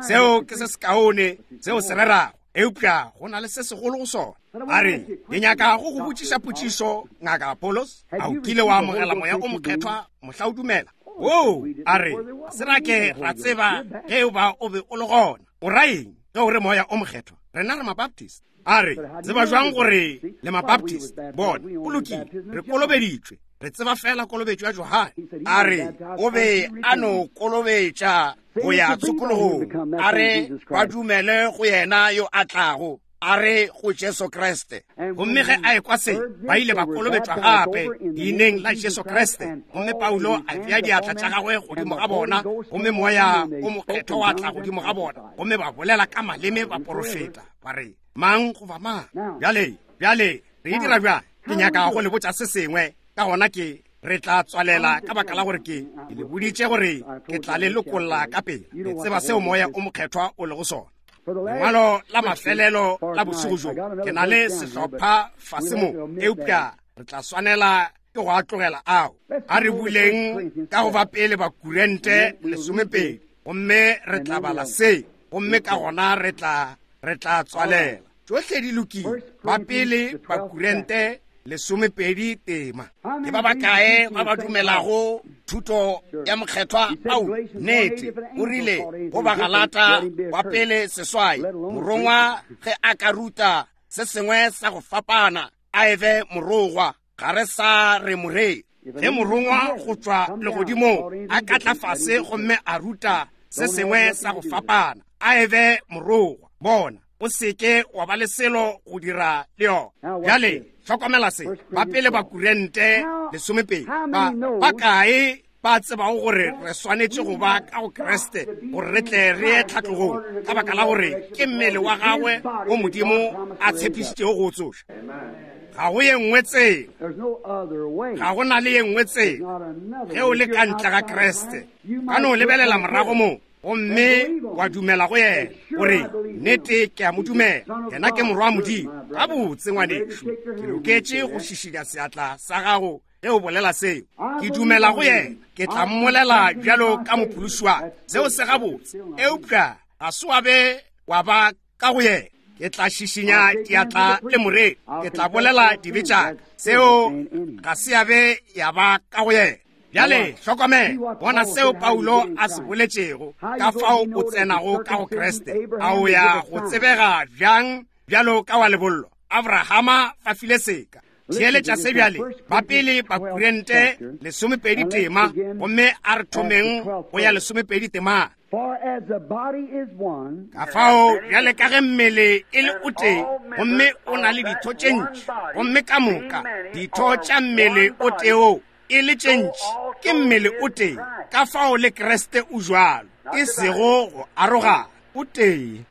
seo ke se sekaone seo se rerago, eupša go na le se segolo go sona. A re, ke nyaka go go botšiša potšišo, Ngaka Apollos, a o kile wa amogela moya o mokgethwa mohla o dumela? Oo, a re, se ra ke ra tseba ge o ba o be o le gona. O ra eng ge o re moya o mokgethwa? Rena re Mabaptist. A re, tseba jwang gore le Mabaptist? Bona, o lokile, re kolobeditšwe, re tseba fela kolobetšo ya Johane. A re, o be a no kolobetša go ya tshokologong. A re, ba dumele go yena yo a tlago, a re go Jesu Kriste. Gomme ge a ekwa se, ba ile ba kolobetšwa gape leineng la Jesu Kriste. Gomme Paulo a bea diatla tša gagwe godimo ga bona, gomme moya o mokgethwa wa tla godimo ga bona, gomme ba bolela ka maleme ba porofeta, ba re mang goba mang. Bjale, bjale re e dira bjang? Ke nyaka go le botša se sengwe, ka gona ke re tla tswalela ka baka la gore ke ke le boditše gore ke tla le lokolla ka pele. Le tseba seo moya o mokgethwa o lego sona. Lengwalo la mafelelo la bošego bjo, ke na le sehlopha fase mo, eupša re tla swanela ke go a tlogela ao. A re buleng ka go ba pele ba Korinte lesomepedi, gomme re tla bala se, gomme ka gona re tla re tla tswalela. Tšohle di lokile. Ba pele ba Korinte lesomepedi tema. Ke ba bakae ba ba dumelago thuto ya mokgethwa? Au, nnete. O rile go Bagalata wa pele seswai, morongwa ge a ka ruta se sengwe sa go fapana, a ebe morogwa, ga re sa re morei. Ge morongwa go tšwa legodimong a ka tla fase gomme a ruta se sengwe sa go fapana, a ebe morogwa. Bona, o seke wa ba le selo go dira le yona. Bjale hlokomela se. Ba pele ba Korinte lesomepedi, ba bakae ba tsebago gore re swanetše go ba ka go Kriste gore re tle re ye tlhatlogong, ka baka la gore ke mmele wa gagwe wo Modimo a tshepišitšego go o tsoša? Ga go ye nngwe tsela, ga go na le ye nngwe tsela ge o le ka ntle ga Kriste. Ka no lebelela morago mo gomme wa dumela go yena, gore nnete ke a mo dumela, yena ke morwa wa Modimo. Gabotse ngwanešu, ke loketše go šišinya seatla sa gago ge o bolela seo. Ke dumela go yena, ke tla mmolela bjalo ka mophološi wa ka. Seo se gabotse, eupša ga se wa be wa ba ka go yena. Ke tla šišinya diatla le moreri, ke tla bolela dibe tša ka. Seo ga se ya be ya ba ka go yena. Bjale hlokomela, bona seo Paulo a se boletšego, ka fao o tsenago ka go Kriste. A o ya go tsebega bjang bjalo ka wa lebollo? Abrahama fa file seka. Theeletša se bjale. Ba pele ba Korinte lesomepedi tema, gomme a re thomeng go ya lesomepedi tema. Ka fao bjale ka ge mmele e le o tee, gomme o na le ditho tše ntši, gomme ka moka ditho tša mmele o tee o e le tše ntši, ke mmele o tee. Ka fao le Kriste o jwalo, e sego go arogana, o tee.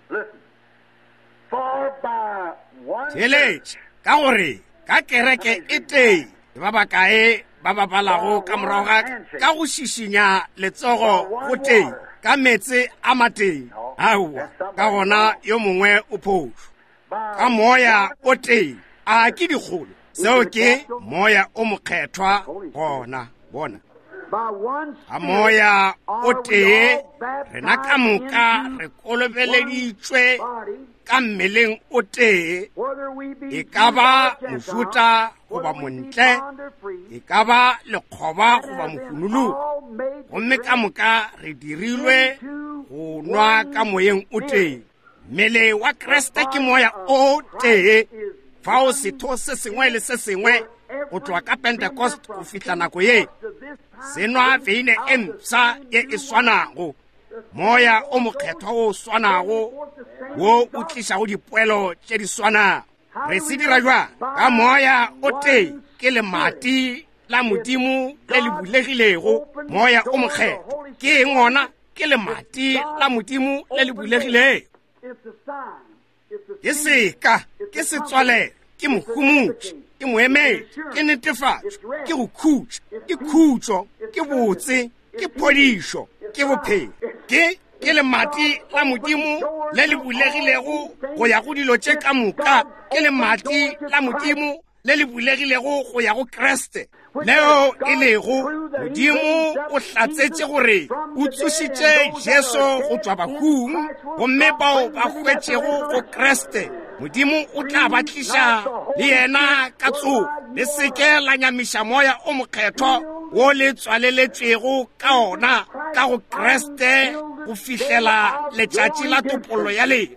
Theeletša, ka gore ka kereke e tee, ba bakae ba ba balago ka morago ga ka go šišinya letsogo go tee, ka meetse a matee? Aowa, ka gona yo mongwe o phošo. Ka moya o tee, a ke dikgolo? Seo ke moya o mokgethwa gona. Bona, ka moya o tee rena ka moka re kolobeleditšwe ka mmeleng o tee, e ka ba mojuta goba montle, e ka ba lekgoba goba mohunologi, gomme ka moka re dirilwe go nwa ka moyeng o tee. Mmele wa Kriste ke moya o tee, fao setho se sengwe le se sengwe go tloga ka Pentecost go fihla nako ye se nwa veine e mpsha ye e swanago, moya o mokgethwa o swanago wo o tlišago dipoelo tše di swanago. Re se dira jwang? Ka moya o tee, ke lemati la Modimo le le bulegilego, moya o mokgethwa. Ke eng ona? Ke lemati la Modimo le le bulegilego. Ke seka, Ke setswalelo, ke mohumotši, ke moemedi, ke netefatšo, ke go khutša, ke khutšo, ke botse, ke phodišo, ke bophelo. Ke ke lemati la Modimo le le bulegilego go ya go dilo tše ka moka. Ke lemati la Modimo le le bulegilego go ya go Kriste, leo e lego Modimo o hlatsetše gore o tsošitše Jesu go tšwa bahung, gomme bao ba hwetšego go Kriste Modimo o tla ba tliša le yena ka tsogo. Le seke la nyamiša moya o mokgethwa wo le tswaleletšwego ka ona ka go Kriste go fihlela letšatši la topollo ya lena.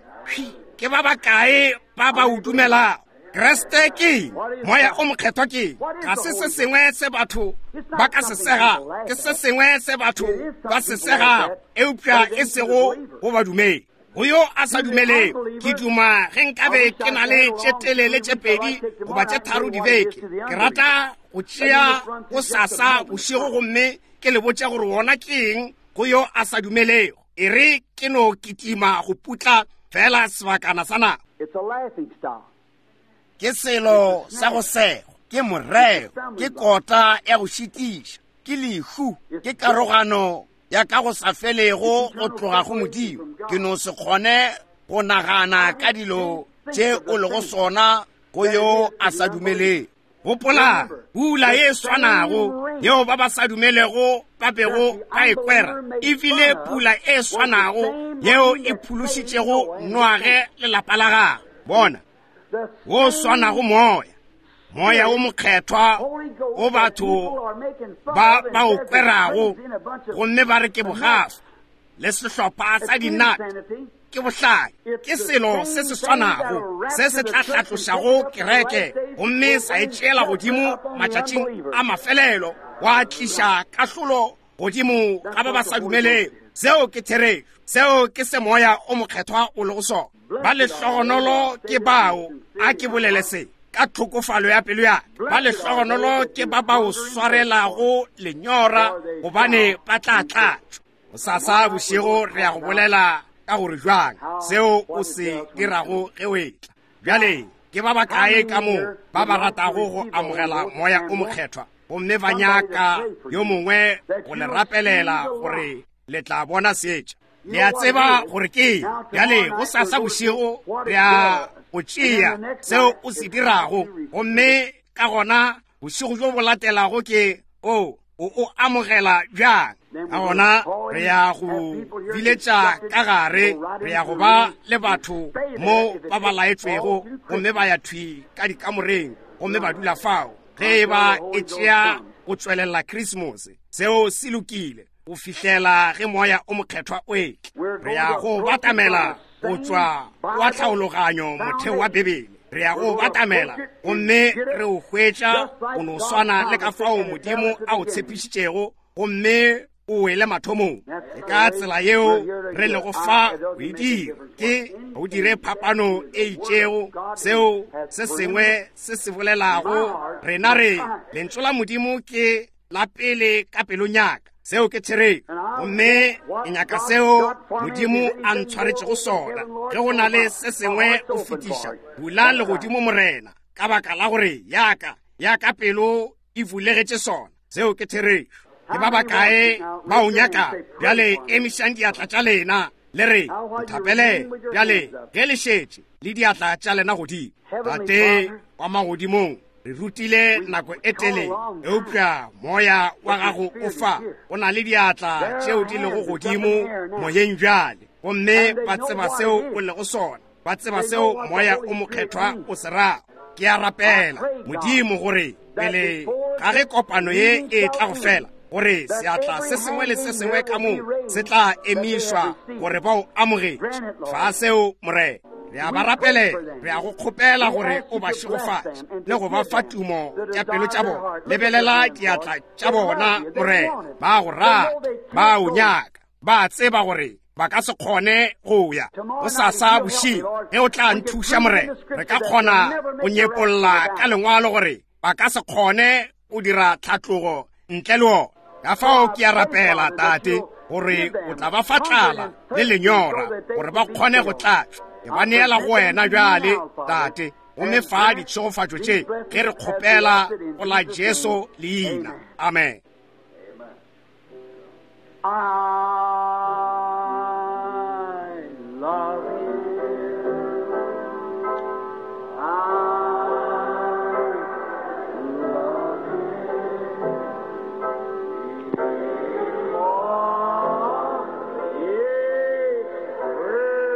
Ke ba bakae ba ba o dumelago? Kriste ke moya o mokgethwa ke ga se se sengwe se batho ba ka se segago, ke se sengwe se batho ba se segago, eupša e sego go badumedi. Go yo a sa dumelego, ke duma ge nkabe ke na le tše telele tše pedi goba tše tharo dibeke. Ke rata go tšea go sasa bošego gomme ke le botše gore wona ke eng go yo a sa dumelego. E re ke no kitima go putla fela sebakana sa nako. Ke selo sa go sego, ke moreo, ke kota ya go šitiša, ke lehu, ke karogano ya ka go sa felego go tloga go Modimo. Ke no se kgone go nagana ka dilo tše o lego sona go yo a sa dumelego. Gopola pula ye swanago yeo ba ba sa dumelego ba bego ba e kwera, e bile pula e swanago yeo e phološitšego Noage le lapa la gagwe. Bona wo swanago moya, moya o mokgethwa o batho ba ba o kwerago gomme ba re ke bogafa le sehlopha sa dinate, ke bohlale, ke selo se se swanago se se tla hlatlošago kereke gomme sa e tšeela godimo matšatšing a mafelelo, wa tliša kahlolo godimo ga ba ba sa dumelego. Seo ke therešo, seo ke se moya o mokgethwa o lego sona. Ba lehlogonolo ke bao, a ke bolele se ka tlhokofalo ya pelo ya ka, ba lehlogonolo ke ba ba o swarelago lenyora, gobane ba tla tlatšwa. Sasa bošego re ya go bolela ka gore jwang seo o se dirago ge o etla. Bjale ke ba bakae ka mo ba ba ratago go amogela moya o mokgethwa gomme ba nyaka yo mongwe go le rapelela gore le tla bona seetša? Le a tseba gore ke bjale go sasa bošego re ya go tšea seo o se dirago, gomme ka gona bošego bjo bo latelago ke o o o amogela bjang. Ka gona re ya go biletša ka gare, re ya go ba le batho mo ba ba laetšwego gomme ba ya thwi ka dikamoreng gomme ba dula fao. Ge e ba e tšea go tšwelela Christmas, seo se lokile go fihlela ge moya o mokgethwa o etla. Re ya go batamela go tšwa wa tlhaologanyo motheo wa Bibele. Re ya go batamela gomme re o hwetša go no swana le ka fao Modimo a o tshepišitšego, gomme o wele mathomong. Ke ka tsela yeo re lego fa go e dira, ke go dire phapano e itšego seo se sengwe se se bolelago. Rena re lentšu la Modimo ke la pele ka pelong ya ka, seo ke therešo, gomme ke nyaka seo Modimo a ntshwaretšego sona. Ge go na le se sengwe o fetiša, bula legodimo Morena, ka baka la gore yaka yaka pelo e bulegetše sona. Seo ke therešo. Ke ba bakae ba o nyaka? Bjale emišang diatla tša lena le re nthapele. Bjale ge le šetše le diatla tša lena godimo. Tate wa magodimong, re rutile nako e telele, eupša moya wa gago o fa. O na le diatla tšeo di lego godimo moyeng bjale, gomme ba tseba seo o lego sona, ba tseba seo moya o mokgethwa o se rago. Ke a rapela Modimo gore pele ga ge kopano ye e tla go fela, gore seatla se sengwe le se sengwe ka moo se tla emišwa gore ba o amogetše. Fa seo Morena. Re a ba rapelela, re a go kgopela gore o ba šegofatše le go ba fa tumo tša pelo tša bona. Lebelela diatla tša bona Morena, ba go rata, ba o nyaka, ba tseba gore ba ka se kgone go ya go sasa bošego. Ge o tla nthuša Morena, re ka kgona go nyepolla ka lengwalo gore ba ka se kgone go dira tlhatlogo ntle le ona. Ka fao ke a rapela Tate gore o tla ba fa tlala le lenyora gore ba kgone go tlatšwa. Ke ba neela go wena bjale Tate, Gomme fa ditšhegofatšo tše ge re kgopela go la Jesu leina. Amen. I love you. I love you. For He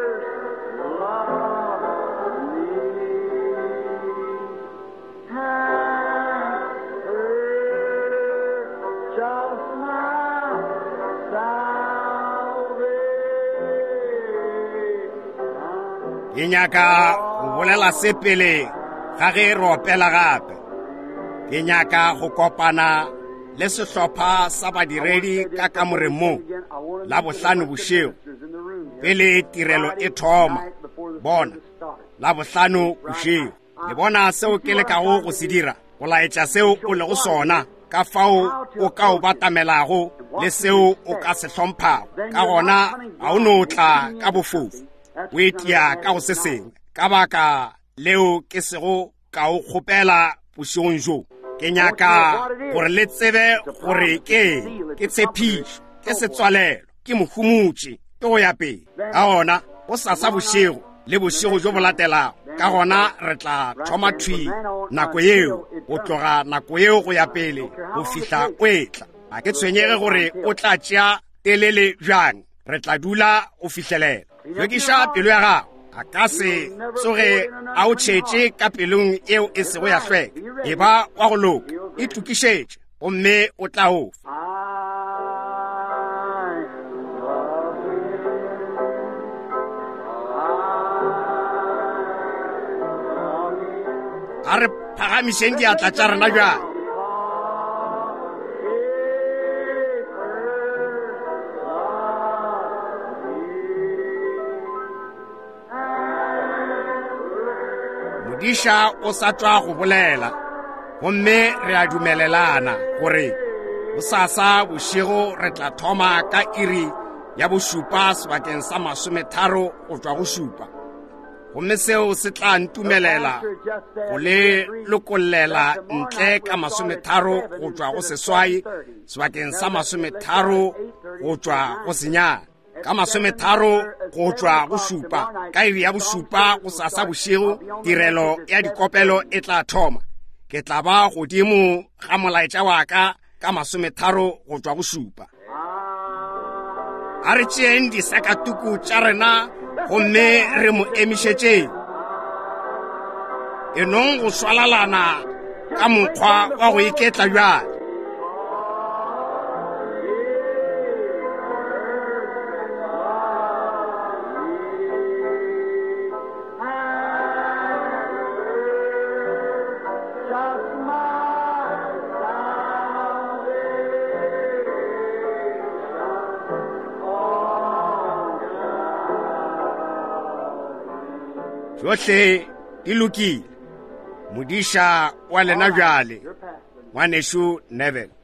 first loved me and purchased my salvation. Ke nyaka go bolela se pele ga ge re opela gape. Ke nyaka go kopana le sehlopha sa badiredi ka kamoreng mo Labohlano bošego pele tirelo e thoma. Bona, Labohlano bošego. Le bona seo ke lekago go se dira, go laetša seo o lego sona, ka fao o ka o batamelago le seo o ka se hlomphago. Ka gona ga o no tla ka bofofu, o etia ka go se sengwe. Ka baka leo ke sego ka o kgopela bošegong bjo. Ke nyaka gore le tsebe gore ke eng, ke tshepišo, ke setswalelo, ke mohumotši, ke go ya pele. Ka gona gosasa bošego le bošego bjo bo latelago, ka gona re tla thoma thwi nako yeo, go tloga nako yeo go ya pele go fihla o etla. Ga ke tshwenyege gore o tla tšea telele bjang, re tla dula go fihlelela. Hlwekiša pelo ya gago. A ka se tsoge a o tšhetše ka pelong eo e sego ya hlweka. E ba wa go loka, itokišetše, gomme o tla o fa. I love you. I love you. A re phagamišeng diatla tša rena bjale. Modiša o sa tšwa go bolela, gomme re a dumelelana gore bosasa bošego re tla thoma ka iri ya bošupa sebakeng sa masometharo go tšwa go šupa. Gomme seo se tla ntumelela go le lokollela ntle ka masometharo go tšwa go seswai sebakeng sa masometharo go tšwa go senyane. Ka masometharo go tšwa go šupa, ka iri ya bošupa gosasa bošego tirelo ya dikopelo e tla thoma. Ke tla ba godimo ga molaetša wa ka ka masometharo go tšwa go šupa. A re tšeeng disakatuku tša rena gomme re mo emišetšeng. E nong go swalalana ka mokgwa wa go iketla bjale. Just my salvation. Tšohle di lokile. Modiša wa lena bjale, ngwanešu Neville.